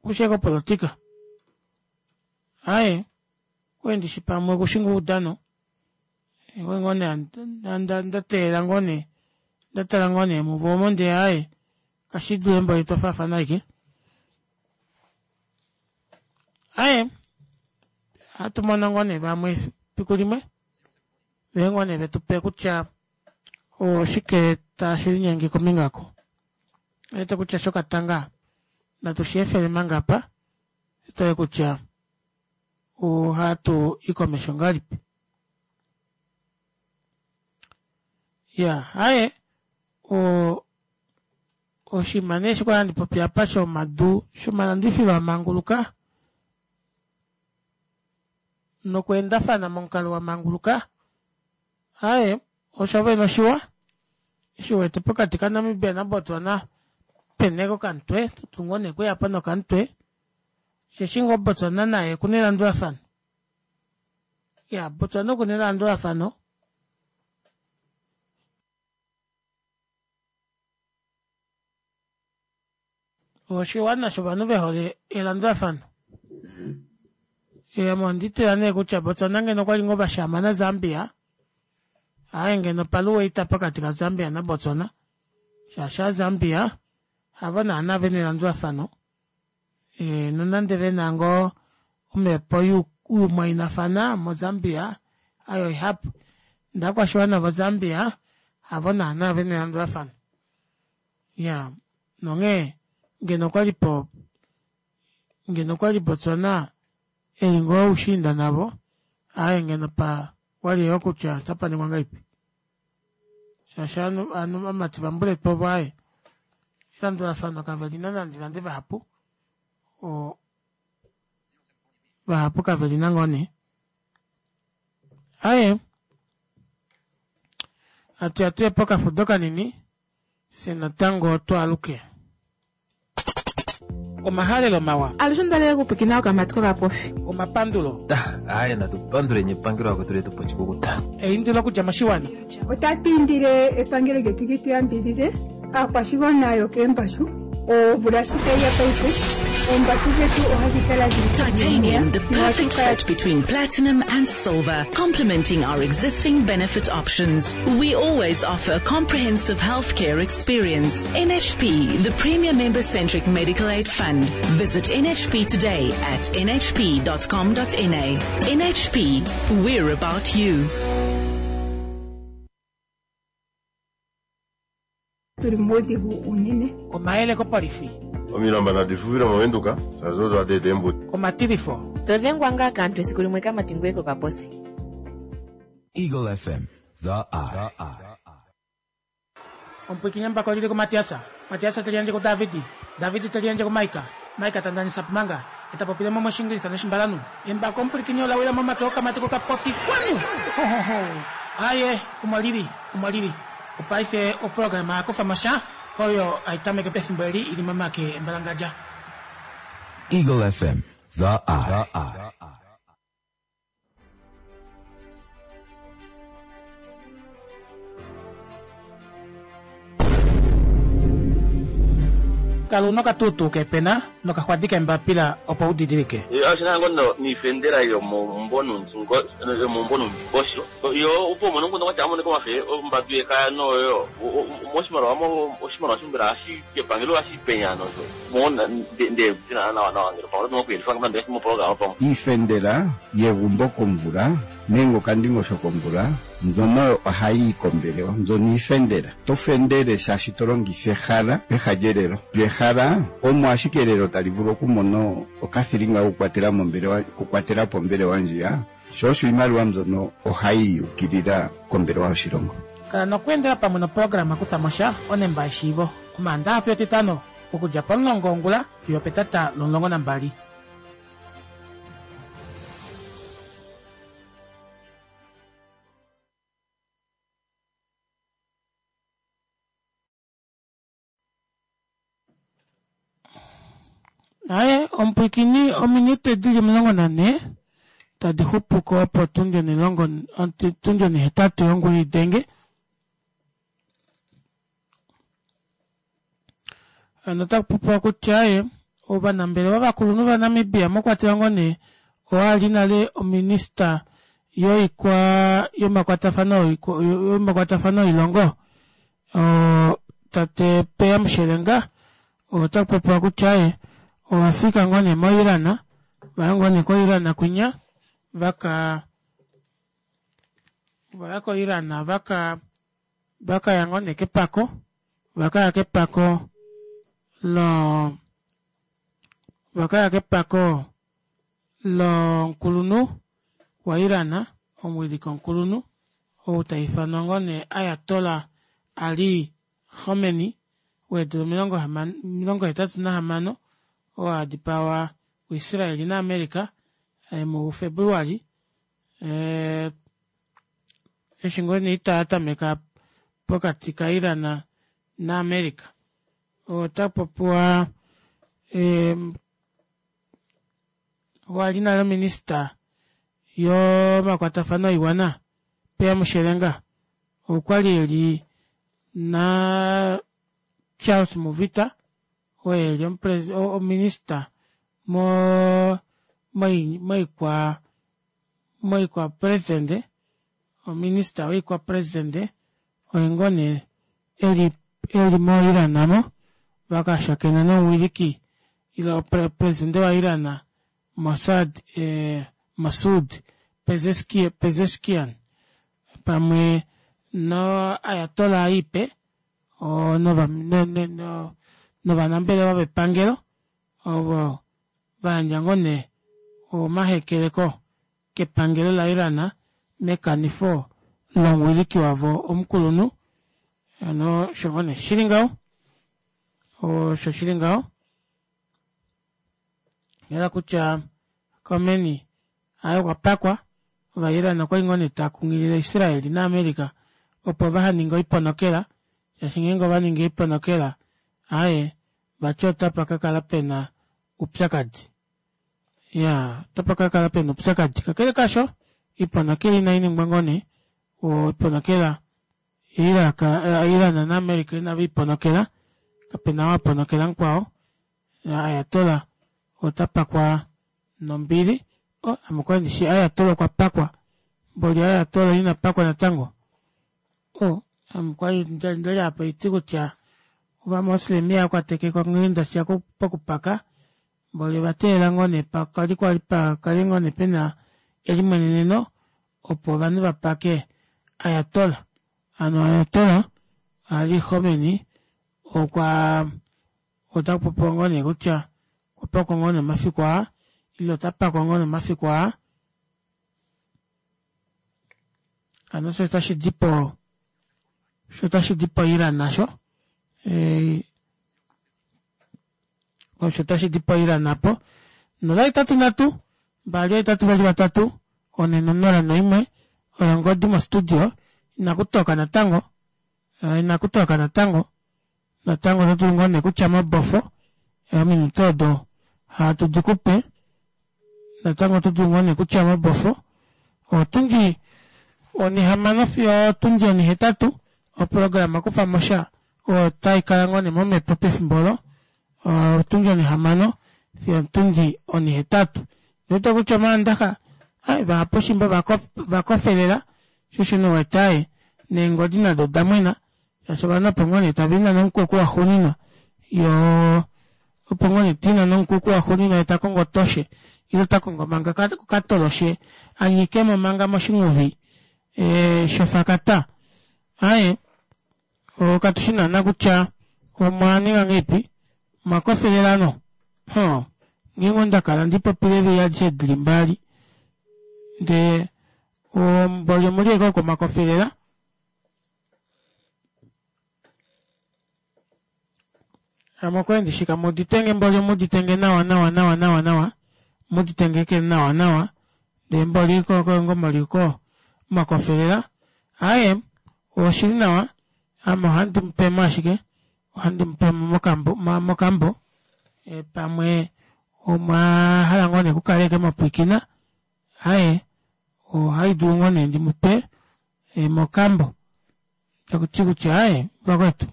okushi ashike opolitika aaye okwali ndishi pamwe okushi ngoo oudano okwali ngoo nee ndateelela ngoo nee ndatala ngoo nee muvo omo ndee aaye kashidule mboli twafaafana ashike aaye ohatu mono ngoo nee vamwe efiku limwe vee ngoo nee vetupe kutya oshike tashi linyenge kombinga oko wete kutya shokatanga natu shi efele manga apa tutale kutya ohatu i komesho ngahelipi ya haye o oshinima nee eshi kwali handi popi apa shomadu shomalandifilo amanguluka nokweendafana momukalo wa manguluka aaye osho vene oshiwa eshi wete pokati kaNamibia naBotswana pena ashike okamutwe totu ngoo nee okuyapo nokamutwe osheshi ngoo Botswana naye okuna elandulafano ya Botswana okuna elandulafano. Oshiwana shovanhu ve hole elandulafano. Ame ondi tila nee kutya Botswana ngeno okwali ngoo vashaama naZambia, aaye ngeno paluwa oita pokati kaZambia naBotswana shaashi aZambia havo naana vena elandulafano nonande vena ngoo omhepo youmwainafana moZambia hayo ihapu ndee ovakwashiwana voZambia havo naana vena elandulafano. Ya nonghee ngeno okwali po ngeno okwali Botswana eli ngoo oushiinda navo aaye ngeno pa wali yoo kutya otapa ningwa ngahelipi shaashi ovanhu ovanhu vamati vambuletu ovo aaye elandulafano kave lina nande nande vahapu o vahapu kave lina ngoo nee aye atu ya tuye pokafudo kanini Fye natango twaaluke. Omahalelo mawa. Alushe onda lela okupwikina okamati kokapofi. Omapandulo. Aaye natu panduleni epangelo lakwetu letu po oshikukuta. Eindilo okudja moshiwana. Otatu indile epangelo lyetu li tu yambidhidhe aakwashigwana yokeembashu omvula shi tayi ya paife oombashu dhetu ohadhi kala dhili kohi yomeya Titanium, the nohatu perfect kala fit between platinum and silver, complementing our existing benefit options. We always offer a comprehensive healthcare experience. NHP, the premier member-centric medical aid fund. Visit NHP today at nhp.com.na. NHP, we're about you. tuli muudhigu uunene. Omayele kopolifi. Omilamba nadi fuvile mOvenduka, shaashi odo hadi eta eembudi. Omatilifo. To dhengwa ngaa kaantu esiku limwe kamati ngoye kokaposi. Eagle FM, the eye. Omupwiikini embako olili kuMatiasa, Matiasa te liyandje kuDavidi, Davidi te liyandje kuMaika, Maika ta ndanisa Pumanga, e ta popile mo mOshiingilisa nOshimbalanhu. Embako omupwilikini ola wila momake okamati kokapofi. Wanu! Ho, ho, ho! Aye, omo lili, omo lili. Opaife oprograma ya kufa mo sha oyo hai tameke pefimbo eli i li momake embalangadja. Eagle FM, the eye. Kala u na okatuutuu keepena nokaxwadi keembapila opo u didilike. Oshi na ngoo noifendela yomomumbo yomomumbo noundingosho yo opo umone omukundu kwatya amoneka omafe ombadu yekaya noyo moshimaliwa mo oshimaliwa sho mbela ohashi kepangelo ohashi penya nosho mo nde tina nawa nawa ngeno pamwe oto kuyelifa nande moprograma pamwe. Iifendela yegumbo komvula nenge okandingosho komvula mbyono ohayi yi kombelewa. Mbyono iifendela. To fendele shaashi to longitha ehala peha lyelelo. Lyo ehala omo ashike elelo tali vulu okumona okathilinga kokukwatela mombelewa, okukwatela po ombelewa ndjiya. Sho osho iimaliwa mbyono ohayi yi ukilila kombelewa yoshilongo. Kala nokweendela pamwe noprograma Kutha mo sha onemba yeshiivo Omaandaha fiyo Etitano okudja pomulongo wongula fiyo opetata lomulongo nambali. Aye, omupwikini ominute dili 14 tadi xupuko opo otundi onilongo otundi onihetatu yongula idenge. Hano otaku popiwa kutya aye ovanambelewa vakulunhu vaNamibia mwakwatelwa ngoo nee oo ali nale ominista yoikwa yomakwatafano yomakwatafano oilongo tate Peya Mushelenga otaku popiwa kutya ye ova fika ngoo nee moIran, vaya ngoo nee koIran kwinya vaka vaya koIran vaka vakaya ngoo nee kepako, vakaya kepako lo vakaya kepako lomukulunhu waIran, omuwiliki omukulunhu ou ta ifanwa ngoo nee Ayatollah Ali Khomeini weedula 86 oo a dipawa kuIsrael naAmerica muFebruali eshi ngoo nee oita ya tameka pokati kaIran naAmerica. Ota popiwa oo ali nale ominista yomakwatafano oiwana Peya Mushelenga okwali eli na Charles Muvita oo eli ominista mo moikwa moikwa presidente ominista woikwa presidente oye ngoo nee eli eli moIran mo vakashakena nomuwiliki ile presidente waIran Mossad Masoud Pezeshkian pamwe no Ayatollah ipe. novanambelewa vepangelo ovo vayandja ngoo nee omahekeleko kepangelo la Iran mekanifo lomuwiliki wavo omukulunhu hano osho ngoo nee shili ngaho osho shili ngaho yela kutya Khomeini aye okwa pakwa ova Iran okwali ngoo nee takunghilile Israel na America opo vahaninge oiponokela shaashi ngeenge ovaningi oiponokela aaye vati otapa kakala pena oupyakadi iyaa otapa kakala pena oupyakadi kakele kaasho oiponokela inainingwa ngoo nee oiponokela Iraq Iran na America inaveiponokela kapena oo aponokela mukwao Ayatollah ota pakwa nombili oh ame okwali ndishi Ayatollah okwa pakwa mboli Ayatollah ina pakwa natango oh ame okwali ndali apa iti kutya ovamoslem iha kwatekekwa nghee ndashiya pokupaka mboli ovateelela ngoo nee pakali kwali pakale ngoo nee pena elimweneneno opo ovanhu vapake Ayatollah hano Ayatollah Ali Khomeini okwa Ota popiwa ngoo nee kutya okwa pakwa ngoo nee omafiku aa ile ota pakwa ngoo nee omafiku aa. Hano osho tashi di po osho tashi di po Iran nasho eh, osho tashi di po Iran apo 083 282 401 oyo ongodi mostudio inakutoka natango eh, inakutoka natango Natango oto dulu ngoo nee kutya mobofo ominute odo hatu di kupe natango oto dulu ngoo nee kutya mobofo otundi onihamano fiyo otundi onihetatu oprograma kufa mo sha otai kala ngoo nee momhepo pefimbo olo otundi onihamano fiyo otundi onihetatu ndiwete kutya omaandaxa ai vahapu shimba vakofelela shosho nouwete aye neengodi nado odamwena Shaashi ovanhu opo ngoo nee tava inana omukuku waxuuninwa yoo opo ngoo nee ta inana omukuku waxuuninwa ye ta kongo otoshe ile ota kongo manga okatoloshe a nyikemo manga moshinghuvi e, shofakata. Aaye, katu shi naana kutya omwa ninga ngeipi, omwa kofelela no? Hoo, nghee ngoo nda kala ndi popile eevili adishe dili mbali ndee omboli omuli ashike oko mwa kofelela. Ame okwali ndishika muditenge mboli muditenge nawa nawa nawa nawa nawa muditenge ke nawa nawa ndee mboli ko mwakofelela aaye oshili nawa ame ohandi mupemo ashike ohandi mupemo mokambo mokambo e, pamwe omwa hala ngoo nee kukala eke mwapwiikina aaye ohai dulu ngoo nee ndimupe e, mokambo takuti kutya aaye vakwetu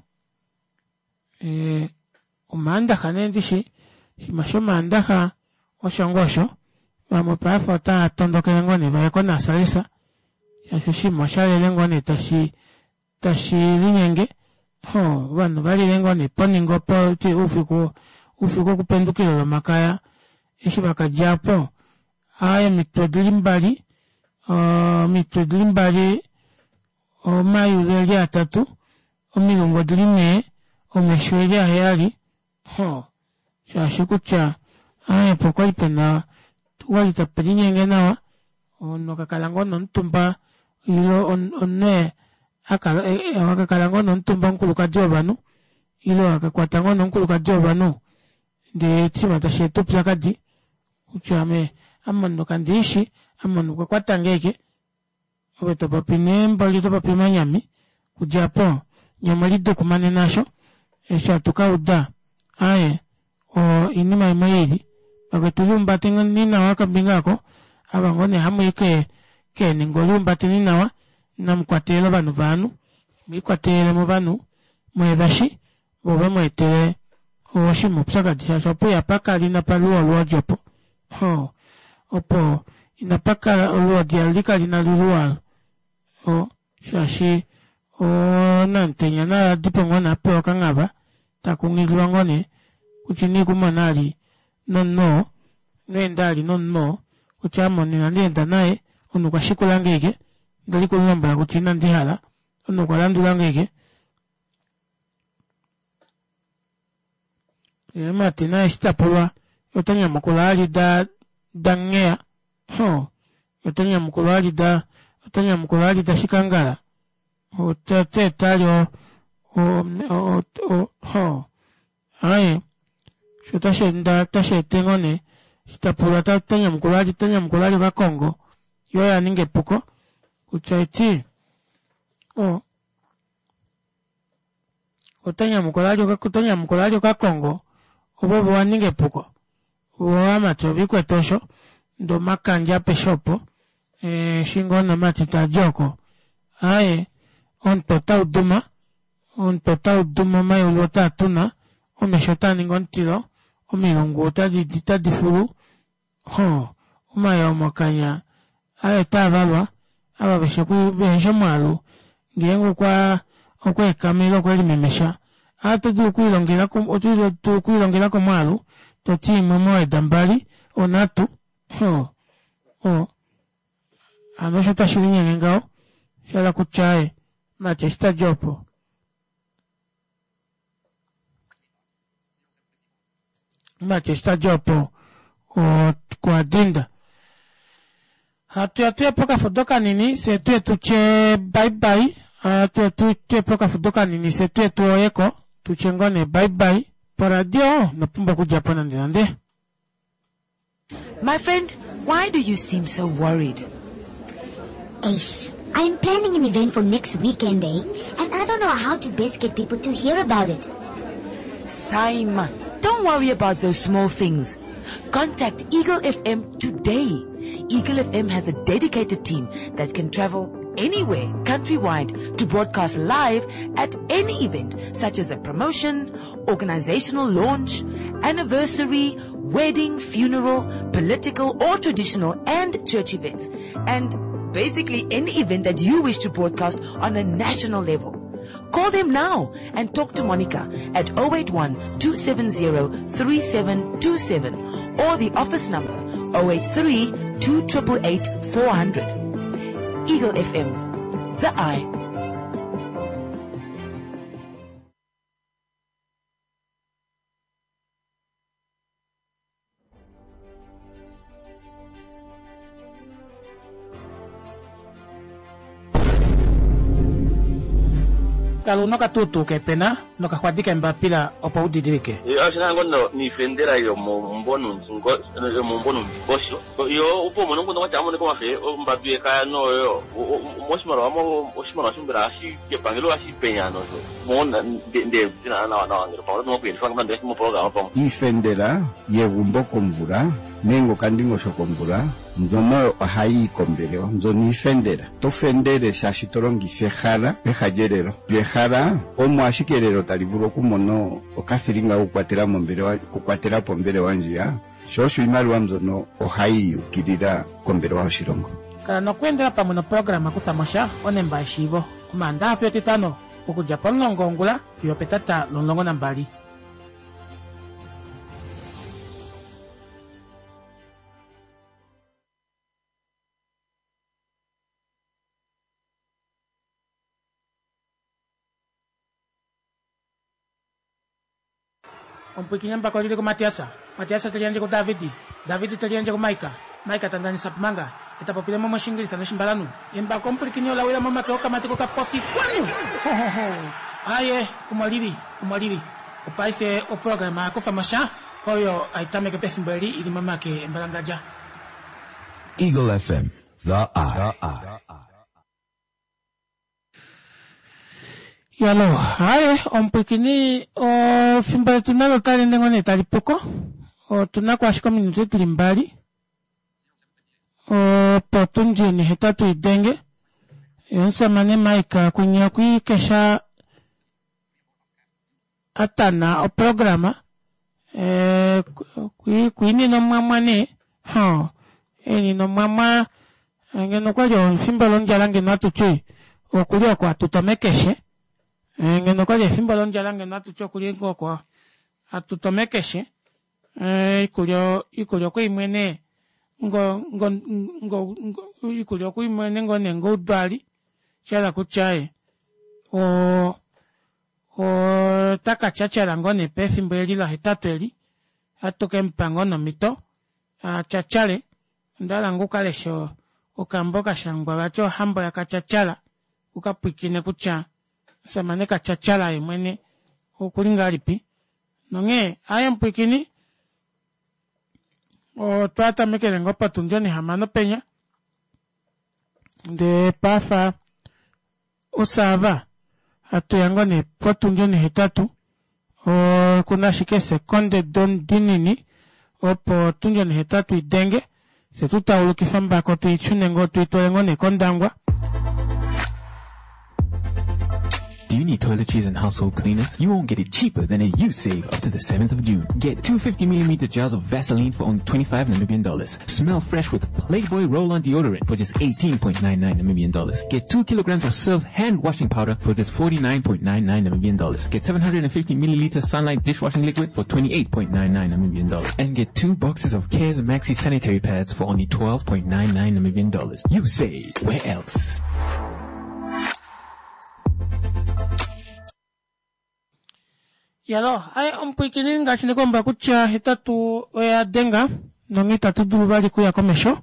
e, omaandaxa nee ndishi shima shomaandaxa osho ngoo osho vamwe paife otava tondokele ngoo nee vaye konasalesa shaashi oshinima oshalele ngoo nee tashi tashi linyenge ho ovanhu valile ngoo nee poningo opo oufiku oufiku wokupendukila olomakaya eshi vakadja po aaye omitwe odili mbali omitwe odili mbali omayulu eli atatu omilungu odili nhee omesho eli aheyali ho shaashi kutya aaye opo kwali pena okwali tape linyenge nawa omunhu kakala ngoo nomutumba ile omunhu akala wakakala ngoo nomutumba omukulukadi wovanhu ile wakakwata ngoo nomukulukadi wovanhu ndee oshinima tashi eta oupyakadi kutya ame ame omunhu kandiishi ame omunhu okwa kwata nge ashike Ove to popi nee mboli to popi omanyami kudja apo nye omwe lidukumanena asho eshi hatu ka uda aaye oinima imwe iili vakwetu liumbateni nawa kombinga oko ava ngoo nee hamuyi keeningo liumbateni nawa inamu kwatelela ovanhu vaanhu mwiikwatelele movanhu mweevashi vo ve mu etele oshinima oupyakadi shaashi opo ihapa kala inapa luwa olwoodi opo ho opo inapa kala olwoodi ali kali na luluwa ho shaashi onamutenya naye adipo ngoo nee apewa okanghava takunghililwa ngoo nee kutya ina ikumona ali nomunhu oo ino enda ali nomunhu oo kutya ame omunhu inandi enda naye omunhu okwa shikulange ashike ondali kumulombwela kutya inandi hala omunhu okwa landulange ashike. Mati naye eshi ta pulwa ota nyamukula ali da da ngheya ho ota nyamukula ali da ota nyamukula ali da shikangala ota teta ali o o o ho aye sho tashi enda tashi ete ngoo nee eshi ta pulwa ta nyamukula ali ta nyamukula ali okakongo yo oya ninga epuko kutya eti o Ota nyamukula ali ota nyamukula ali okakongo ovo ovo wa ninga epuko vo ovamati ovikwete osho ndee omakandja apeshe opo eshi ngoo namati tadi oko aaye omutwe otau duma omutwe otau duma omayulu otaa tuna omesho otaa ningi omutilo omilungu otadi otadi fulu Hoo, omayoo mokanya aye otaa valwa, ava vehe vehe shi omwaalu, ngeenge okwa okwa ekama ile okwe limemesha, a oto dulu okwiilongela oto dulu okwiilongela komwaalu, to ti imwe moweda mbali, onhatu. Hoo, o, hano osho tashi linyenge ngaho, sha hala kutya aye, mati eshi ta di opo. Mati eshi tadi opo okwa dinda. Hatu ya tuye pokafudo kanini fye tuye tutye bye bye. Hatu ya tuye pokafudo kanini fye tuye tuoyeko tutye ngoo nee bye bye. Poradio ino pumbwa okudja po nande nande. My friend, why do you seem so worried? Ace, I'm planning an event for next weekend, eh? And I don't know how to best get people to hear about it. Simon, don't worry about those small things. Contact Eagle FM today. Eagle FM has a dedicated team that can travel anywhere countrywide to broadcast live at any event such as a promotion, organizational launch, anniversary, wedding, funeral, political or traditional and church events. And basically any event that you wish to broadcast on a national level. Call them now and talk to Monica at 081 270 3727 or the office number 083 2888 400. Eagle FM, the eye. Kala una okatuutuu keepena nokaxwadi keembapila opo u didilike. Oshi na ngoo noifendela yomomumbo noundingosho yo opo umone omukundu kwatya amonike omafe ombadu yekaya noyo moshimaliwa oshimaliwa sho mbela ohashi kepangelo ohashi penya nosho mo nde dina nawa nawa ngele pamwe oto okuyelifa ngame moprograma pamwe. Iifendela yegumbo komvula nenge okandingosho komvula mbyono ohayi yi kombelewa mbyono iifendela. Oto fendele shaashi to longitha ehala peha lyelelo. Lyo ehala omo ashike elelo tali vulu okumona okathilinga kokukwatela mombelewa okukwatela po ombelewa ndjiya, sho osho iimaliwa mbyono ohayi yi ukilila kombelewa yoshilongo. Kala nokweendela pamwe noprograma Kutha mo sha onemba yeshiivo Omaandaha fiyo Etitano okudja pomulongo wongula fiyo opetata lomulongo nambali. Omupwiikini embako oli li kuMatias, Matias te liyandje kuDavid, David te liyandje kuMaika, Maika ta ndanisa Pumanga, e ta popile mo mOshiingilisa nOshimbalanhu. Embako omupwilikini ola wila momake okamati kokapofi kwanu! Ho, ho, ho! Aye, omo li li, omo li li. Opaife oprograma ya kufa mo sha, oyo hai tameke pefimbo eli i li momake embalangadja. Eagle FM, the eye. Yalo, haye omupwikini ofimbo letu nalo otali ende ngoo nee tali puko. Otu na ko ashike ominute dili mbali opo tundi nehetatu i denge. Omusamane Mike kunye okwiikesha a tana oprograma eh, kwiinina omwamwa nee ho einina omwamwa eh, ngeno okwali efimbo londjala ngeno atuti okuli oko atuta mekeshe eh, ngeno okwali efimbo londjala ngeno atuti okuli oko atuta omekeshe eh, iikulya iikulya okweimwene ngo ngo ngo iikulya okweimwene ngo nee ngoudwali sha hala kutya o. Ota ka tyatyala ngoo nee pefimbo eli lahetatu eli, ohatu ke mu pa ngoo nee omhito a tyatyale. Onda hala ngoo u ka leshe okambo ka shangwa vati ohambo yakatyatyala u ka pwiikine kutya omusamane Katyatyala ye mwene okuli ngahelipi. Nonghee aaye mupwiikini otwa tamekele ngoo potundi onihamano penya ndee pafa Osaava, hatu ya ngoo nee potundi onihetatu, okuna ashike eesekonde dinini opo otundi onihetatu idenge, fye tu taulukife ombako tuishune ngoo tuitwale ngoo nee kOndangwa. Do you need toiletries and household cleaners? You won't get it cheaper than at Usave up to the 7th of June. Get 250 mm jars of Vaseline for only 25 Namibian dollars. Smell fresh with Playboy Roll-On Deodorant for just 18.99 Namibian dollars. Get 2 kilograms of Surf's hand washing powder for just 49.99 Namibian dollars. Get 750 milliliter Sunlight dishwashing liquid for 28.99 Namibian dollars. And get 2 boxes of Cares Maxi sanitary pads for only 12.99 Namibian dollars. You say, where else? Yalo, aye omupwiikini ngaashi ndikomba kutya hetatu oya denga nonghee itatu dulu vali kuya komesho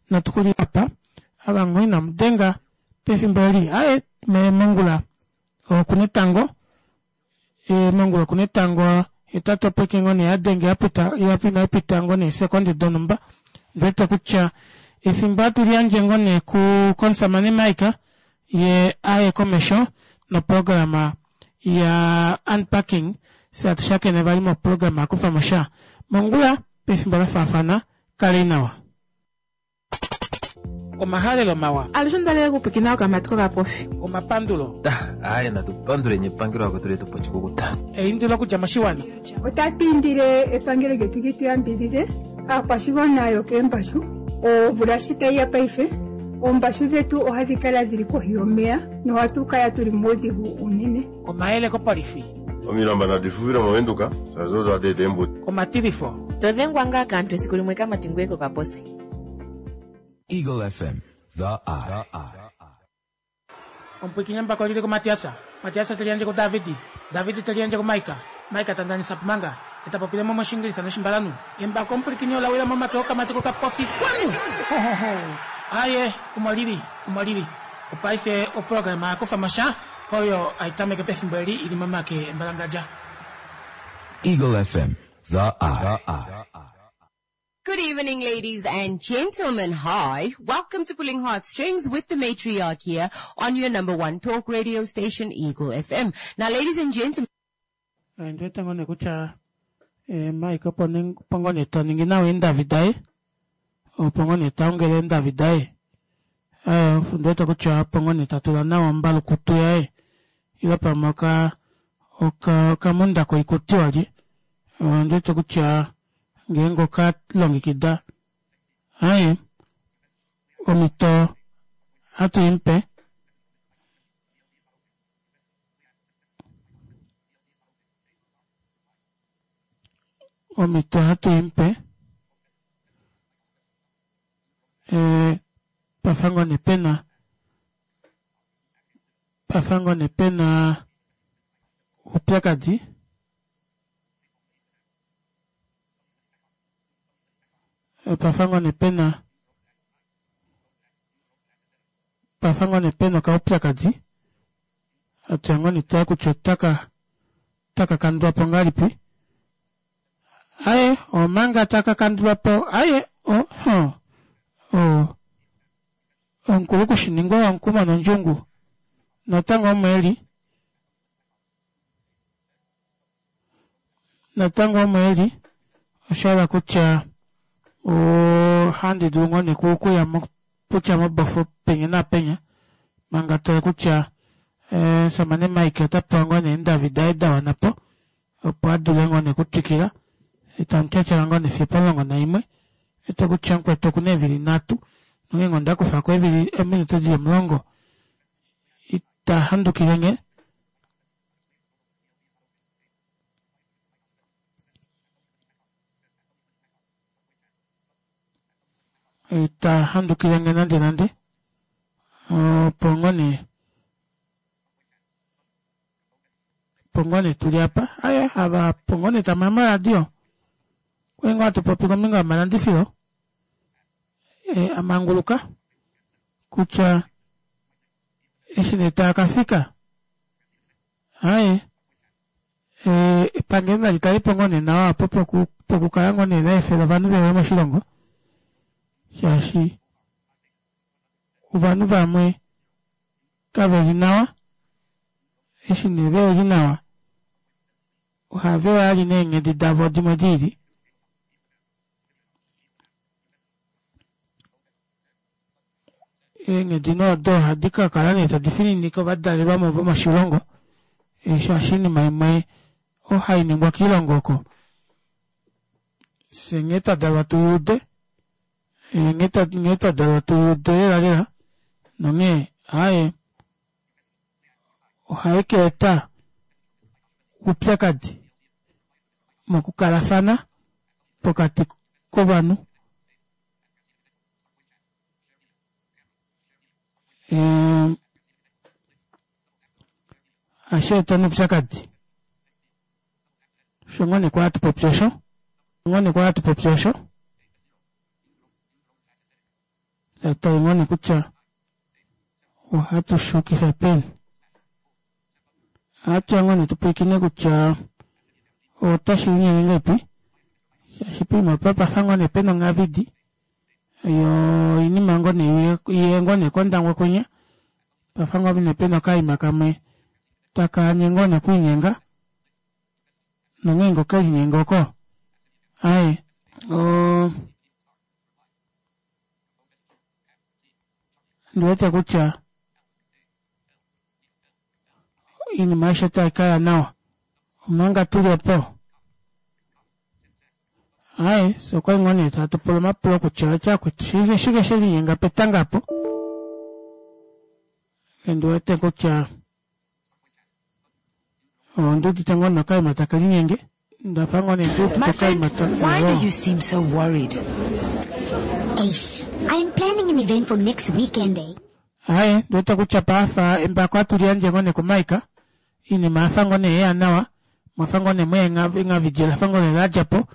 natu kuli apa ava ngoo inamu denga pefimbo eli aye mongula okuna etango e, mongula okuna etango hetatu opo ike ngoo nee yadenge yapita inai ngoo nee sekonde donhumba ndiwete kutya efimbo hatu liyandje ngoo nee ku komusamane Mike ye aye komesho noprograma ya unpacking fye hatu shakene vali moprograma yakufamo sha mongula pefimbo lafaafana kalei nawa. Omahalelo mawa. Alushe onda okupwikina okamati kokapofi. Omapandulo. Aaye natu panduleni epangelo lakwetu letu po oshikukuta. Eindilo okudja moshiwana. Otatu indile epangelo lyetu li tu yambidhidhe aakwashigwana yokeembashu. Omvula shi tayi ya paife, oombashu dhetu ohadhi kala dhili kohi yomeya nohatu kala tuli muudhigu uunene. Omayele kopolifi. Omilamba nadi fuvile mOvenduka, shaashi odo hadi eta eembudi. Omatilifo. To dhengwa ngaa kaantu esiku limwe kamati ngoye kokaposi. Eagle FM, the eye. Omupwiikini embako lili kuMatiasa, Matiasa te liyandje kuDavidi, Davidi te liyandje kuMaika, Maika ta ndanisa Pumanga, e ta popile mo mOshiingilisa nOshimbalanhu. Embako omupwilikini ola wila momake okamati kokapofi. Kwanu! Hohoho! Aaye, omo lili, omo lili. Opaife oprograma ya kufa mo sha, oyo hai tameke pefimbo eli i li momake embalangadja. Eagle FM, the eye. Good evening, ladies and gentlemen. Hi. Welcome to Pulling Heartstrings with the matriarch here on your number one talk radio station, Eagle FM. Now, ladies and gentlemen, Ondi wete ngoo nee kutya eh, Mike opo ne- opo ngoo nee ta ningi nawa eendavi daye opo ngoo nee ta ongele eendavi daye Eh, ondi wete kutya opo ngoo nee ta tula nawa ombalukutu yaye ile pamwe oka oka okamunda koikuti walye ondi wete kutya ngeenge oka longekida aye omhito hatu i mupe omhito hatu i mupe eh, pafa ngoo nee pena pafa ngoo nee pena oupyakadi pafa ngoo nee pena pafa ngoo nee pena okaupyakadi atuya ngoo nee tale kutya otaka otaka kandulwa po ngahelipi aye omanga taka kandulwa po aye oh, oh, oh. Omukulu kushiningwa owamukumo nondjungu natango omo eli natango omo eli osha hala kutya ohandi dulu ngoo nee okuya kutya mobofo penya naapenya manga tale kutya omusamane Mike ota pewa ngoo nee eendavi daye da wana po opo a dule ngoo nee okutwikila tamu tyatyala ngoo nee fiyo opomulongo naimwe wete kutya mukwetu okuna eevili nhatu nongeenge onda kufa ko eevili eeminute dili omulongo ita handukile nge. Ita handukile nge nande nande opo ngoo nee. Opo ngoo nee tuli apa. Aye, ava opo ngoo nee tamu ya moradio. Okwali ngoo hatu popi kombinga yomalandifilo e, a manguluka kutya eshi nee taa ka fika aye e, epangelo nali tale po ngoo nee nawa opo poku, pokukala ngoo nee la efela ovanhu veuye moshilongo shaashi ovanhu vamwe kave li nawa eshi nee ve li nawa ohave ya li neenghedi davo dimwe di ili eenghedi nee odo ohadi ka kala nee tadi fininike ovadalelwamo vomoshilongo shaashi oinima imwe ohai ningwa kiilongo oko fye nghee twa dalwa tu ude nghee twa dalwa tu ude lela lela nonghee aaye ohai ka eta oupyakadi mokukalafana pokati kovanhu. Ohashi eta oupyakadi. Osho ngoo nee kwali hatu popi osho. Ngoo nee kwali hatu popi osho. Tatu ngoo nee kutya ohatu shukifa peni. Ohatu ya ngoo nee tu pwilikine kutya otashi linyenge ngahelipi. Shaashi poima opa pafa ngoo nee pena ongavidi yo oinima ngoo nee iye ngoo nee kOndangwa kwinya. Pafa ngoo nee pena okaima kamwe taka anye ngoo nee okwiinyenga. Nongeenge okelinyenga oko aye o ndi wete kutya oinima aishe otai ka ya nawa omanga tuli opo aye fye okwali ngoo nee tatu pula omapulo kutya otya kwetu shike shike she linyenga petanga apo ndi wete kutya ondi udite ngoo nokaima take linyenge ndafa ngoo nee ndi udite My friend, okaima ta why do you seem so worried? Ace, I'm planning an event for next weekend, eh? Aye, ndi wete kutya paafa embako atu liyandje ngoo nee kuMike, iinima oyafa ngoo nee yeya nawa, mwafa ngoo nee mweya engavidji lafa ngoo nee ladja po,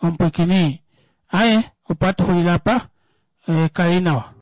omupwiikini, aye, opo atu xulile apa, eh, kalei nawa.